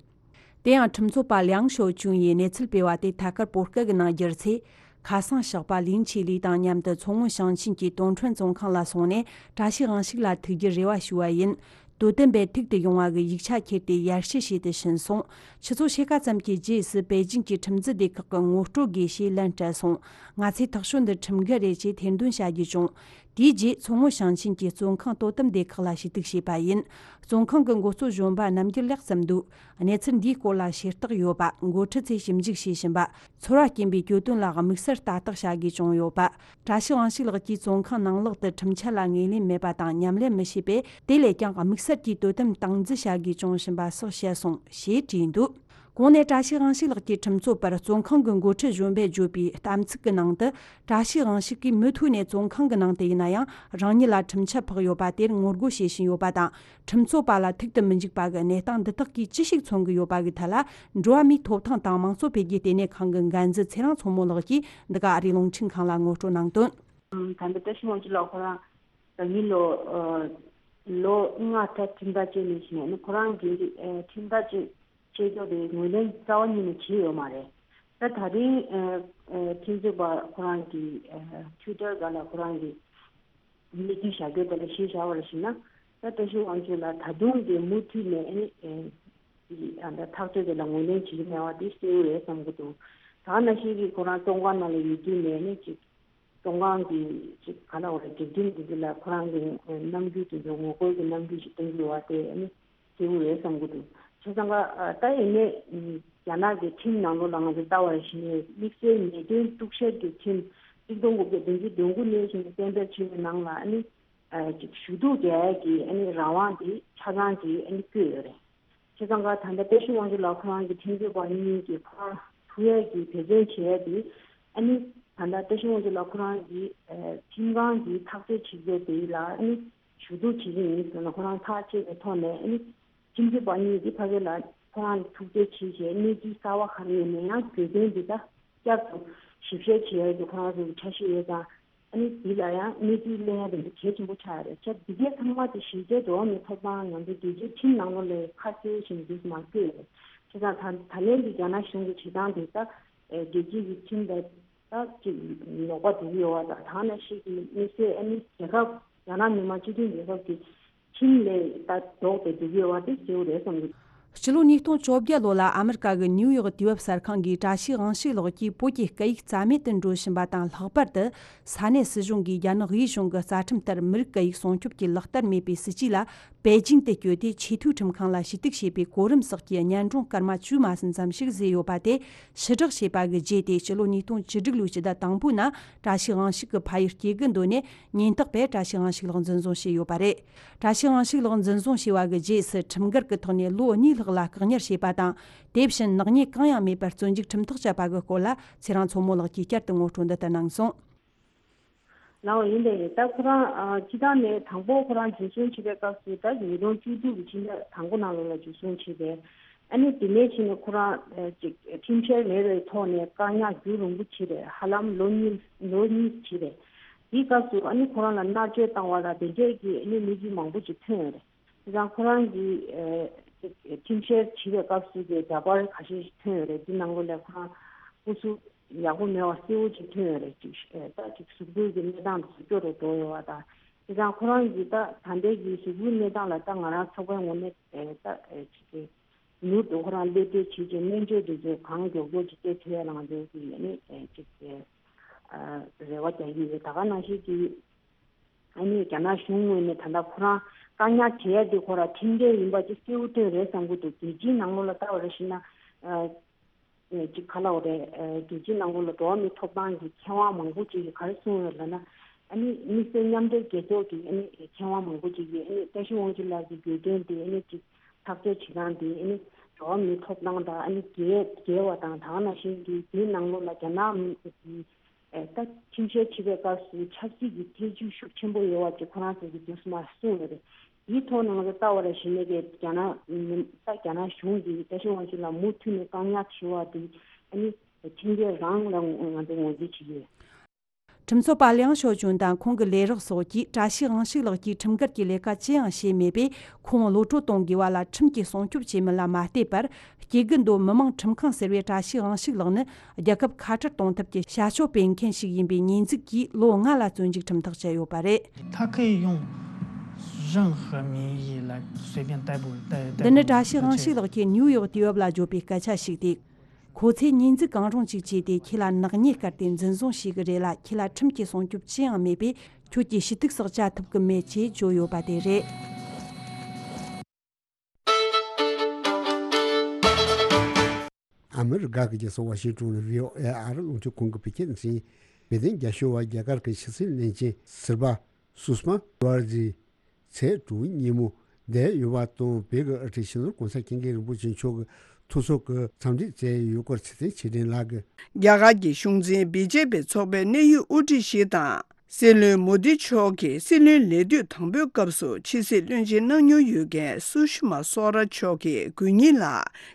དེ་ཡང་ཁྲིམས་རྩོད་པ་ལིའང་ཞའོ་ཅུན་ཡིས་གནས་ཚུལ་སྤེལ་བ་དེ་ཐད་ཀར་བོད་སྐད་ཀྱི་ནང་བསྒྱུར་ཚེ། ཁ་སང་ཞོགས་པ་ལིང་ཆི་ལི་དང་མཉམ་དུ་མཚོ་སྔོན་ཞིང་ཆེན་གྱི་ཏུང་ཁྲོན་བཙོན་ཁང་ལ་སོང་ནས་བཀྲ་ཤིས་དབང་ཕྱུག་ལ་ཐུག་རྒྱུར་རེ་བ་ཞུས་པ་ཡིན། དོ་དམ་པས་ཐུག་ཏུ་ཡོང་བ་གི་ཡིག་ཆ་ཁྱེར་ཏེ་ཡར་ཞུ་བྱས་ཏེ་ཕྱིན་སོང་། ཆུ་ཚོད་ཕྱེད་ཀ་ཙམ་གྱི་རྗེས་སུ་པེ་ཅིང་གི་ཁྲིམས་འཛིན་སྡེ་ཁག་གིས་ངོ་སྤྲོད་དགོས་ཞེས་ལན་སྤྲད་སོང་། ང་ཚོའི་ཐག་གཅོད་འདི་ཁྲིམས་འགལ་རེད་ཅེས་ཐེར་འདོན་བྱ་རྒྱུ་བྱུང་། དེའི་རྗེས་མཚོ་སྔོན་ཞིང་ཆེན་གྱི་བཙོན་ཁང་དོ་དམ་སྡེ་ཁག་ལ་ཞུ་གཏུག་བྱས་པ་ཡིན། བཙོན་ཁང་གི་འགོ་གཙོ་གཞོན་པ་རྣམ་འགྱུར་ལེགས་ཙམ་འདུག་གནས་ཚུལ་འདིའི་སྐོར་ལ་ཤེས་རྟོགས་ཡོད་པ། འགོ་ཁྲིད་ཚོས་ཞིབ་འཇུག་བྱེད་བཞིན་པ། ཚོར་བ་སྐྱེན་པའི་གྱོད་དོན་ལ་དམིགས་བསལ་ལྟ་རྟོག་བྱ་དགོས་བྱུང་ཡོད་པ། བཀྲ་ཤིས་དབང་ཕྱུག་ལགས་ཀྱིས་བཙོན་ཁང་ནང་ལོགས་དུ་ཁྲིམས་འཆར་ལ་ངོས་ལེན་མེད་པ་དང་མཉམ་ལས་མི་བྱེད་པས། དེ་ལས་ཀྱང་དམིགས་བསལ་གྱིས་དོ་དམ་སྟངས་འཛིན་བྱ་དགོས་བྱུང་བཞིན་པ་སོགས་བཤད་སོང་ཞེས་བྲིས་འདུག་གོང་ནས་བཀྲ་ཤིས་དབང་ཕྱུག་ལགས་ཀྱི་ཁྲིམས་རྩོད་པར་བཙོན་ཁང་གི་འགོ་ཁྲིད་གཞོན་པས་བརྗོད་པའི་གཏམ་ཚིག་གི་ནང་དུ། བཀྲ་ཤིས་དབང་ཕྱུག་གིས་མུ་མཐུད་ནས་བཙོན་ཁང་གི་ནང་དུ་ཡིན་ན་ཡང་རང་ཉིད་ལ་ཁྲིམས་ཆད་ཕོག་ཡོད་པ་དེར་ངོ་རྒོལ་བྱེད་བཞིན་ཡོད་པ་དང་། ཁྲིམས་རྩོད་པ་ལ་ཐུག་ཏུ་མི་འཇུག་པ་གི་གནས་སྟངས་འདི་དག་གིས་ཅི་ཞིག་མཚོན་གྱི་ཡོད་པ་གི་ཐད་ལ། འགྲོ་བ་མིའི་ཐོབ་ཐང་དང་མང་གཙོ་འཕེལ་རྒྱས་ལྟེ་གནས་ཁང་གི་འགན་འཛིན་ཚེ་རིང་མཚོ་མོ་ལགས་ཀྱིས་འདི་ག་ཨ་རིའི་རླུང་འཕྲིན་ཁང་ལ་ངོ་སྤྲོད་གནང་དོན། ད་ལྟ་བཀྲ་ཤིས་དབང་ཕྱུག་ལགས་ཁོ་རང་ད་གིན་ལོ་ལོ་ལྔ་ད་ཁྲིམས་ཐག་བཅད་ནས་བྱས་ནས་ཁོ་རང་གི་ཁྲིམས་ཐག་བཅད་བཅད་ཀྱོག་དེ་ངོས་ལེན་རྩ་བ་ཉིད་ནས་བྱས་ཡོད་མ་རེད། ད་ད་རིང་ཁྲིམས་རྩོད་པ་ཁོ་རང་གི་ཊུའི་ཊར་སྒང་ལ་ཁོ་རང་གི་གནས་ཚུལ་བཞག་རྒྱུ་དེ་ལ་གཞི་བཞག་པ་ལ་གཞིགས་ན། ད་བཀྲ་ཤིས་དབང་ཕྱུག་ལ་ད་དུང་གི་མུ་མཐུད་ནས་ཨ་ནི་ཨེ་ཨ་ད་ཐག་གཅོད་དེ་ལ་ངོས་ལེན་བྱེད་ཀྱི་མེད་པ་དེ་གསལ་པོ་རེད་བསམ་གྱི་འདུག་ད་ག་ནང་བཞིན་གྱི་ཁོ་རང་བཙོན་ཁང་ནང་ལ་ཡོད་དུས་ནས་ནི་ཅིག་བཙོན་ཁང་གི་ཅིག་ག་ལ་བ་རེད། སྒྲིག་ཁྲིམས་དེ་ཚོ་ལ་ཁོ་རང་གི་རྣམ་འགྱུར་དེ་ཚོ་ངོ་རྒོལ་གྱི་རྣམ་འགྱུར་ཞིག་སྟོན་གྱི་ཡོད་པ་དེ་ཨ་ནི་གསལ་པོ་རེད་བསམ་གྱི་འདུག་བྱས་ཙང་ཀ་ད་ཡིན་ནའི་རྒྱ་ནག་གི་ཁྲིམས་ནང་ལོགས་ལ་ང་ཚོ་ལྟ་བ་ཡིན་ནའི་དམིགས་བསལ་ཉེས་དོན་གཏུག་བཤེར་གྱི་ཁྲིམས་གཅིག་སྟོང་དགུ་བརྒྱ་བདུན་ཅུ་དོན་དགུ་ནས་བཞིན་གཏན་འབེབས་བྱས་པའི་ནང་ལ་ཨ་ནི། ཨ་ཅིག་ཞུ་གཏུག་རྒྱག་ཡས་ཀྱི་ཨ་ནི་རང་དབང་དེ་ཆ་ཚང་གིས་ཨ་ནི་བཀོད་ཡོད་རེད། བྱས་ཙང་ཀ་ད་ལྟ་བཀྲ་ཤིས་དབང་ཕྱུག་ལགས་ཁོ་རང་གི་ཁྲིམས་རྩོད་པ་གཉིས་ཀྱིས་ཁོ་རང་ཐུག་ཡས་ཀྱི་འབད་བརྩོན་བྱེད་ཡས་དེ་ཨ་ནི་ད་ལྟ་བཀྲ་ཤིས་དབང་ཕྱུག་ལགས་ཁོ་རང་གི་ཨ་ཁྲིམས་ཁང་གི་ཐག་གཅོད་བྱེད་རྒྱུ་དེ་ལ་ཨ་ནི་ཞུ་གཏུག་བྱེད་ཀྱི་ཡིན་ཟེར་ན་ཁོ་རང་ཐག་བཅད་པའི་ཐོག་ནས་ཨ་ནི་ཁྲིམས་རྩོད་པ་གཉིས་ཀྱིས་ཕ་གི་ལ་ཁོ་རང་ལ་ཐུག་འཕྲད་བྱས་བྱས་གནས་ཚུལ་གསར་པ་ག་རེ་ཡོད་ན་ཡང་གྱོད་དོན་འདི་དག་བསྐྱར་དུ་ཞིབ་བཤེར་བྱེད་ཡས་ཀྱི་ཁོ་རང་ཚོ་གི་འཆར་གཞི་ཡོད་ཙང་། ཨ་ནི་འདི་ལ་ཡང་གནས་ཚུལ་གླེང་ཡ་དེ་འདྲ་གལ་ཆེན་པོ་ཆགས་ཡོད་རེད། བྱས་འདི་གའི་ཚང་མ་དེ་གཞི་རྩའི་འགྲོ་བ་མིའི་ཐོབ་ཐང་ང་ཚོ་རྒྱལ་སྤྱིའི་ཁྲིམས་ནང་ལོགས་ལ་ཁ་གསལ་བཞིན་འདུག་མ་བཀོད་ཡོད་རེད། བྱས་ཙང་ད་ད་ལན་འདི་རྒྱ་ནག་གཞུང་གི་བྱེད་སྟངས་དེ་ད་རྒྱལ་སྤྱིའི་ཁྲིམས་དང་ད་ཅིག་ལོག་པ་འགྲོ་གི་ཡོད་པ་དང་། ད་ནང་བཞིན་གྱི་དམིགས་བསལ་ཨ་ནི་རྒྱལ་ཁབ་རྒྱ་ནག་མི་དམངས་སྤྱི་མཐུན་རྒྱལ་ཁབ་ཀྱི་ཁྲིམས་ལས་ད་ལྡོག་སྟེ་འགྲོ་གི་ཡོད་པ་དེ་གསལ་པོ་རེད་བསམ་གྱི། ཕྱི་ལོ་ཉིས་སྟོང་བཅོ་བརྒྱད་ལོ་ལ་ཨ་མི་རི་ཀ་གི་ནིའུ་ཡོག་དུས་བབ་གསར་ཁང་གིས་བཀྲ་ཤིས་དབང་ཕྱུག་ལགས་ཀྱིས་བོད་ཀྱི་སྐད་ཡིག་རྩ་མེད་དུ་འགྲོ་བཞིན་པ་དང་། ལྷག་པར་དུ་ས་གནས་སྲིད་གཞུང་གིས་རྒྱ་ནག་དབུས་གཞུང་གི་རྩ་ཁྲིམས་ལྟར་མི་རིགས་སྐད་ཡིག་སྲུང་སྐྱོབ་ཀྱི་ལག་བསྟར་མེད་པའི་སྲིད་ཇུས་ལ་པེ་ཅིང་དུ་བསྐྱོད་དེ་ཆེས་མཐོའི་ཁྲིམས་ཁང་ལ་ཞུ་གཏུག་བྱས་པའི་གོ་རིམ་སོགས་ཀྱི་སྙན་སྒྲོན་སྐར་མ་བཅུ་མ་ཟིན་ཙམ་ཞིག་བཟོས་ཡོད་པ་དེ་ཕྱིར་བསྒྲགས་བྱས་པ་གི་རྗེས་ཏེ། ཕྱི་ལོ་ཉིས་སྟོང་བཅུ་དྲུག་ལོའི་ཕྱི་ཟླ་དང་པོའི་ནང་བཀྲ་ཤིས་དབང་ཕྱུག་གི་ཕ་ཡུལ་སྐྱེ་རྒུ་མདོ་ནས་ཉེན་རྟོག་པས་བཀྲ་ཤིས་དབང་ཕྱུག་ལགས་འཛིན་བཟུང་བྱས་ཡོད་པ་རེད། བཀྲ་ཤིས་དབང་ཕྱུག་ལགས་འཛིན་བཟུང་བྱས་པ་གི་རྗེས་སུ་ཁྲིམས་འགལ་གྱི་ཐོག་ནས་ལོ་གཉིས་ལྷག་ལ་བཀག་ཉར་བྱས་པ་དང་། དེ་བཞིན་ནག་ཉེས་གང་ཡང་མེད་པར་བཙོན་འཇུག་ཁྲིམས་ཐག་བཅད་པ་གི་སྐོར་ལ་ཚེ་རིང་མཚོ་མོ་ལགས་ཀྱིས་བསྐྱར་དུ་ངོ་སྤྲོད་འདི་ལྟར་གནང་སོང་། ལགས་འོ། ཡིན་པས་ད་ཁོ་རང་ཨ་སྤྱི་བཏང་ནས་དང་པོ་ཁོ་རང་འཇུ་བཟུང་བྱས་པའི་སྐབས་སུ་ད་ཉིས་སྟོང་བཅུ་དྲུག་གི་ཕྱི་ཟླ་དང་པོ་ནང་ལོགས་ལ་འཇུ་བཟུང་བྱས་པས། ཨ་ནི་དེ་ནས་ཕྱིན་ནས་ཁོ་རང་ཨ་ཅིག་ཁྲིམས་འཆར་མེད་པའི་ཐོག་ནས་བཀག་ཉར་རྒྱུན་རིང་པོ་བྱས་པས། ཧ་ལམ་ལོ་གཉིས་ལོ་གཉིས་བྱས་པས། དེའི་སྐབས་སུ་ཨ་ནི་ཁོ་རང་ལ་མནར་གཅོད་བཏང་བ་ལ་དེ་འདྲས་ཀྱི་ཨ་ནི་གནས་ཚུལ་མང་པོ་ཅིག་ཐོན་ཡོད་རེད། དེ་ཙང་ཁོ་རང་གིས་ཨ་ཅིག་ཁྲིམས་འཆར་བྱེད་པའི་སྐབས་སུ་གི་འདྲ་པར་ཁ་ཤས་ཤིག་ཐོན་ཡོད་རེད། འདི་ནང་ལོགས་ལ་ཁོ་རང་སྐུ་གཟུགས་ཡག་པོ་མེད་པ་གསལ་པོ་ཅིག་ཐོན་ཡོད་རེད། ཅིག་ཨ་ད་ཅིག་གཟུགས་པོའི་གི་གནས་སྟངས་དེ་ཚོ་སྐྱོ་རུ་འགྲོ་ཡོད་པ་དང་། དེ་ཙང་ཁོ་རང་གིས་ད་ད་ལྟའི་གི་གཟུགས་པོའི་གནས་སྟངས་ལ་ད་ང་རང་ཚོགས་པའི་ངོས་ནས་ཨ་ད་ཨ་ཅིག་གི་ མྱུར་དུ་ཁོ་རང་གློད་བཀྲོལ་བྱེད་ཅིང་སྨན་བཅོས་དེ་ཚོ་གང་མགྱོགས་མགྱོགས་ཀྱིས་སྤྲད་ཐུབ་ཡ་ལངས་དེ་ཡིན་ནི་ཅིག་རེ་བ་རྒྱག་གི་ཡོད། ད་ག་ནང་བཞིན་གྱི་ཨ་ནི་རྒྱ་ནག་གཞུང་ངོས་ནས་ད་ལྟ་ཁོ་རང་བཀག་ཉར་བྱེད་ཡ་དེ་ཁོ་རང་ཁྲིམས་འགལ་ཡིན་པ་ཅིག་གསལ་པོ་བཏོན་རེད་བསམ་གྱི་འདུག་རྒྱལ་སྤྱིའི་ནང་ལོགས་ལ་ལྟ་བ་རེ་ཞིག་ན། ཅིག་ག་ལབ་དགོས་རེད། རྒྱལ་སྤྱིའི་ནང་ལོགས་ལ་འགྲོ་བ་མིའི་ཐོབ་ཐང་གི་མཁས་དབང་མང་པོ་ཅིག་གིས་ག་རེ་གསུངས་ཡོད་ལབ་ན། ཨ་ནི་དམིགས་བསལ་མཉམ་འབྲེལ་རྒྱལ་ཚོགས་ཀྱི་ཨ་ནི་མཁས་དབང་མང་པོ་ཅིག་གིས་ཨ་ནི་བཀྲ་ཤིས་དབང་ཕྱུག་ལགས་ཀྱི་འགོས་མཁན་དེ་ཨ་ནི་ཅིག་ཐག་གཅོད་བྱེད་སྟངས་དེ་ཨ་ནི་འགྲོ་བ་མིའི་ཐོབ་ཐང་དང་ཨ་ནི་འགལ་འགལ་བ་དང་། ད་ག་ནང་བཞིན་གྱི་དེའི་ནང་ལོགས་ལ་རྒྱ་ནག་གི་ད་ཁྲིམས་བཤེར་བྱེད་པའི་སྐབས་སུ་ཆབ་སྲིད་ཀྱི་ཐེ་ཇུས་ཤུགས་ཆེན་པོ་ཡོད་པ་ཅིག་ཁོ་རང་ཚོ་གིས་དུས་སུ་མར་གསུངས་ཡོད་རེད། དེའི་ཐོག་ནང་ལ་ལྟ་བ་ར་ཞིག་ནས་ཀྱི་རྒྱ་ནག་ད་རྒྱ་ནག་གཞུང་གིས་བཀྲ་ཤིས་དབང་ཕྱུག་ལ་མུ་མཐུད་ནས་བཀག་ཉར་བྱེད་པ་དེ་ཨ་ནི་ཁྲིམས་འགལ་རང་ལ་ང་ཚོ་ངོས་འཛིན་བྱེད་ཀྱི་ཡོད། ཁྲིམས་རྩོད་པ་ལིའང་ཞའོ་ཅུན་དང་ཁོང་གི་ལས་རོགས་སོགས་ཀྱིས་བཀྲ་ཤིས་དབང་ཕྱུག་ལགས་ཀྱིས་ཁྲིམས་འགལ་གྱི་ལས་ཀ་ཅི་ཡང་བྱས་མེད་པས། ཁོང་གློད་གྲོལ་གཏོང་དགོས་པ་ལ་ཁྲིམས་ཀྱིས་སྲུང་སྐྱོབ་བྱེད་མིན་ལ་མ་ལྟོས་པར། སྐྱེ་རྒུ་མདོ་མི་དམངས་ཁྲིམས་ཁང་ཟེར་བའི་བཀྲ་ཤིས་དབང་ཕྱུག་ལགས་ནི་རྒྱལ་ཁབ་ཁ་བྲལ་གཏོང་ཐབས་ཀྱི་བྱ་སྤྱོད་སྤེལ་མཁན་ཞིག་ཡིན་པའི་ཉེས་འཛུགས་ཀྱིས་ལོ་ལྔ་ལ་བཙོན་འཇུག་ཁྲིམས་ཐག་བཅད་ཡོད་པ་རེད། 他可以用任何名义来随便逮捕、逮、逮捕。འདི་ནི་བཀྲ་ཤིས་དབང་ཕྱུག་ལགས་ཀྱིས་ནིའུ་ཡོག་དུས་བབ་ལ་བརྗོད་པའི་སྐད་ཆ་ཞིག་སྟེ། ཁོ་ཚོས་ཉེས་འཛུགས་གང་རུང་ཞིག་བྱས་ཏེ། ཁྱེད་ལ་ནག་ཉེས་བཀལ་ཏེ་འཛིན་བཟུང་བྱེད་ཀྱི་རེད་ལ། ཁྱེད་ལ་ཁྲིམས་ཀྱི་སྲུང་སྐྱོབ་ཅི་ཡང་མེད་པས། ཁྱོད་ཀྱི་ཞུ་གཏུག་སོགས་བྱ་ཐུབ་ཀྱི་མེད་ཅེས་བརྗོད་ཡོད་པ་དེ་རེད། ཨ་མི་རི་ཀ་གི་རྒྱལ་ས་ཝ་ཤིང་ཏོན་ནས་བྷི་ཨོ་ཨེ་ཨ་རི་རླུང་འཕྲིན་ཁང་གིས་བོད་སྐད་སྡེ་ཚན། བོད་དོན་རྒྱབ་སྐྱོར་བ་རྒྱ་གར་གྱི་ཕྱི་སྲིད་བློན་ཆེན་སིལ་བ་སུ་ཤ་མ་ཇུ་ཨར་ཇི་ཚེས་དྲུག་ཉིན་མོ་འདས་ཡོད་པ་དང་། བོད་ཀྱི་དབུ་ཁྲིད་སྤྱི་ནོར་༸གོང་ས་༸སྐྱབས་མགོན་རིན་པོ་ཆེ་མཆོག་གིས་ཐུགས་གསོ་གི་འཚམས་འདྲི་བསྩལ་ཡོད་སྐོར་ཚེ་བརྟན་ཆོས་སྒྲོན་ལགས་ཀྱིས། རྒྱ་གར་གྱི་གཞུང་འཛིན་བི་ཇེ་པི་ཚོགས་པའི་གནད་ཡོད་དབུ་ཁྲིད་ཞིག་དང་། སྲིད་བློན་མོ་དི་མཆོག་གི་སྲིད་བློན་ལས་དུས་དང་པོའི་སྐབས་སུ་ཕྱི་སྲིད་བློན་ཆེན་གནང་མྱོང་ཡོད་མཁན་སུ་ཤི་མ་སོ་ར་མཆོག་གིས་དགུ་ཉིན་ལ་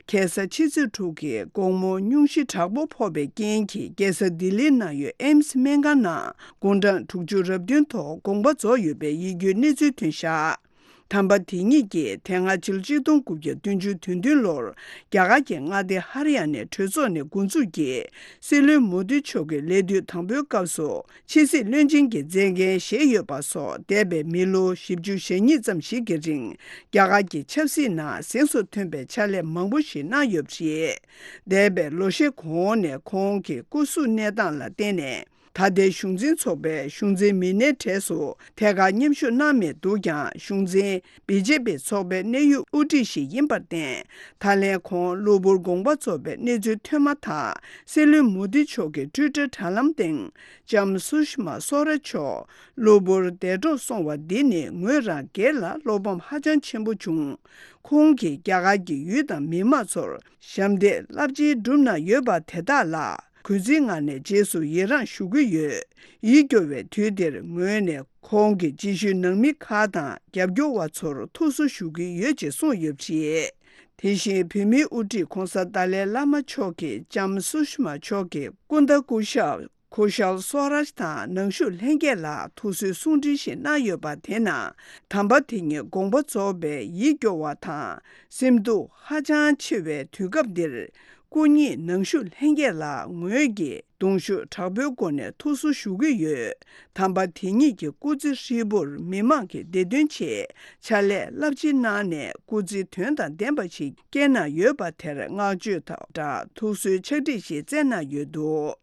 ཁ་སང་ཕྱི་ཚེས་དྲུག་གི་དགོང་མོ་སྙུང་གཞི་དྲག་པོ་ཕོག་པའི་རྐྱེན་གྱིས། རྒྱལ་ས་ལྡི་ལིའི་ནང་ཡོད་ཨེམ་སི་སྨན་ཁང་ནང་དགུང་གྲངས་དྲུག་ཅུ་རབ་བདུན་ཐོག་དགོངས་པ་རྫོགས་ཡོད་པའི་ཡིད་སྐྱོའི་གནས་ཚུལ་ཐོན་བཞག་དམ་པ་དེ་ཉིད་ཀྱིས་དེ་སྔ་ཕྱི་ལོ་ཆིག་སྟོང་དགུ་བརྒྱ་བདུན་ཅུ་དོན་བདུན་ལོར་རྒྱ་གར་གྱི་མངའ་སྡེ་ཧ་རི་ཡ་ནའི་གྲོས་ཚོགས་ནས་འགོ་འཛུགས་ཀྱིས་སྲིད་བློན་མོ་དི་མཆོག་གི་ལས་དུས་དང་པོའི་སྐབས་སུ་ཕྱི་སྲིད་བློན་ཆེན་གྱི་མཛད་འགན་བཞེས་ཡོད་པ་སོགས། འདས་པའི་མི་ལོ་བཞི་བཅུ་ཞེ་གཉིས་ཙམ་ཞིག་གི་རིང་རྒྱ་གར་གྱི་ཆབ་སྲིད་ནང་གཟེངས་སུ་ཐོན་པའི་ཕྱག་ལས་མང་པོ་ཞིག་གནང་ཡོད་པ་རེད། འདས་པའི་ལོ་ཤས་གོང་ནས་ཁོང་གི་སྐུ་གཟུགས་གནས་སྟངས་ལ་བརྟེན་ནས། ད་ལྟའི་གཞུང་འཛིན་ཚོགས་པའི་གཞུང་འཛིན་མི་སྣའི་གྲས་སུ་ཐད་ཀར་མཉམ་ཞུགས་གནང་མེད་འདུག་ཀྱང་། གཞུང་འཛིན་བི་ཇེ་པི་ཚོགས་པའི་གནད་ཡོད་དབུ་ཁྲིད་ཞིག་ཡིན་པར་བརྟེན། ད་ལན་ཁོང་གློ་བུར་དགོངས་པ་རྫོགས་པའི་གནས་ཚུལ་ཐོན་མ་ཐག་སྲིད་བློན་མོ་དི་མཆོག་གི་ཊུའི་ཊར་དྲ་ལམ་སྟེང་ལྕམ་སུ་ཤི་མ་སོ་ར་མཆོག་གློ་བུར་འདས་གྲོངས་སོང་བ་འདི་ནི་ངོས་རང་སྒེར་ལ་བློ་ཕམ་ཧ་ཅང་ཆེན་པོ་བྱུང་། ཁོང་གིས་རྒྱ་གར་གྱི་ཡུལ་དང་མི་མང་ཚོར་ཞབས་འདེགས་རླབས་ཆེན་བསྒྲུབས་གནང་ཡོད་པ་དེ་དག་ལ། གུས་བརྩིའི་ངང་ནས་རྗེས་སུ་ཡི་རངས་ཞུ་གི་ཡོད། ཡིད་སྐྱོ་བའི་དུས་འདིར་ངོས་ནས་ཁོང་གི་རྗེས་ཤུལ་ནང་མི་ཁག་དང་རྒྱབ་སྐྱོར་བ་ཚོར་ཐུགས་གསོ་ཞུ་གི་ཡོད་ཅེས་གསུངས་ཡོད་པ་རེད། དེ་བཞིན་བོད་མིའི་དབུ་ཁྲིད་༸གོང་ས་ཏཱ་ལའི་བླ་མ་མཆོག་གིས་ལྕམ་སུ་ཤི་མ་མཆོག་གི་སྐུ་ཟླ་སྐུ་ཞབས་ཁུ་ཤལ་སོ་རཱཇ་དང་ནང་བཞུགས་ལྷན་རྒྱས་ལ་ཐུགས་གསོའི་གསུང་འཕྲིན་ཞིག་གནང་ཡོད་པ་དེ་ནང་། དམ་པ་དེ་ཉིད་དགོངས་པ་རྫོགས་པའི་ཡིད་སྐྱོ་བ་དང་སེམས་སྡུག་ཧ་ཅང་ཆེ་བའི་དུས་སྐབས་འདིར། སྐུ་ཉིད་ནང་བཞུགས་ལྷན་རྒྱས་ལ་ངོས་ཀྱིས་གདུང་ཤུགས་དྲག་པོའི་སྒོ་ནས་ཐུགས་གསོ་ཞུ་གི་ཡོད། དམ་པ་དེ་ཉིད་ཀྱི་སྐུ་ཚེ་ཧྲིལ་པོར་མི་མང་གི་བདེ་དོན་ཆེད་ཕྱག་ལས་རླབས་ཆེན་གནང་ནས། སྐུ་ཚེ་དོན་དང་ལྡན་པ་ཞིག་སྐྱེལ་གནང་ཡོད་པ་དེར་བསྔགས་བརྗོད་དང་སྦྲགས་ཐུགས་གསོའི་ཕྱག་བྲིས་ཤིག་བསྩལ་གནང་ཡོད་འདུག་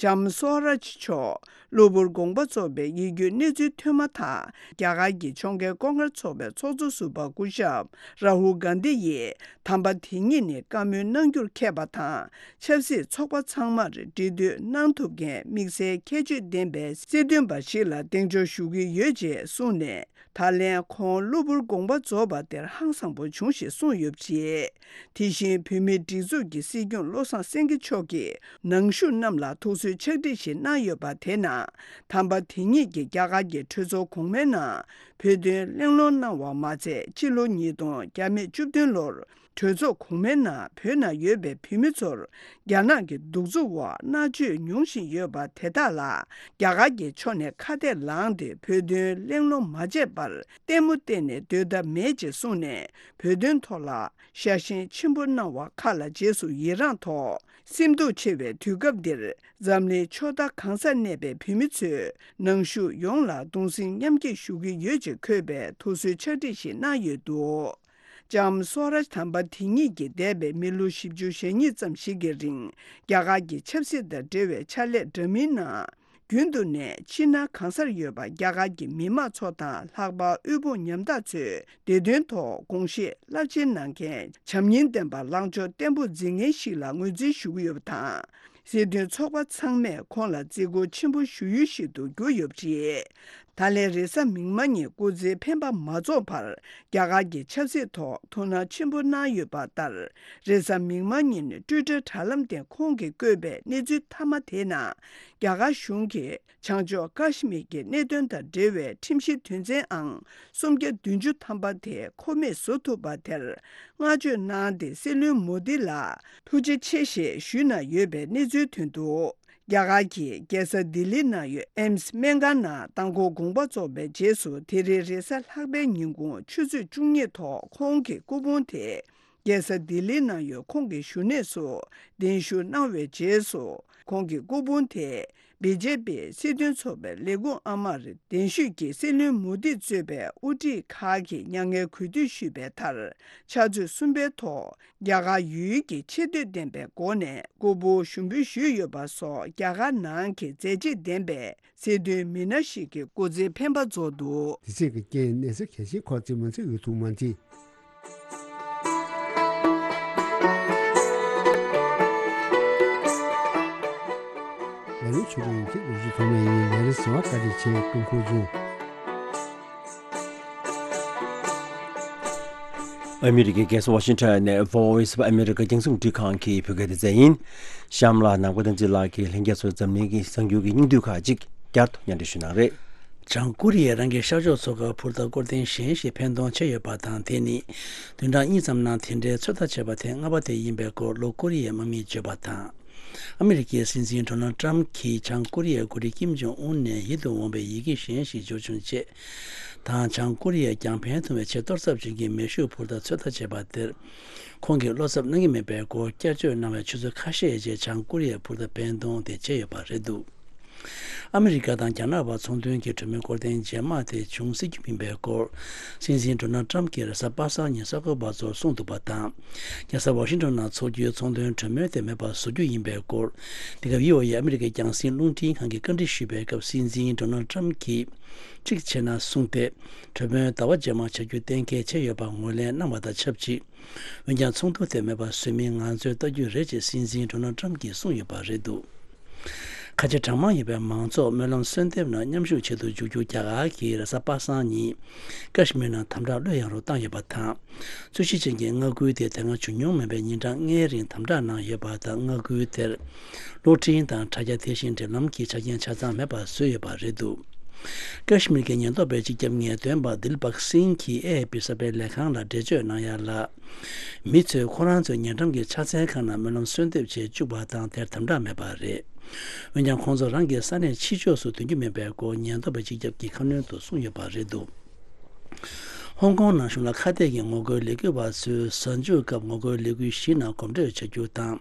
ལྕམ་སོ་རཱཇ་མཆོག་གློ་བུར་དགོངས་པ་རྫོགས་པའི་ཡིད་སྐྱོའི་གནས་ཚུལ་ཐོན་མ་ཐག་རྒྱ་གར་གྱི་ཕྱོགས་འགལ་ལྐོག་གཉེར་ཚོགས་པའི་ཚོགས་གཙོ་ཟུར་པ་སྐུ་ཞབས་རཱ་ཧུལ་གྷན་དྷི་ཡིས། དམ་པ་དེ་ཉིད་ནི་བཀའ་མོལ་གནང་རྒྱུར་མཁས་པ་དང་། ཆབ་སྲིད་ཚོགས་པ་ཚང་མར་འབྲེལ་མཐུད་གནང་ཐུབ་མཁན་དམིགས་བསལ་ཁྱད་ཆོས་ལྡན་པའི་སྲིད་དོན་པ་ཞིག་ལ་གདེང་འཇོག་ཞུ་གི་ཡོད་ཅེས་གསུངས་ནས། ད་ལན་ཁོང་གློ་བུར་དགོངས་པ་རྫོགས་པ་དེར་ཧང་སངས་པོ་བྱུང་ཞེས་གསུངས་ཡོད་པ་རེད། དེ་བཞིན་བོད་མིའི་སྒྲིག་འཛུགས་ཀྱི་སྲིད་སྐྱོང་བློ་བཟང་སེང་གེ་མཆོག་གིས་ནང་བཞུགས་རྣམས་ལ་ཐུགས་གསོའི་ཕྱག་བྲིས་ཤིག་གནང་ཡོད་པ་དེ་ནང་། དམ་པ་དེ་ཉིད་ཀྱིས་རྒྱ་གར་གྱི་གྲོས་ཚོགས་གོང་མའི་ནང་བོད་དོན་གླེང་སློང་གནང་བ་མ་ཚད། ཕྱི་ལོ་ཉིས་སྟོང་བརྒྱ་མེད་བཅུ་བདུན་ལོར་གྲོས་ཚོགས་གོང་མའི་ནང་བོད་ནང་ཡོད་པའི་བོད་མི་ཚོར་རྒྱ་ནག་གི་གདུག་རྩུབ་འོག་མནར་གཅོད་མྱོང་བཞིན་ཡོད་པ་དེ་དག་ལ། རྒྱ་གར་གྱི་ཕྱོགས་ནས་ཁ་གཏད་ལངས་ཏེ་བོད་དོན་གླེང་སློང་མ་བྱས་པར་ལྟད་མོ་བལྟས་ནས་སྡོད་ཐབས་མེད་ཅེས་གསུངས་ནས། བོད་དོན་ཐོག་ལ་ཤ་ཞེན་ཆེན་པོ་གནང་བ་ཁག་ལ་རྗེས་སུ་ཡི་རངས་ཐོག་སེམས་སྡུག་ཆེ་བའི་དུས་སྐབས་འདིར། འཛམ་གླིང་ཕྱོགས་མཐའ་གང་སར་གནས་པའི་བོད་མི་ཚོས་ནང་བཞུགས་ཡོངས་ལ་གདུང་སེམས་མཉམ་སྐྱེད་ཞུ་གི་ཡོད་ཅེས་འཁོད་པའི་ཐུགས་གསོའི་ཕྱག་བྲིས་ཤིག་གནང་ཡོད་འདུག་ལྕམ་སོ་ར་དམ་པ་དེ་ཉིད་ཀྱིས་འདས་པའི་མི་ལོ་བཞི་བཅུ་ཞེ་གཉིས་ཙམ་ཞིག་གི་རིང་རྒྱ་གར་གྱི་ཆབ་སྲིད་དང་འབྲེལ་བའི་ཕྱག་ལས་འདྲ་མིན་ནང་། རྒྱུན་དུ་ནས་ཕྱི་ནང་གང་སར་ཡོད་པ་རྒྱ་གར་གྱི་མི་དམངས་ཚོ་དང་ལྷག་པར་དབུལ་ཕོངས་ཉམ་ཐག་ཚོའི་བདེ་དོན་ཐོག་དགོངས་བཞེས་རླབས་ཆེན་གནང་མཁན་བྱམས་སྙིང་ལྡན་པ་ལངས་ཕྱོགས་བརྟན་པོ་འཛིན་མཁན་ཞིག་ལ་ངོས་འཛིན་ཞུ་གི་ཡོད་པ་དང་། སྲིད་དོན་ཚོགས་པ་ཚང་མས་ཁོང་ལ་བརྩི་བཀུར་ཆེན་པོ་ཞུ་ཡུལ་ཞིག་ཏུ་གྱུར་ཡོད་པ་རེད། ད་ལན་རེས་གཟའ་མིག་དམར་ཉིན་སྐུ་ཚེའི་འཕེན་པ་མ་རྫོགས་བར་རྒྱ་གར་གྱི་ཆབ་སྲིད་ཐོག་ཐུགས་སྣང་ཆེན་པོ་གནང་ཡོད་པ་ལྟར། རེས་གཟའ་མིག་དམར་ཉིན་ཊུའི་ཊར་དྲ་ལམ་སྟེང་ཁོང་གིས་བཀོད་པའི་གནས་ཚུལ་མཐའ་མ་དེའི་ནང་། རྒྱ་གར་གཞུང་གིས་བྱང་ཕྱོགས་ཀ་ཤི་མིར་གྱི་གནད་དོན་དང་འབྲེལ་བའི་ཁྲིམས་གཞི་དོན་ཚན་ཨང་སུམ་བརྒྱ་བདུན་ཅུ་ཐམ་པ་དེ་ཁོ་མེད་བཟོ་ཐུབ་པ་དེར་བསྔགས་བརྗོད་གནང་སྟེ། སྲིད་བློན་མོ་དི་ལ་ཐུགས་རྗེ་ཆེ་ཞེས་ཞུས་གནང་ཡོད་པའི་གནས་ཚུལ་ཐོན་འདུག་རྒྱ་གར་གྱི་རྒྱལ་ས་ལྡི་ལི་ནང་ཡོད་ཨེམ་སི་སྨན་ཁང་ནང་མདང་དགོང་དགོངས་པ་རྫོགས་པའི་རྗེས་སུ། དེ་རིང་རེས་གཟའ་ལྷག་པའི་ཉིན་གུང་ཆུ་ཚོད་བཅུ་གཉིས་ཐོག་ཁོང་གི་སྐུ་ཕུང་དེ་རྒྱལ་ས་ལྡི་ལི་ནང་ཡོད་ཁོང་གི་བཞུགས་གནས་སུ་གདན་ཞུ་གནང་བའི་རྗེས་སུ། ཁོང་གི་སྐུ་ཕུང་དེ་བི་ཇེ་པི་སྲིད་དོན་ཚོགས་པའི་ལས་ཁུངས་ཨ་མར་གདན་ཞུས་ཀྱིས་སྲིད་བློན་མོ་དི་གཙོས་པའི་དབུ་ཁྲིད་ཁག་གིས་མྱ་ངན་གུས་འདུད་ཞུས་པའི་མཐར། ཕྱག་ཚོད་གསུམ་པའི་ཐོག་རྒྱ་གར་ཡུལ་གྱི་ཆེ་བསྟོད་ལྡན་པའི་སྒོ་ནས་སྐུ་ཕུང་ཞུགས་འབུལ་ཞུས་ཡོད་པ་སོགས་རྒྱ་གར་ནང་གི་མཛད་རྗེས་ལྡན་པའི་སྲིད་དོན་མི་སྣ་ཞིག་གི་སྐུ་ཚེའི་འཕེན་པ་རྫོགས་འདུག་དེ་ཚེས་ཀྱི་རྐྱེན་གནས་ཚུལ་གལ་ཆེན་ཁག་ཅིག་མ་ཚད་འོས་ཐུག་མ་མཐིལ། ལས་རིམ་ཆུ་རུང་གི་ལོ་རྒྱུས་ཐོག་མ་ཡིན། ལས་རིམ་གསར་བ་བཀའ་དྲིན་ཆེ་ཀྲུང་གོ་ལྗོངས། ཨ་མི་རི་ཀའི་རྒྱལ་ས་ཝ་ཤིང་ཊོན་ནས་Voice of America རྒྱང་སྲིང་རླུང་འཕྲིན་ཁང་གི་བོད་སྐད་སྡེ་ཚན་ཡིན། གཤམ་ལ་ནམ་མཁའ་བསྟན་འཛིན་ལགས་ཀྱིས་ལྷན་རྒྱས་ཚོར་འཛམ་གླིང་གི་གསར་འགྱུར་གྱི་སྙིང་བསྡུས་ཁག་ཅིག་བསྐྱར་དུ་སྙན་སྒྲོན་ཞུ་གནང་རེད། བྱང་ཀོ་རི་ཡས་རང་གི་ཤར་ཕྱོགས་མཚོ་ཁར་འཕུར་མདའ་སྐོར་ཐེངས་གཞན་ཞིག་འཕེན་གཏོང་བྱས་ཡོད་པ་དང་། དེ་ནི་བདུན་ཕྲག་གཉིས་ཙམ་ནང་དེ་འདྲའི་ཚོད་ལྟ་བྱས་པ་དེ་སྔ་པ་དེ་ཡིན་པའི་སྐོར་ལྷོ་ཀོ་རི་ཡའི་དམག་མིས་བརྗོད་པ་དང་། ཨ་མི་རི་ཀའི་སྲིད་འཛིན་ཌོ་ནལ་ཏྲམ་གྱིས་བྱང་ཀོ་རི་ཡའི་འགོ་ཁྲིད་ཀིམ་ཇོང་ཨུན་ནས་ཡིད་དུ་འོང་བའི་ཡི་གེ་གཞན་ཞིག་འབྱོར་བྱུང་རྗེས་དང་། བྱང་ཀོ་རི་ཡས་ཀྱང་འཕེན་ཐུབ་པའི་ཆེས་གཏོར་ཚབས་ཆེན་གྱི་མེ་ཤུགས་འཕུར་མདའ་ཚོད་ལྟ་བྱས་པ་དེར། ཁོང་གིས་བློ་འཚབ་གནང་གི་མེད་པའི་སྐོར་བསྐྱར་བརྗོད་གནང་བའི་ཆུ་ཚོད་ཁ་ཤས་རྗེས་བྱང་ཀོ་རི་ཡས་འཕུར་མདའ་འཕེན་གཏོང་དེ་བྱས་ཡོད་པ་རེད་འདུག་ཨ་མི་རི་ཀ་དང་རྒྱ་ནག་བར་ཚོང་དོན་གྱི་གྲོས་མོལ་སྐོར་ཐེངས་རྗེས་མ་དེ་བྱུང་སྲིད་རྒྱུ་མིན་པའི་སྐོར། སྲིད་འཛིན་ཌོ་ནལ་ཏྲམ་གྱིས་རེས་གཟའ་པ་སངས་ཉིན་གསར་འགོད་པ་ཚོར་གསུངས་འདུག་པ་དང་། རྒྱལ་ས་ཝ་ཤིང་ཊོན་ནང་འཚོགས་རྒྱུའི་ཚོང་དོན་གྲོས་མོལ་དེ་མེད་པར་བཟོ་རྒྱུ་ཡིན་པའི་སྐོར། འདི་ག་བྷི་ཨོ་ཨེ་ཨ་མི་རི་ཀའི་རྒྱང་སྲིང་རླུང་འཕྲིན་ཁང་གིས་བཀའ་འདྲི་ཞུས་པའི་སྐབས། སྲིད་འཛིན་ཌོ་ནལ་ཏྲམ་གྱིས་གཅིག་བྱས་ན་གསུངས་ཏེ། གྲོས་མོལ་ཟླ་བ་རྗེས་མ་བྱ་རྒྱུ་གཏན་འཁེལ་བྱས་ཡོད་པ་ངོས་ལེན་གནང་བ་དང་ཆབས་ཅིག་འོན་ཀྱང་ཚོགས་འདུ་དེ་མེད་པར་བཟོས་མིན་ང་ཚོས་ལྟ་རྒྱུ་རེད་ཅེས་སྲིད་འཛིན་ཌོ་ནལ་ཏྲམ་གྱིས་གསུངས་ཡོད་པ་རེད་འདུག་ཁ་ཆེ་གྲངས་མང་ཡོད་པའི་མང་ཚོགས་སྨོན་ལམ་གསོལ་འདེབས་ནང་མཉམ་ཞུགས་བྱེད་དུ་འཇུག་རྒྱུ་རྒྱ་གར་གྱིས་རེས་གཟའ་པ་སངས་ཉིན་ཀ་ཤི་མིར་ནང་དམ་དྲག་བློས་ཡངས་རུ་བཏང་ཡོད་པ་དང་། རྩོད་གཞི་ཅན་གྱི་མངའ་ཁུལ་དེ་དེ་སྔ་བྱུང་མྱོང་མེད་པའི་ཉིན་གྲངས་ལྔའི་རིང་དམ་དྲག་གནང་ཡོད་པ་དང་། མངའ་ཁུལ་དེར་གློག་འཕྲིན་དང་དྲ་རྒྱ་དེ་བཞིན་འབྲེལ་ལམ་གྱི་ཆ་རྐྱེན་ཆ་ཚང་མེད་པར་བཟོས་ཡོད་པ་རེད་འདུག་ཀ་ཤི་མིར་གྱི་ཉེན་རྟོག་པའི་སྤྱི་ཁྱབ་ངེས་སྟོན་པ་དིལ་བག་སིང་གིས་ཨེ་ཨེ་པི་གསར་སྤེལ་ལས་ཁང་ལ་འགྲེལ་བརྗོད་གནང་ཡ་ལ། མི་ཚོས་ཁོ་རང་ཚོའི་ཉེ་འགྲམ་གྱི་ཕྱག་འཚལ་ཁང་ནང་སྨོན་ལམ་གསོལ་འདེབས་བྱེད་བཅུག་པ་དང་། དེར་དམ་དྲག་མེད་པ་རེད། འོན་ཀྱང་ཁོང་ཚོ་རང་གི་ས་གནས་ཕྱི་ཕྱོགས་སུ་ཐོན་རྒྱུ་མེད་པའི་སྐོར་ཉེན་རྟོག་པའི་སྤྱི་ཁྱབ་ཀྱིས་ཁ་སྣོན་དུ་གསུངས་ཡོད་པ་རེད་འདུག་ཧོང་ཀོང་ནང་གཞུང་ལ་ཁ་གཏད་ཀྱི་ངོ་རྒོལ་ལས་འགུལ་བ་ཚོས་གཟའ་མཇུག་སྐབས་ངོ་རྒོལ་ལས་འགུལ་བཞི་ནང་གོམ་བགྲོད་བྱ་རྒྱུ་དང་།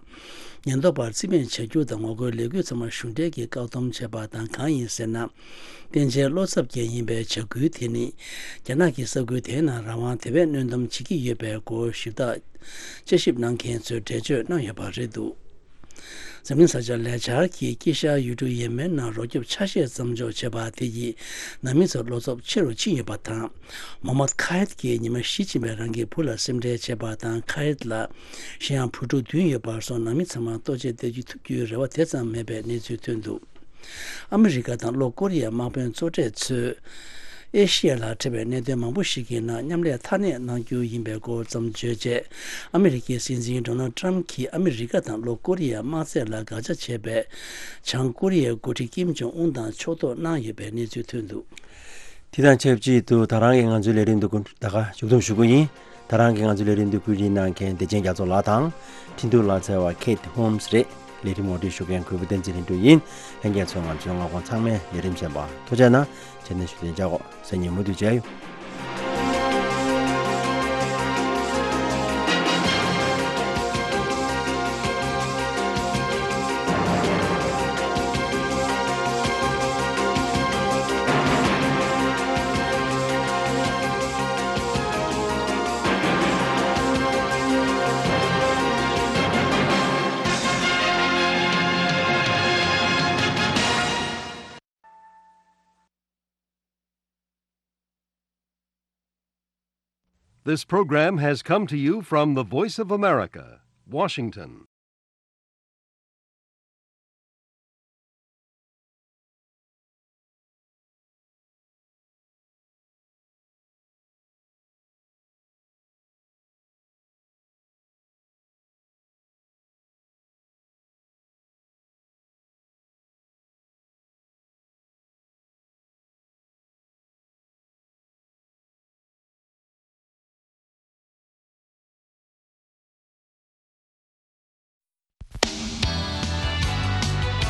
ཉེན་རྟོག་པར་རྩིས་མེད་བྱ་རྒྱུ་དང་། ངོ་རྒོལ་ལས་འགུལ་ཚང་མ་གཞུང་འབྲེལ་གྱིས་བཀག་སྡོམ་བྱས་པ་དང་། གང་ཡིན་ཟེར་ན། བསྟན་འཛིན་བློ་འཚབ་ཅན་ཡིན་པའི་བྱ་འགུལ་དེ་ནི། རྒྱ་ནག་གི་ས་ཁུལ་དེའི་ནང་རང་དབང་དེ་བས་སྣོན་འདོམས་བྱེད་ཀྱི་ཡོད་པའི་སྐོར་ཞིབ་བརྟག་དཔྱད་ཞིབ་གནང་མཁན་ཚོས་འགྲེལ་བརྗོད་གནང་ཡོད་པ་རེད་འདུག་འཛམ་གླིང་གསར་འགྱུར་ལས་འཆར་གྱིས་དཀྱིལ་ཤར་ཡུལ་གྲུ་ཡེ་མེན་ནང་རོ་སྐྱོབ་ཆ་ཤས་མཚམས་འཇོག་བྱས་པ་དེ་ཡིས་ནང་མི་ཚོར་བློ་འཚབ་ཆེ་རུ་ཕྱིན་ཡོད་པ་དང་། མོ་མད་ཁ་ཧེད་ཀྱིས་ཉི་མ་བཞི་ཕྱིན་པའི་རང་གི་བུ་ལ་སེམས་ཁྲལ་བྱས་པ་དང་། ཁ་ཧེད་ལ་གཞན་ཡང་བུ་ཕྲུག་བདུན་ཡོད་པར་སོང་། ནང་མི་ཚང་མ་ལྟོ་ཆས་སྟེར་རྒྱུ་ཐུབ་རྒྱུའི་རེ་བ་དེ་ཙམ་མེད་པའི་གནས་ཚུལ་ཐོན་འདུག་ཨ་མི་རི་ཀ་དང་ལྷོ་ཀོ་རི་ཡའི་དམག་དཔོན་གཙོ་གྲས་ཚོས་ཨེ་ཤི་ཡ་ལ་འཕྲད་པའི་གནད་དོན་མང་པོ་ཞིག་གི་ནང་མཉམ་ལས་མཐའ་གནས་གནང་རྒྱུ་ཡིན་པའི་སྐོར་ཙམ་བརྗོད་རྗེས། ཨ་མི་རི་ཀའི་སྲིད་འཛིན་ཌོ་ནལ་ཏྲམ་གྱིས་ཨ་མི་རི་ཀ་དང་ལྷོ་ཀོ་རི་ཡའི་དམག་རྩལ་ལ་དགག་བྱ་བྱས་པའི་བྱང་ཀོ་རི་ཡའི་འགོ་ཁྲིད་ཀིམ་ཇོང་ཨུན་དང་ཕྱོགས་གཏོགས་གནང་ཡོད་པའི་གནས་ཚུལ་ཐོན་འདུག་དེ་དང་ཆབས་ཅིག་ཏུ་ད་རང་གི་ང་ཚོའི་ལས་རིམ་འདི་ད་ག་མཇུག་བསྡོམས་ཞུ་གི་ཡིན། ད་རང་གིས་ང་ཚོའི་ལས་རིམ་འདི་བཀོད་སྒྲིག་གནང་མཁན་བདེ་ཆེན་རྒྱ་མཚོ་ལགས་དང་། འཕྲིན་ཐུང་ལག་རྩལ་བ་ཁེ་ཏི་ཧོམ་སི་རེད། ལས་རིམ་ངོ་སྤྲོད་ཞུ་མཁན་གུས་པ་བསྟན་འཛིན་ལྷུན་གྲུབ་ཡིན། ལྷན་རྒྱས་ཚོས་ང་ཚོའི་མངའ་ཁོངས་ཚང་མའི་ལས་རིམ་གསན་པར་ཐུགས་རྗེ་གནང་། བྱས་ན་ཞུ་དོན་བྱ་གོ་སང་ཉིན་མུ་མཐུད་མཇལ་ཡོང་། This program has come to you from the Voice of America, Washington.